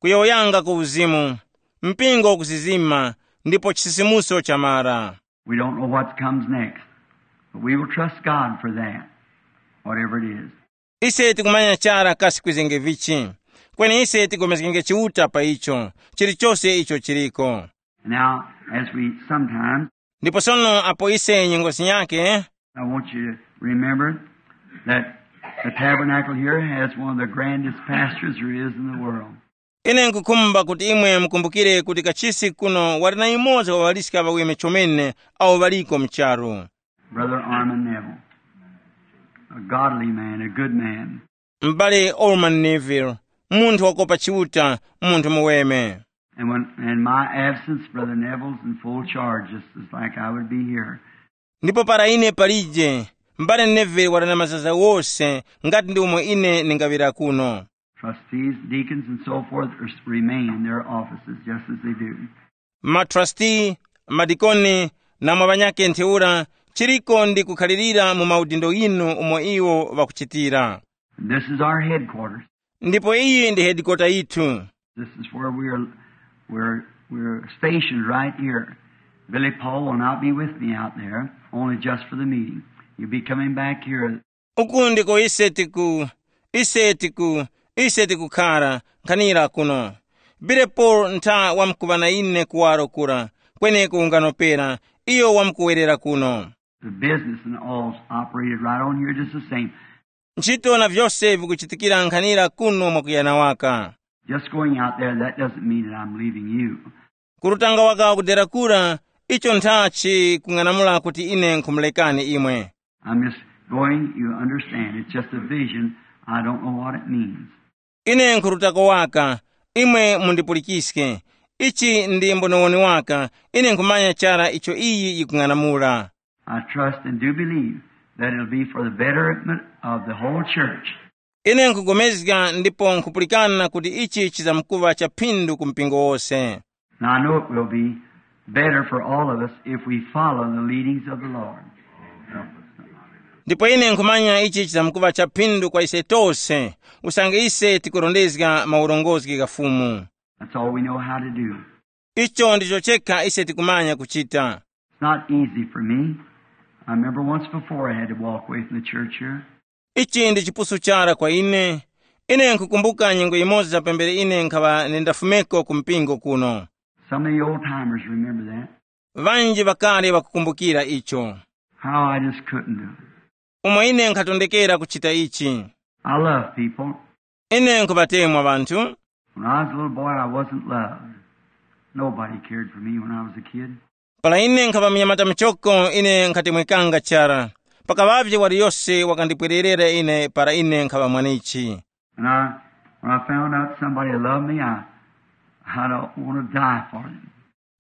Kuyowoyanga ku uzimu, mpingo ukuzizima, ndipo chisisimuso chamara. We don't know what comes next, but we will trust God for that, whatever it is. Ise tikumanya chara kasi kwizenge vichi, kweni ise tigomezgenge Chiuta pa icho, chilichose icho chiliko. Now, as we sometimes, ndipo sono apo ise nyengo zinyake, I want you to remember that the tabernacle here has one of the grandest pastors there is in the world. Ine nkukhumba kuti imwe mukumbukire kuti kachisi kuno wali na yumoza wa ŵaliska ŵaweme chomene awo ŵaliko mu charu. Brother Orman Neville, a godly man, a good man. M'bale Orman Neville, munthu wakopa Chiuta, munthu muweme. And when, in my absence, Brother Neville's in full charge, just as like I would be here. Ndipo para ine palije, m'bale Neville wali na mazaza wose ngati ndi umo ine ndingaŵira kuno. Trustees, deacons, and so forth are, remain in their offices just as they do. Matrustee, madikoni, na mwa ŵanyakhe ntheura, chiriko ndi kukhalirira mu maudindo ghinu umo iwo ŵakuchitira. And this is our headquarters. Ndipo iyi ndi hedikota yithu. This is where we are, we're, we're stationed right here. Billy Paul will not be with me out there, only just for the meeting. You'll be coming back here. Uku ndiko ise tiku, ise tiku, ise tikukhara, nkhanira kuno. Billy Paul ntha wamkuŵa na ine kuwaro kura, kweneko unganopera, iyo wamkuwerera kuno. The business and all's operated right on here just the same. Ntchito na vyose vikuchitikira nkhanira kuno mwakuyana waka. Just going out there, that doesn't mean that I'm leaving you. Kurutanga waka kudera kura, icho nthachi kung'anamula kuti ine nkhumulekani imwe. I'm just going, you understand. It's just a vision. I don't know what it means. Ine nkhurutako waka, imwe mundipulikiske. Ichi ndi mbonowoni waka, ine nkhumanya chara icho iyi yikung'anamula. I trust and do believe that it'll be for the betterment of the whole church. Ine nkupulikana ndipo nkhupulikana kuti ichi chizamkuŵa cha phindu ku mpingo wose. And I know it will be better for all of us if we follow the leadings of the Lord. Ndipo ine nkhumanya ichi chizamkuŵa cha phindu kwa ise tose, usange ise tikurondezga maurongozgi gha Fumu. That's all we know how to do. Icho ndicho chekha ise tikumanya kuchita. It's not easy for me. I remember once before I had to walk away from the church here. Ichi ndi chipusu chara kwa ine. Ine nkukumbuka nyengo imoza pambere ine nkhaŵa nindafumeko ku mpingo kuno. Some of the old timers remember that. Ŵanji ŵakale ŵakukumbukira icho. How I just couldn't do it. Umo ine nkhatondekera kuchita ichi. I love people. Ine nkhuŵatemwa ŵanthu. When I was a little boy, I wasn't loved. Nobody cared for me when I was a kid. Para ine nkhaŵa munyamata muchoko, ine nkhatemwekanga chara. Pakaŵavye waliyose wakandipwererera ine para ine nkhaŵa mwanichi. And I, when I found out somebody loved me, I, I don't want to die for them.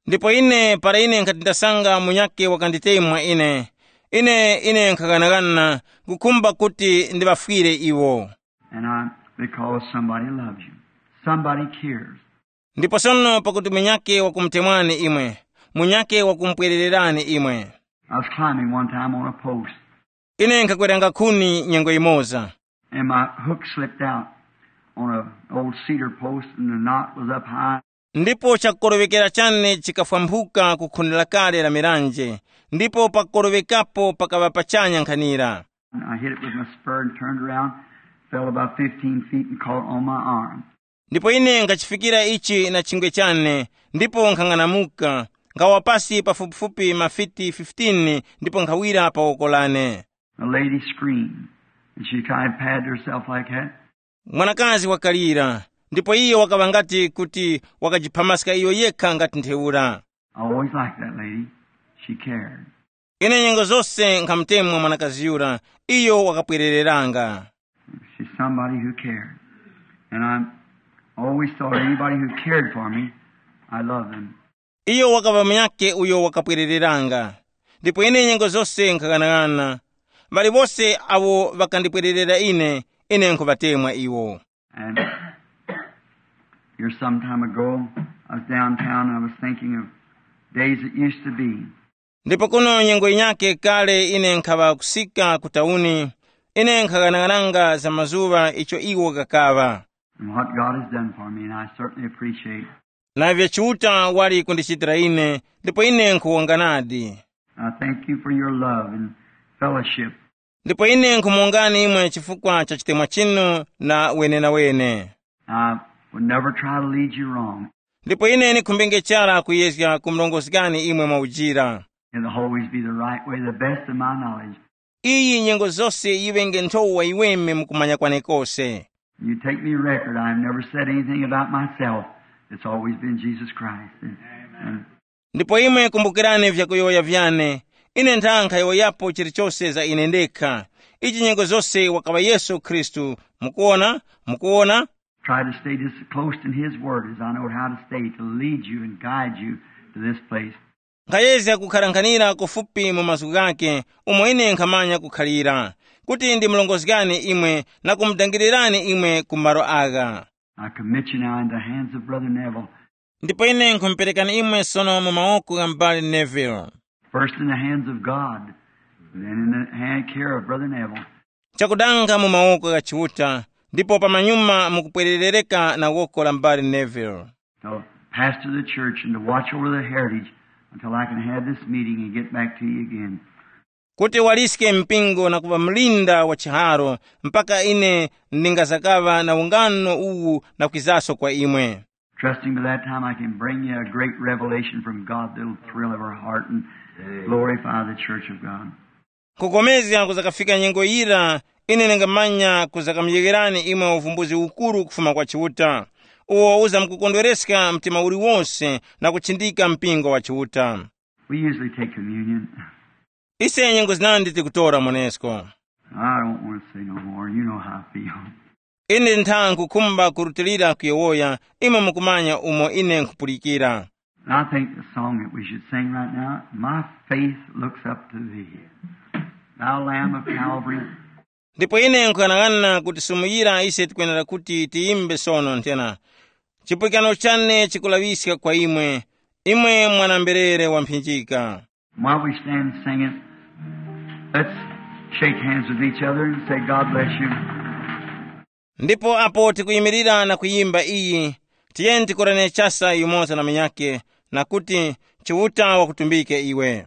Ndipo ine para ine nkhati ndasanga munyakhe wakanditemwa ine, ine ine nkhaghanagana kukhumba kuti ndiŵafwire iwo. And I, because somebody loves you, somebody cares. Ndipo sono pakuti munyakhe wakumutemwani imwe, munyakhe wakumupwerererani imwe. I was climbing one time on a post. Ine nkhakweranga khuni nyengo imoza. And my hook slipped out on an old cedar post, and the knot was up high. Ndipo chakukoroŵekera chane chikafwambuka ku khuni lakale la miranje, ndipo pakukoroŵekapo pakaŵa pachanya nkhanira. I hit it with my spur and turned around, fell about fifteen feet and caught on my arm. Ndipo ine ngachifikira ichi na chingwe chane, ndipo nkhang'anamuka, nkhawa pasi pafupifupi mafiti fifteen ndipo nkhawira pa woko lane. A lady screamed, and she kind of patted herself like that. Mwanakazi wakalira, ndipo iyo wakaŵa ngati kuti wakajiphamaska iyo yekha ngati ntheura. I always liked that lady. She cared. Ine nyengo zose nkhamutemwa mwanakazi yura, iyo wakapwerereranga. She's somebody who cared. And I always thought anybody who cared for me, I love them. Iyo wakaŵa munyakhe uyo wakapwerereranga. Ndipo ine nyengo zose nkhaghanag'ana, ŵali wose awo ŵakandipwererera ine, ine nkhuŵatemwa iwo. And here some time ago, I was downtown and I was thinking of days that used to be. Ndipo kuno nyengo yinyakhe kale ine nkhaŵa kusika ku tauni, ine nkhaghanaghananga za mazuŵa icho iwo ghakaŵa. And what God has done for me, and I certainly appreciate. Na ivyo Chiuta wali kundichitira ine, ndipo ine nkhuwonga nadi. I thank you for your love and fellowship. Ndipo ine nkhumuwongani imwe chifukwa cha chitemwa chinu na wenenawene. I would never try to lead you wrong. Ndipo ine ndikhumbenge chara kuyezga kumurongozgani imwe mwaujira. It'll always be the right way, the best of my knowledge. Iyi nyengo zose yiŵenge nthowa yiweme mu kumanya kwane kose. You take me record, I've never said anything about myself. It's always been Jesus Christ. And, and Ndipo imwe kumbukirani vyakuyowoya vyane. Ine ntha nkhayowoyapo chilichose za ine ndekha. Ichi nyengo zose wakaŵa Yesu Khristu. Mukuona? Mukuona? Try to stay just as close to his word as I know how to stay to lead you and guide you to this place. Nkhayezga kukharankhanira kufupi mu mazgu ghakhe umo ine nkhamanya kukhalira, kuti ndimurongozgani imwe na kumudangirirani imwe ku malo agha. I commit you now into the hands of Brother Neville. Ndipo ine nkhumuperekani imwe sono mu mawoko gha m'bale Neville. First in the hands of God, and then in the hand care of Brother Neville. Chakudanga mu mawoko gha Chiuta, ndipo pamanyuma mukupwererereka na woko la m'bale Neville. To pastor the church and to watch over the heritage until I can have this meeting and get back to you again. Kuti waliske mpingo na kuŵa mlinda wa chiharo, mpaka ine ndingazakaŵa na ungano uwu na kwizaso kwa imwe. Trusting by that time I can bring you a great revelation from God that'll thrill every heart and glorify the church of God. Kukomezga kuzakafika nyengo yira, ine ndingamanya kuzakamuyegherani imwe uvumbuzi ukuru kufuma kwa Chiuta, uwo uzamkukondwereska mtima uliwose na kuchindika mpingo wa Chiuta. We usually take communion. Ise nyengo zinandi tikutora monesko. I don't want to say no more. You know how I feel. Ine ntha nkhukhumba kurutilira kuyowoya, imwe mukumanya umo ine nkhupulikira. And I think the song that we should sing right now, My Faith Looks Up to Thee. Thou Lamb of Calvary. Ndipo ine nkughanaghananga kuti sumuyira ise tikwenera kuti tiyimbe sono nthena, chipulikano chane chikulaŵiska kwa imwe, imwe mwana-mberere wamphinjika. While we stand singing, let's shake hands with each other and say, God bless you. Ndipo apo tikuyimirira na kuyimba iyi, tiyeni tikorane chasa yumoza na munyakhe, na kuti, Chiuta wakutumbike iwe.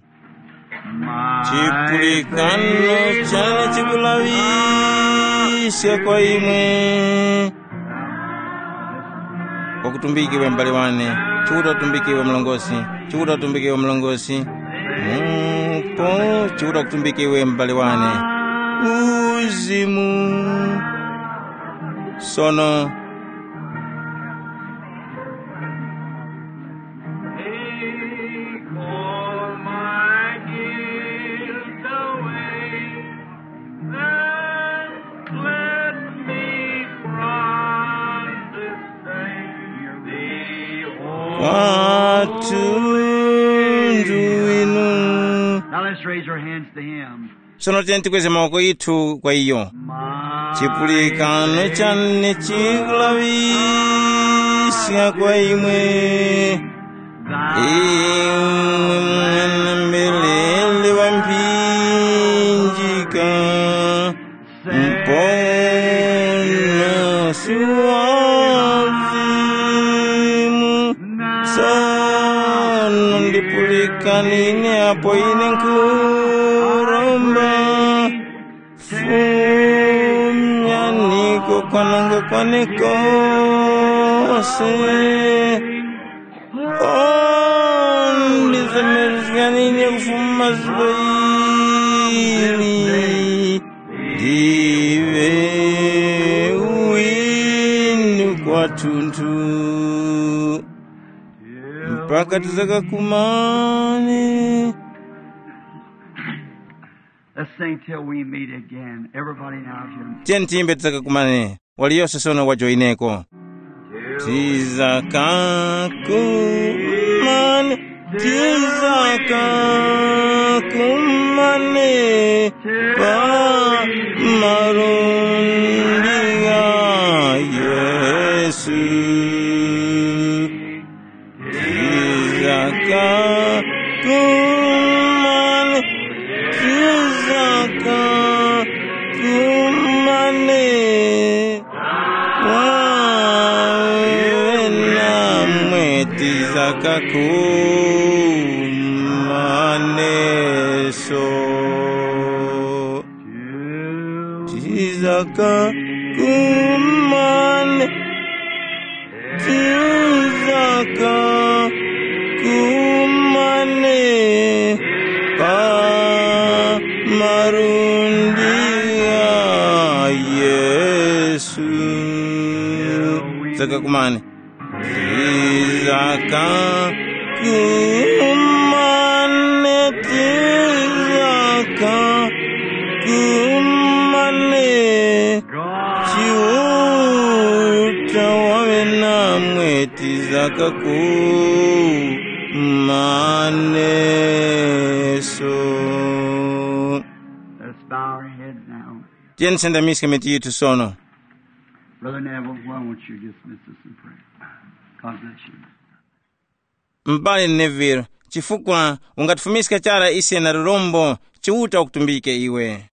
Chipulikano chane chikulaŵiska kwa imwe. Wakutumbike iwe m'bale wane, Chiuta utumbike iwe mlongosi, Chiuta utumbike iwe mlongosi. Mupo, Chiuta kutumbike iwe m'bale wane. Uzimu. Sono. Take all my guilt away, and cleanse me from this stain. The Kwathu ndwinu. Now let's raise our hands to him. Sono tiyeni tikweze mawoko yithu kwa iyo. Chipulikano chane chikulaŵiska kwa imwe, imwe mwana-mberere wa mphinjika, Muponosi wa uzimu. Sono ndipulikaneni apo ine nkhuromba. Fumyaniko kwananga kwane kose. Oh, ndizemerezganine kufuma zuŵa ili. Ndiwe winu kwathunthu. Wakati zakakumane. Let's sing till we meet again. Everybody now, here. Tiyeni tiyimbe tizakakumane. Waliyose sono wajoyineko. Tizakakumane, tizakakumane pa malundi gha Yesu. Tizakakumane, tizakakumane. Wawe namwe tizakakumaneso. Tizakakumane, tizakakumane pa malundi gha Yesu. Tizakakumane. Tizakakumane, tizakakumane. Chiuta wawe namwe tizakakumaneso. Let's bow our heads now. Tiyeni tisendamiske mitu yithu sono. Brother Neville, why won't you dismiss us in prayer? God bless you. M'bale Neville, chifukwa ungatifumiska chara ise na lurombo, Chiuta wakutumbike iwe.